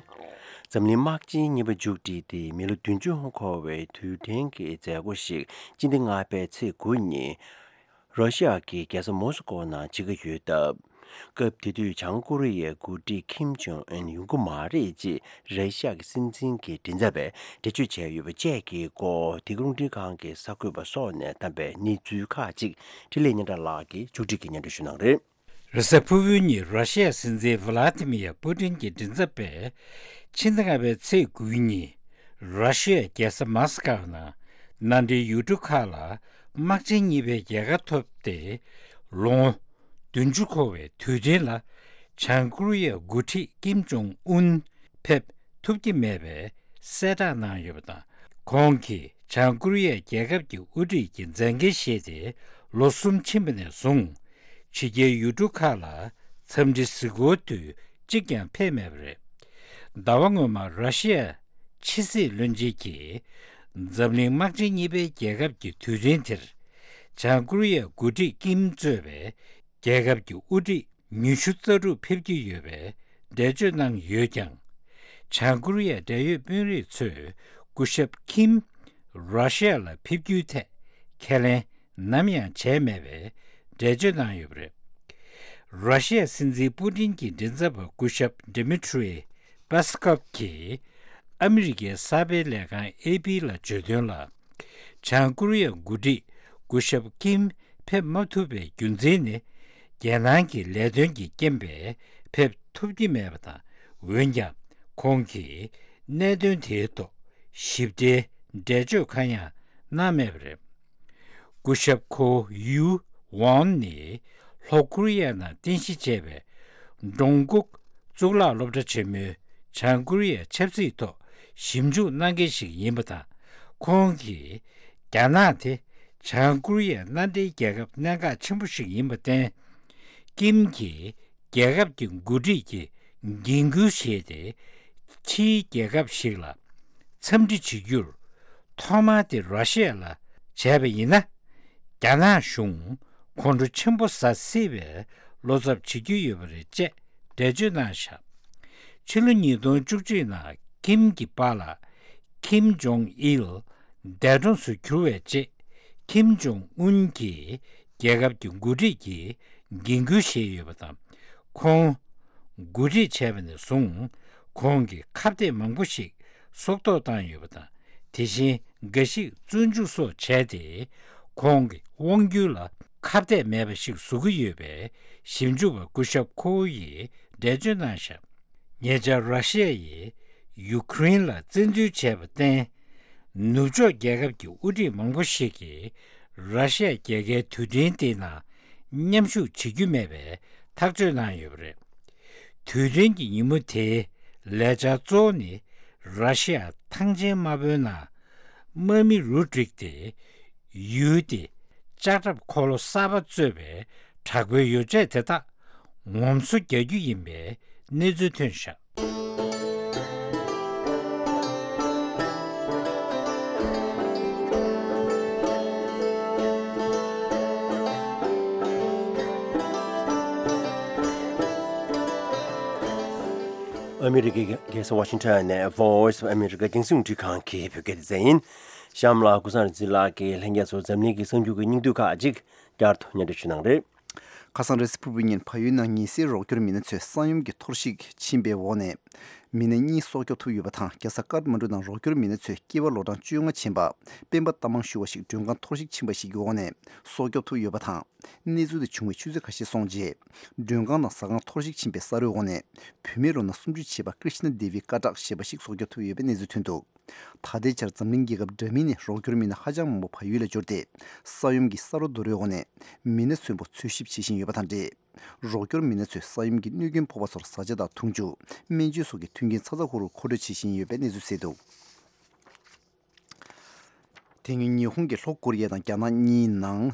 འཛམ་གླིང་དམག་ཆེན་གཉིས་པ་མཇུག་སྒྲིལ་ཏེ་མི་ལོ་བདུན་ཅུ་འཁོར་བའི་དུས་དྲན་གྱི་མཛད་སྒོ་ཞིག་སྤྱི་ཟླ་ལྔ་པའི་ཚེས་དགུ་ཉིན། ར་ཤི་ཡ་གི་རྒྱལ་ས་མོ་སི་ཀོ་ནང་བྱེད་ཀྱི་ཡོད་སྟབས། སྐབས་དེ་དུས་བྱང་ཀོ་རི་ཡའི་འགོ་ཁྲིད་ཁིམ་ཇོང་ཨུན་ཡོང་གི་མ་རེད་ཅེས་ར་ཤི་ཡ་གི་སྲིད་འཛིན་གྱི་མགྲིན་ཚབ་པས་འགྲེལ་བརྗོད་བྱས་ཡོད་པ་བཅས་ཀྱི་སྐོར་འདི་ག་རླུང་འཕྲིན་ཁང་གི་གསར་འགོད་པ་སོགས་ནས་བདམས་པའི་གནས་ཚུལ་ཁག་ཅིག་འཕྲིན་ལས་སྙན་གྲགས་ལགས་ཀྱིས་མཇུག་སྒྲིལ་གྱིས་སྙན་སྒྲོན་ཞུ་གནང་རེད། རེས་གཟའ་ཕུར་བུའི་ཉིན་ར་ཤི་ཡའི་སྲིད་འཛིན་ཝི་ལ་ཏི་མི་ཡ་པུ་ཏིན་གྱི་མགྲིན་ཚབ་པས་ཕྱི་ཟླ་ལྔ་པའི་ཚེས་དགུའི་ཉིན་ར་ཤི་ཡའི་རྒྱལ་ས་མཱ་སི་ཀའོ་ནང་མནའ་འབྲེལ་ཡུལ་གྲུ་ཁག་ལ་དམག་ཆེན་གཉིས་པའི་རྒྱལ་ཁ་ཐོབ་སྟེ་ལོ་ངོ་བདུན་ཅུ་འཁོར་བའི་དུས་དྲན་ལ་བྱང་ཀོ་རི་ཡའི་འགོ་ཁྲིད་ཀིམ་ཇོང་ཨུན་ཕེབས་ཐུབ་ཀྱི་མེད་པའི་གསལ་བསྒྲགས་གནང་ཡོད་པ་དང་། ཁོང་གིས་བྱང་ཀོ་རི་ཡའི་རྒྱལ་ཁབ་ཀྱི་དབུ་ཁྲིད་ཀྱི་མཛད་འགན་བཞེས་ཏེ་ལོ་གསུམ་ཕྱིན་པ་ནས་བཟུང་ཕྱི་རྒྱལ་ཡུལ་གྲུ་ཁག་ལ་འཚམས་འདྲི་གཟིགས་སྐོར་དུས་གཅིག་ཀྱང་ཕེབས་མེད་པ་རེད། ཟླ་བ་སྔོན་མ་ར་ཤི་ཡ་ཕྱི་སྲིད་བློན་ཆེན་གྱིས་འཛམ་གླིང་དམག་ཆེན་གཉིས་པའི་རྒྱལ་ཁབ་ཀྱི་དུས་དྲན་དེར་བྱང་ཀོ་རི་ཡའི་འགོ་ཁྲིད་ཀིམ་གཙོས་པའི་རྒྱལ་ཁབ་ཀྱི་དབུ་ཁྲིད་ ཉི་ཤུ་རྩ་དྲུག་ཕེབས་ཀྱི་ཡོད་པའི་འགྲེལ་བརྗོད་གནང་ཡོད་ཀྱང་། བྱང་ཀོ་རི་ཡའི་འབྲེལ་ཡོད་དཔོན་རིགས་ཚོས་སྐུ་ཞབས་ཁིམ་ར་ཤི་ཡ་ལ་ཕེབས་རྒྱུའི་ཐད་ཁས་ལེན་ནམ་ཡང་བྱས་མེད་པའི་འགྲེལ་བརྗོད་གནང་ཡོད་པ་རེད། ར་ཤི་ཡ་སྲིད་འཛིན་པུ་ཏིན་གྱི་མགྲིན་ཚབ་པ་སྐུ་ཞབས་Dmitry Peskov གིས་ཨ་མི་རི་ཀའི་གསར་སྤེལ་ལས་ཁང་ཨེ་པི་ལ་བརྗོད་དོན་ལ། བྱང་ཀོ་རི་ཡའི་འགོ་ཁྲིད་སྐུ་ཞབས་ཀིམ་ཕེབས་མ་ཐུབ་པའི་རྒྱུ་མཚན་ནི། རྒྱལ་ནང་གི་ལས་དོན་གྱི་རྐྱེན་པས་ཕེབས་ཐུབ་ཀྱི་མེད་པ་དང་། འོན་ཀྱང་ཁོང་གིས་གནད་དོན་དེའི་ཐོག་ཞིབ་ཕྲའི་འགྲེལ་བརྗོད་གང་ཡང་གནང་མེད་པ་རེད། སྐུ་ཞབས་ཁོ་ཡུ་ཝོན་ནི་ལྷོ་ཀོ་རི་ཡ་ནང་རྟེན་གཞི་བྱས་པའི་ཀྲུང་གོ་གཙུག་ལག་སློབ་གྲྭ་ཆེན་མོའི་བྱང་ཀོ་རི་ཡའི་ཆབ་སྲིད་ཐོག་ཞིབ་འཇུག་གནང་མཁན་ཞིག་ཡིན་པ་དང་། ཁོང་གིས་རྒྱ་ནག་དེ་བྱང་ཀོ་རི་ཡའི་མནའ་འབྲེལ་རྒྱལ་ཁབ་གནད་འགག་ཆེན་པོ་ཞིག་ཡིན་པར་བརྟེན། ཀིམ་གྱིས་རྒྱལ་ཁབ་ཀྱི་འགོ་ཁྲིད་ཀྱི་འགན་ཁུར་བཞེས་ཏེ། ཕྱིའི་རྒྱལ་ཁབ་ཞིག་ལ་འཚམས་འདྲི་བྱེད་རྒྱུར་ཐོག་མར་དེ་ར་ཤི་ཡ་ལ་བྱས་པ་ཡིན་ན། རྒྱ་ནག་གཞུང་ཁོང་ཁྲོ་ཆེན་པོ་ཟ་སྲིད་པའི་བློ་འཚབ་བྱེད་ཀྱི་ཡོད་པ་རེད་ཅེས་འགྲེལ་བརྗོད་གནང་བཞག་ཕྱི་ལོ་ཉིས་སྟོང་བཅུ་གཅིག་ནང་ཀིམ་གྱི་པཱ་ལགས་ཀིམ་ཇོང་ཨིལ་འདས་གྲོངས་སུ་གྱུར་བའི་རྗེས། ཀིམ་ཇོང་ཨུན་གྱིས་རྒྱལ་ཁབ་ཀྱི་འགོ་ཁྲིད་ཀྱི་འགན་ཁུར་བཞེས་ཡོད་པ་དང་། ཁོང་འགོ་ཁྲིད་བྱས་པ་ནས་བཟུང་ཁོང་གིས་ཁ་གཏད་མང་པོ་ཞིག་སྲོག་ཐོག་བཏང་ཡོད་པ་དང་། དེ་བཞིན་འགའ་ཞིག་བཙོན་འཇུག་སོགས་བྱས་ཏེ། ཁོང་གི་དབང་སྒྱུར་ལ་ཁ་གཏད་མེད་པ་ཞིག་བཟོ་གི་ཡོད་པའི་ཞིབ་འཇུག་པ་སྐུ་ཞབས་ཁོའུ་ཡིས་འགྲེལ་བརྗོད་གནང་བཞག་ཉེ་ཆར་ར་ཤི་ཡ་ཡིས་ཡུ་ཁུ་རེན་ལ་བཙན་འཛུལ་བྱས་པར་བརྟེན། ནུབ་ཕྱོགས་རྒྱལ་ཁབ་ཀྱི་དབུ་ཁྲིད་མང་པོ་ཞིག་གིས་ར་ཤི་ཡ་རྒྱལ་ཁའི་དུས་དྲན་དེའི་ནང་མཉམ་ཞུགས་བྱེད་རྒྱུ་མེད་པའི་ཐག་གཅོད་གནང་ཡོད་པ་རེད། དུས་དྲན་གྱི་ཉིན་མོ་དེའི་ལས་འཆར་གཙོ་བོ་ནི། ར་ཤི་ཡ་ཐང་ཆེན་དམར་པོའི་ནང་དམག་མི་རུ་བསྒྲིགས་ཏེ། ཡུལ་དེ་ལྕགས་ཁྲབ་འཁོར་ལོ་གསར་པ་གཙོས་པའི་དྲག་པོའི་ཡོ་བྱད་དེ་དག་ངོམ་སོ་རྒྱག་རྒྱུ་ཡིན་པའི་གནས་ཚུལ་ཐོན་བཞག་ཨ་མི་རི་ཀའི་རྒྱལ་ས་ཝ་ཤིང་ཊོན་ནས་Voice of America་རྒྱང་སྲིང་རླུང་འཕྲིན་ཁང་གི་བོད་སྐད་སྡེ་ཚན་ཡིན། གཤམ་ལ་ཀུན་བཟང་རིག་འཛིན་ལགས་ཀྱིས་ལྷན་རྒྱས་ཚོར་འཛམ་གླིང་གི་གསར་འགྱུར་གྱི་སྙིང་བསྡུས་ཁག་ཅིག་བསྐྱར་དུ་སྙན་སྒྲོན་ཞུ་གནང་རེད། ཁ་སང་རེས་གཟའ་ཕུར་བུའི་ཉིན་བལ་ཡུལ་ནང་ཉི་ཟེར་རོགས་སྐྱོར་མི་སྣ་ཚོས་ས་ཡོམ་གྱི་གཏོར་བཤིག་ཕྱིན་པའི་འོག་ནས། མི་སྣ་གཉིས་སྲོག་སྐྱོབ་ཐུབ་ཡོད་པ་དང་། རྒྱལ་ས་ཀཏ་མན་གྲུ་ནང་རོགས་སྐྱོར་མི་སྣ་ཚོས་སྐྱེས་པ་ལོ་གྲངས་བཅོ་ལྔ་ཕྱིན་པ་སྤེན་པ་རྟ་མང་ཞུ་བ་ཞིག་མགྲོན་ཁང་གཏོར་བཤིག་ཕྱིན་པ་ཞིག་གི་འོག་ནས་སྲོག་སྐྱོབ་ཐུབ་ཡོད་པ་དང་། གནས་ཚུལ་དེ་བྱུང་བའི་ཆུ་ཚོད་ཁ་ཤས་སོང་རྗེས། མགྲོན་ཁང་དང་ཟ་ཁང་གཏོར་བཤིག་ཕྱིན་པའི་ས་རོའི་འོག་ནས་བུད་མེད་ལོ་ན་སུམ་ཅུ་བྱེད་པ་ཀྲི་ཤི་ན་དེ་བི་ཀ་ཏྲག་ཞེས་པ་ཞིག་སྲོག་སྐྱོབ་ཐུབ་ཡོད་པའི་གནས་ཚུལ་ཐོན་འདུག་ད་ལྟའི་ཆར་འཛམ་གླིང་རྒྱལ་ཁབ་འདྲ་མིན་ནས་རོགས་སྐྱོར་མི་སྣ་ཧ་ཅང་མང་པོ་བལ་ཡུལ་ལ་འབྱོར་ཏེ། ས་ཡོམ་གྱི་ས་རོ་རྡོ་རོའི་འོག་ནས་མི་སྣ་གསོན་པོ་འཚོལ་ཞིབ་བྱེད་བཞིན་ཡོད་པ་དང་འབྲེལ། རོགས་སྐྱོར་མི་སྣ་ཚོས་ས་ཡོམ་གྱི་གནོད་སྐྱོན་ཕོག་པ་ཚོར་བཟའ་བཅའ་དང་འཐུང་ཆུ། སྨན་བཅོས་སོགས་ཀྱི་མཐུན་རྐྱེན་ཚ་ཚ་ཧུར་ཧུར་མཁོ་སྤྲོད་བྱེད་བཞིན་ཡོད་པའི་གནས་ཚུལ་གསལ་འདུག་དེ་སྔོན་ཉི་ཧོང་གིས་ལྷོ་ཀོ་རི་ཡ་དང་རྒྱ་ནག་གཉིས་ནང་།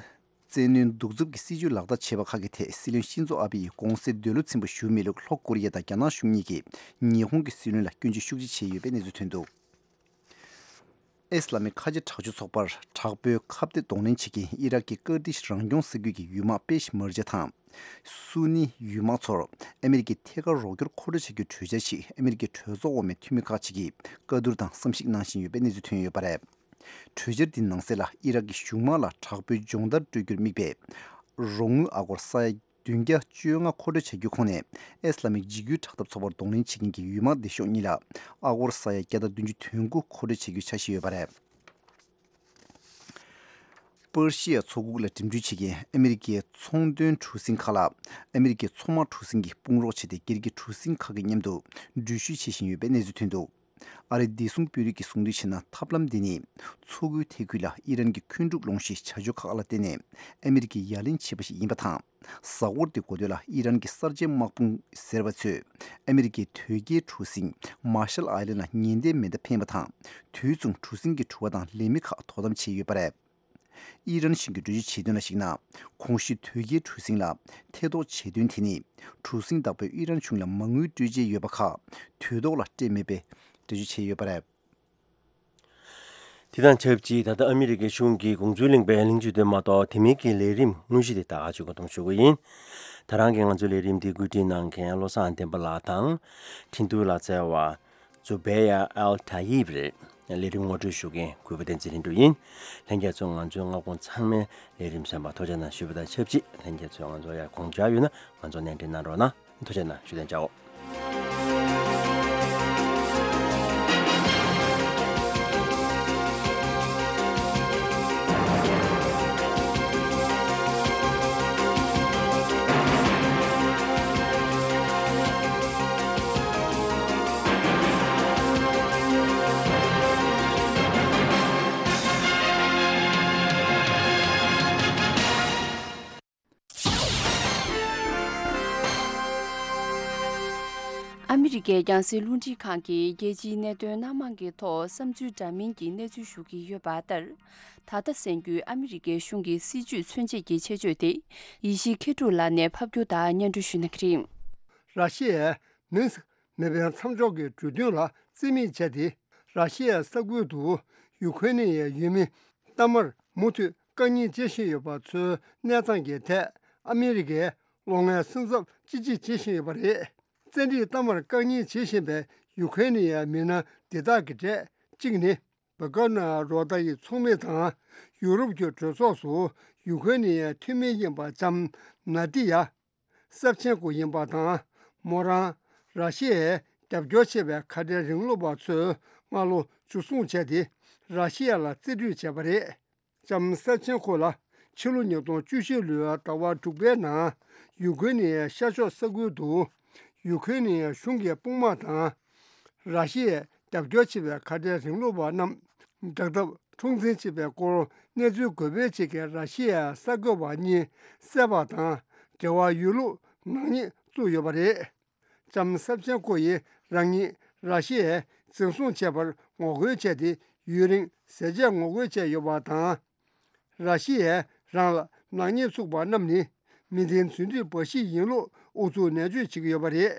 བཙན་གནོན་གདུག་རྩུབ་ཀྱི་སྲིད་བྱུས་ལག་བསྟར་བྱས་པ་ཁག་གི་ཐད་སྲིད་བློན་ཤིན་ཛོ་ཨ་བེ་ཡིས་དགོངས་སེལ་འདོད་བློ་ཚིམ་པོ་ཞུ་མེད་ལུགས། ལྷོ་ཀོ་རི་ཡ་དང་རྒྱ་ནག་གཞུང་གཉིས་ཀྱིས་ཉི་ཧོང་གི་སྲིད་བློན་ལ་སྐྱོན་བརྗོད་ཤུགས་ཆེ་བྱས་ཡོད་པའི་གནས་ཚུལ་ཐོན་འདུག་ཨེ་སི་ལ་མི་ཁ་ཆེ་དྲག་སྤྱོད་ཚོགས་པར་དྲག་པོའི་ཁ་གཏད་གདོང་ལེན་བྱེད་མཁན་ཨི་རག་གི་ཀར་ཏིཤ་རང་སྐྱོང་ས་ཁུལ་གྱི་ཡུལ་དམག་པེཤ་མར་ཇ་དང་། སུ་ནི་ཡུལ་དམག་ཚོར་ཨ་མེ་རི་ཀའི་ཐད་ཀར་རོགས་སྐྱོར་མཁོ་སྤྲོད་བྱ་རྒྱུའི་གྲོས་འཆར་ཞིག་ཨ་མེ་རི་ཀའི་གྲོས་ཚོགས་འོག་མའི་འཐུས་མི་ཁག་ཅིག་གིས་བཀའ་བསྡུར་དང་བསམ་གཞིག་གནང་བཞིན་ཡོད་པའི་གནས་ཚུལ་ཐོན་ཡོད་པ་རེད། གྲོས་འཆར་འདིའི་ནང་གསལ་ལ་ཨི་རག་གི་གཞུང་དམག་ལ་དྲག་པོའི་སྦྱོང་བརྡར་སྤྲོད་རྒྱུར་དམིགས་པའི་རོགས་དངུལ་ཨ་སྒོར་ས་ཡ་བདུན་བརྒྱ་བཅོ་ལྔ་མཁོ་སྤྲོད་བྱ་རྒྱུའི་ཁོངས་ནས་ཨེ་སི་ལ་མིག་འཇིགས་སྐུལ་དྲག་འཐབ་ཚོགས་པར་གདོང་ལེན་བྱེད་མཁན་གྱི་ཡུལ་དམག་སྡེ་ཤོག་གཉིས་ལ་ཨ་སྒོར་ས་ཡ་བརྒྱ་དང་བདུན་ཅུ་དོན་དགུ་མཁོ་སྤྲོད་བྱ་རྒྱུའི་འཆར་གཞི་ཡོད་པ་རེད། པར་ཤི་ཡ་མཚོ་ཁུག་ལ་འགྲིམ་འགྲུལ་བྱེད་མཁན་ཨ་མེ་རི་ཀའི་ཚོང་དོན་གྲུ་གཟིངས་ཁག་ལ་ཨ་མེ་རི་ཀའི་མཚོ་དམག་གྲུ་གཟིངས་ཀྱིས་དཔུང་རོགས་བྱས་ཏེ། སྒེར་གྱི་གྲུ་གཟིངས་ཁག་གི་མཉམ་དུ་འགྲུལ་བཞུད་བྱེད་བཞིན་ཡོད་པའི་གནས་ཚུལ་ཐོན་འདུག་ཨ་རིའི་བདེ་སྲུང་དཔོན་རིགས་ཀྱིས་གསུངས་དོན་བྱས་ན། ཐབས་ལམ་འདི་ནི་མཚོ་ཁུལ་ཐེ་ཁུལ་ལ་ཨི་རན་གྱི་འཁོན་འཁྲུག་སློང་གཞིའི་བྱ་སྤྱོད་ཁག་ལ་བརྟེན་ནས་ཨ་མེ་རི་ཀས་ཡ་ལན་བྱས་པ་ཞིག་ཡིན་པ་དང་། གཟའ་འཁོར་འདིའི་འགོ་སྟོད་ལ་ཨི་རན་གྱི་གསར་བརྗེ་དམག་དཔུང་ཟེར་བ་ཚོས་ཨ་མེ་རི་ཀའི་དོས་སྐྱེལ་གྲུ་གཟིངས་མར་ཤལ་ཨའི་ལན་ལ་ཉེན་བརྡའི་མེ་མདའ་འཕེན་པ་དང་། དུས་མཚུངས་གྲུ་གཟིངས་ཀྱི་གྲུ་བ་དང་ལས་མི་ཁག་དོ་དམ་བྱས་ཡོད་པ་རེད། ཨི་རན་གཞུང་གིས་འགྲེལ་བརྗོད་བྱས་དོན་ལ་གཞིགས་ན། གོང་ཞུས་དོས་སྐྱེལ་གྲུ་གཟིངས་ལ་ཐེ་གཏོགས་བྱས་དོན་དེ་ནི། གྲུ་གཟིངས་བདག་པོས་ཨི་རན་གཞུང་ལ་མ་དངུལ་སྤྲོད་འཆར་ཡོད་པ་ཁག་དུས་ཐོག་ལ་སྤྲད་མེད་པའི་འགྲེལ་བརྗོད་བྱས་ཡོད་པ་རེད། དེ་དང་ཆབས་ཅིག་ད་ལྟ་ཨ་མི་རི་ཀའི་གཞུང་གིས་དགོངས་ཚུལ་གླེང་བའི་གླེང་བརྗོད་དེ་མ་གཏོགས། དེ་མིན་གྱི་ལས་རིམ་དངོས་གཞི་དེ་དག་ཅིག་མགོ་འདོན་ཞུ་གི་ཡིན། ད་རང་གིས་ང་ཚོའི་ལས་རིམ་འདི་བཀོད་སྒྲིག་གནང་མཁན་བློ་བཟང་བསྟན་པ་ལགས་དང་། འཕྲིན་ཐུང་ལ་བསྩལ་བ་ཛུ་བེ་ཡ་ཨལ་ཐ་ཡིབ་རེད། ལས་རིམ་ངོ་སྤྲོད་ཞུ་མཁན་གུས་པ་བསྟན་འཛིན་ལྷུན་གྲུབ་ཡིན། ལྷན་རྒྱས་ཚོ་ང་ཚོའི་སྔ་དགོང་ཚང་མའི་ལས་རིམ་གསན་པར་ཐུགས་རྗེ་གནང་ཞུས་པ་དང་ཆབས་ཅིག་ལྷན་རྒྱས་ཚོས་ང་ཚོར་ཡང་དགོངས་འཆར་ཡོད་ན་ང་ཚོར་སྣེ་འདྲེན་གནང་རོགས་གནང་། ཐུགས་རྗེ་གནང་ཞུ་དན་ཅའོ། ཨ་མི་རི་ཀའི་རྒྱང་སྲིང་རླུང་འཕྲིན་ཁང་གིས་རྒྱལ་སྤྱིའི་གནད་དོན་སྣ་མང་གི་ཐོག་བསམ་ཚུལ་འདྲ་མིན་གྱི་གནས་ཚུལ་ཞུ་གི་ཡོད་པ་ལྟར། ད་ལྟ་གསན་རྒྱུའི་ཨ་མི་རི་ཀའི་གཞུང་གི་སྲིད་བྱུས་མཚོན་བྱེད་ཀྱི་ཆེད་བརྗོད་དེ་ཡེ་ཤེས་མཁས་གྲུབ་ལགས་ནས་ཕབ་སྒྱུར་དང་སྙན་སྒྲོན་ཞུ་གནང་གི་རེད། ར་ཤི་ཡས་མིན་སི་མེ་འཕེན་མཚམས་འཇོག་གི་གྲོས་མཐུན་ལ་རྩིས་མེད་བྱས་ཏེ། ར་ཤི་ཡའི་ས་ཁུལ་དུ་ཡུ་ཁུ་རེན་ནི་ཡའི་ཡུལ་མི་གཏའ་མར་མུ་མཐུད་བཀག་ཉར་བྱེད་བཞིན་ཡོད་པ་ཚོའི་གནས་སྟངས་ཀྱི་ཐད་ཨ་མི་རི་ཀས་གློག་བརྙན་སེམས་འཚབ་ཅི་ཆེ་བྱེད་བཞིན་ཡོད་པ་རེད། བཙན་ཁྲིད་གཏའ་མར་བཀག་ཉར་བྱེད་བཞིན་པའི་ཡུ་ཁུ་རེན་ནི་ཡའི་མི་སྣ་འདི་དག་གི་གྲས་གཅིག་ནི། བྷ་ག་ན་རོ་ཏ་ཡི་ཚོགས་མི་དང་ཡུ་རོབ་ཀྱི་གྲོས་ཚོགས་སུ་ཡུ་ཁུ་རེན་ནི་ཡའི་འཐུས་མི་ཡིན་པ་ལྕམ་ན་ཏི་ཡ་སབ་ཆེན་ཀོ་ཡིན་པ་དང་། མོ་རང་ར་ཤི་ཡའི་རྒྱབ་སྐྱོར་བྱེད་པའི་ཁ་བྲལ་རིང་ལུགས་པ་ཚོས་སྔ་ལོ་འཇུ་བཟུང་བྱས་ཏེ་ར་ཤི་ཡ་ལ་རྩིས་སྤྲོད་བྱས་པ་རེད། ལྕམ་སབ་ཆེན་ཀོ་ལ་ཕྱི་ལོ་ཉིས་སྟོང་བཅུ་བཞི་ལོའི་ཟླ་བ་དྲུག་པའི་ནང་ཡུ་ཁུ་རེན་ནི་ཡའི་ཤར་ཕྱོགས་ས་ཁུལ་དུ་ཡུ་ཁུ་རེན་ནི་ཡའི་གཞུང་གི་དཔུང་དམག་དང་། ར་ཤི་ཡས་རྒྱབ་སྐྱོར་བྱེད་པའི་ཁ་བྲལ་རིང་ལུགས་པ་རྣམས་དྲག་འཐབ་འཁྲུག་འཛིང་བྱེད་པའི་སྐོར་གནས་ཚུལ་འགོད་སྤེལ་བྱེད་མཁན་ར་ཤི་ཡའི་གསར་འགོད་པ་གཉིས་བསད་པ་དང་འབྲེལ་བ་ཡོད་ལུགས་ནག་ཉེས་བཙུགས་ཡོད་པ་རེད། ལྕམ་སབ་ཆེན་ཀོ་ཡིས་རང་ཉིད་ར་ཤི་ཡས་འཛིན་བཟུང་བྱས་པར་ངོ་རྒོལ་བྱས་ཏེ་ཡུན་རིང་ཟས་བཅད་ངོ་རྒོལ་བྱས་ཡོད་པ་དང་། ར་ཤི་ཡས་རང་ལ་ནག་ཉེས་བཙུགས་པ་རྣམས་ནི་མི་བདེན་རྫུན་སྒྲིག་འབའ་ཞིག་ཡིན་ལུགས་ཨུ་ཚུགས་ནན་བརྗོད་བྱེད་ཀྱི་ཡོད་པ་རེད།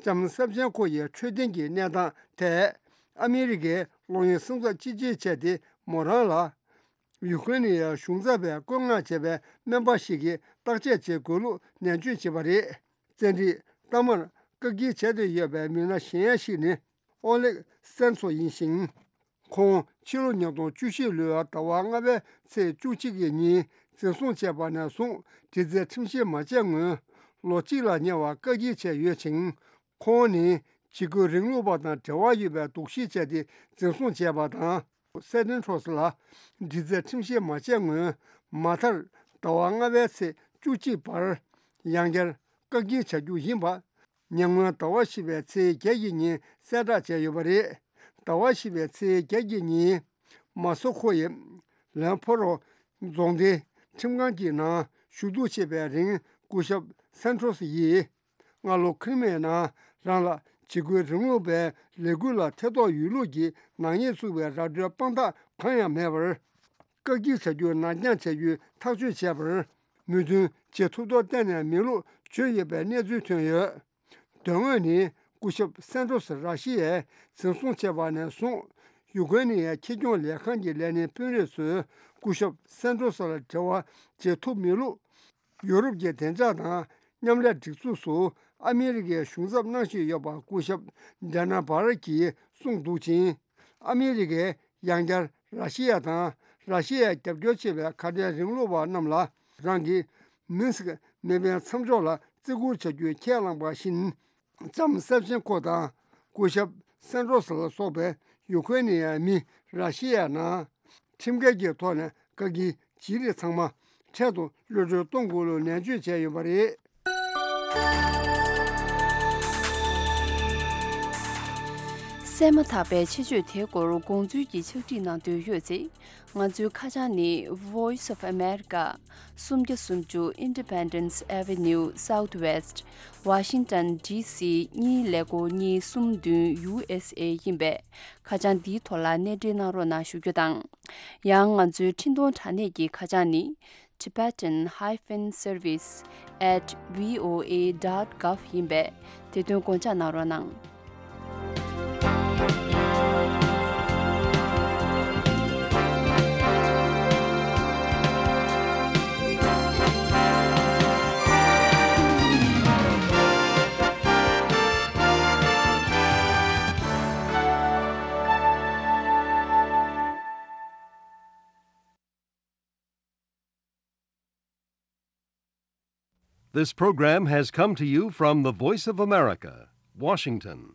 ལྕམ་སབ་ཆེན་ཀོ་ཡི་འཕྲོད་བསྟེན་གྱི་གནས་སྟངས་ཐད་ཨ་མི་རི་ཀས་གློག་བརྙན་སེམས་འཚབ་ཅི་ཆེ་བྱས་ཏེ་མོ་རང་ལ་ཡུ་ཁུ་རེན་ནི་ཡའི་གཞུང་ཚབ་པས་བཀོད་མངགས་བྱས་པའི་སྨན་པ་ཞིག་གིས་བརྟག་དཔྱད་བྱེད་དགོས་ལུགས་ནན་བརྗོད་བྱས་པ་རེད། བཙན་ཁྲིད་གཏའ་མར་བཀག་སྐྱིལ་བྱས་ཏེ་ཡོད་པའི་མི་སྣ་གཞན་ཞིག་ནི་ཨོ་ལེག་སན་ཚོ་ཡིན་ཞིང་། ཁོང་ཕྱི་ལོ་ཉིས་སྟོང་བཅུ་བཞི་ལོའི་ཟླ་བ་ལྔ་པའི་ཚེས་བཅུ་གཅིག་གི་ཉིན་འཛིན་བཟུང་བྱས་པ་ནས་བཟུང་འདྲི་རྩད་ཁྲིམས་བཤེར་མ་བྱས་སྔོན་ལོ་གཅིག་ལ་ཉེ་བ་བཀག་སྐྱིལ་བྱས་ཡོད་ཅིང་། ཁོང་ནི་འཇིགས་སྐུལ་རིང་ལུགས་པ་དང་འབྲེལ་བ་ཡོད་པའི་འདུ་ཤེས་བྱས་ཏེ་འཛིན་བཟུང་བྱས་པ་དང་། སན་ཏན་ཁྲོས་ལ་འདྲི་རྩད་ཁྲིམས་བཤེར་མ་བྱས་སྔོན་མ་མཐར་ཟླ་བ་ལྔ་པའི་ཚེས་བཅུ་གཅིག་བར་ཡང་བསྐྱར་བཀག་སྐྱིལ་བྱ་རྒྱུ་ཡིན་པ། ཉེ་སྔོན་ཟླ་བ་བཞི་པའི་ཚེས་བརྒྱད་ཀྱི་ཉིན་གསལ་བསྒྲགས་བྱས་ཡོད་པ་རེད། ཟླ་བ་བཞི་པའི་ཚེས་བརྒྱད་ཀྱི་ཉིན་མ་སོ་ཁོ་ཡི་ལན་ཕོ་རོ་རྫོང་སྡེའི་ཁྲིམས་ཁང་གི་ནང་ཞུ་གཏུག་བྱེད་པའི་རིང་སྐུ་ཞབས་སན་ཏྲོས་ཡིས། སྔ་ལོ་ཁི་རི་མེ་ནང་རང་ལ་འཇིགས་སྐུལ་རིང་ལུགས་པའི་ལས་འགུལ་ལ་ཐེ་གཏོགས་ཡོད་ལུགས་ཀྱི་ནག་ཉེས་བཙུགས་པའི་ར་སྤྲོད་དཔང་རྟགས་གང་ཡང་མེད་པར། བཀག་སྐྱིལ་བྱ་རྒྱུ་ནར་འགྱངས་བྱ་རྒྱུའི་ཐག་གཅོད་བྱས་པར་མོས་མཐུན་བྱེད་ཐུབ་མདོག་གཏན་ནས་མེད་ལུགས་བརྗོད་ཡོད་པའི་གནས་ཚུལ་ཐོན་ཡོད། དོན་དངོས་ནི་སྐུ་ཞབས་སན་ཏྲོས་ར་ཤི་ཡས་འཛིན་བཟུང་བྱས་པ་ནས་བཟུང་ཡུ་ཀེ་རེན་ནི་ཁྱི་སྐྱོང་ལས་ཁང་གི་ལས་སྣེ་དཔོན་རིགས་ཚོས་སྐུ་ཞབས་སན་ཏྲོས་ལ་འབྲེལ་བ་བྱེད་ཐུབ་མེད་ལུགས། ཡུ་རོབ་ཀྱི་བདེ་འཇགས་དང་མཉམ་ལས་སྒྲིག་འཛུགས་སུ་ཨ་མི་རི་ཀའི་གཞུང་ཚབ་གནང་བཞིན་ཡོད་པ་སྐུ་ཞབས་ཌེ་ན་བྷར་གྱིས་གསུངས་འདུག་ཅིང་། ཨ་མི་རི་ཀས་ཡང་བསྐྱར་ར་ཤི་ཡ་དང་ར་ཤི་ཡའི་རྒྱབ་སྐྱོར་བྱེད་པའི་ཁ་བྲལ་རིང་ལུགས་པ་རྣམས་ལ་རང་གི་མིན་སི་ཀི་མེ་འཕེན་མཚམས་འཇོག་ལ་བརྩི་བཀུར་བྱ་རྒྱུ་ཁས་བླངས་པ་བཞིན། ལྕམ་སེབ་ཆེན་ཁོ་དང་སྐུ་ཞབས་སན་ཏྲོས་ལ་སོགས་པའི་ཡུ་ཁེ་རེན་ནི་ཡའི་མི་ར་ཤི་ཡའི་ནང་ཁྲིམས་འགལ་གྱི་ཐོག་ནས་བཀག་སྐྱིལ་བྱེད་རིགས་ཚང་མ་འཕྲལ་དུ་གློད་གྲོལ་གཏོང་དགོས་ལུགས་ནན་བརྗོད་བྱས་ཡོད་པ་རེད། གསན་མ་ཐག་པའི་ཆེད་བརྗོད་དེའི་སྐོར་དགོངས་ཚུལ་གྱི་ཕྱག་བྲིས་གནང་འདོད་ཡོད་ཚེ། ང་ཚོའི་ཁ་བྱང་ནི་Voice of America། སུམ་བརྒྱ་སུམ་ཅུ་Independence Avenue Southwest། Washington D C གཉིས་ཀླད་ཀོར་གཉིས་གསུམ་བདུན་U S A ཡིན་པས། ཁ་བྱང་འདིའི་ཐོག་ལ་སྣེ་འདྲེན་གནང་རོགས་གནང་ཞུ་རྒྱུ་དང་། ཡང་ང་ཚོའི་འཕྲིན་གཏོང་དྲ་གནས་ཀྱི་ཁ་བྱང་ནི། Tibetan hyphen service at V O A dot gov ཡིན་པས། དེ་དོན་དགོངས་འཇགས་གནང་རོགས་གནང་། This program has come to you from the Voice of America, Washington.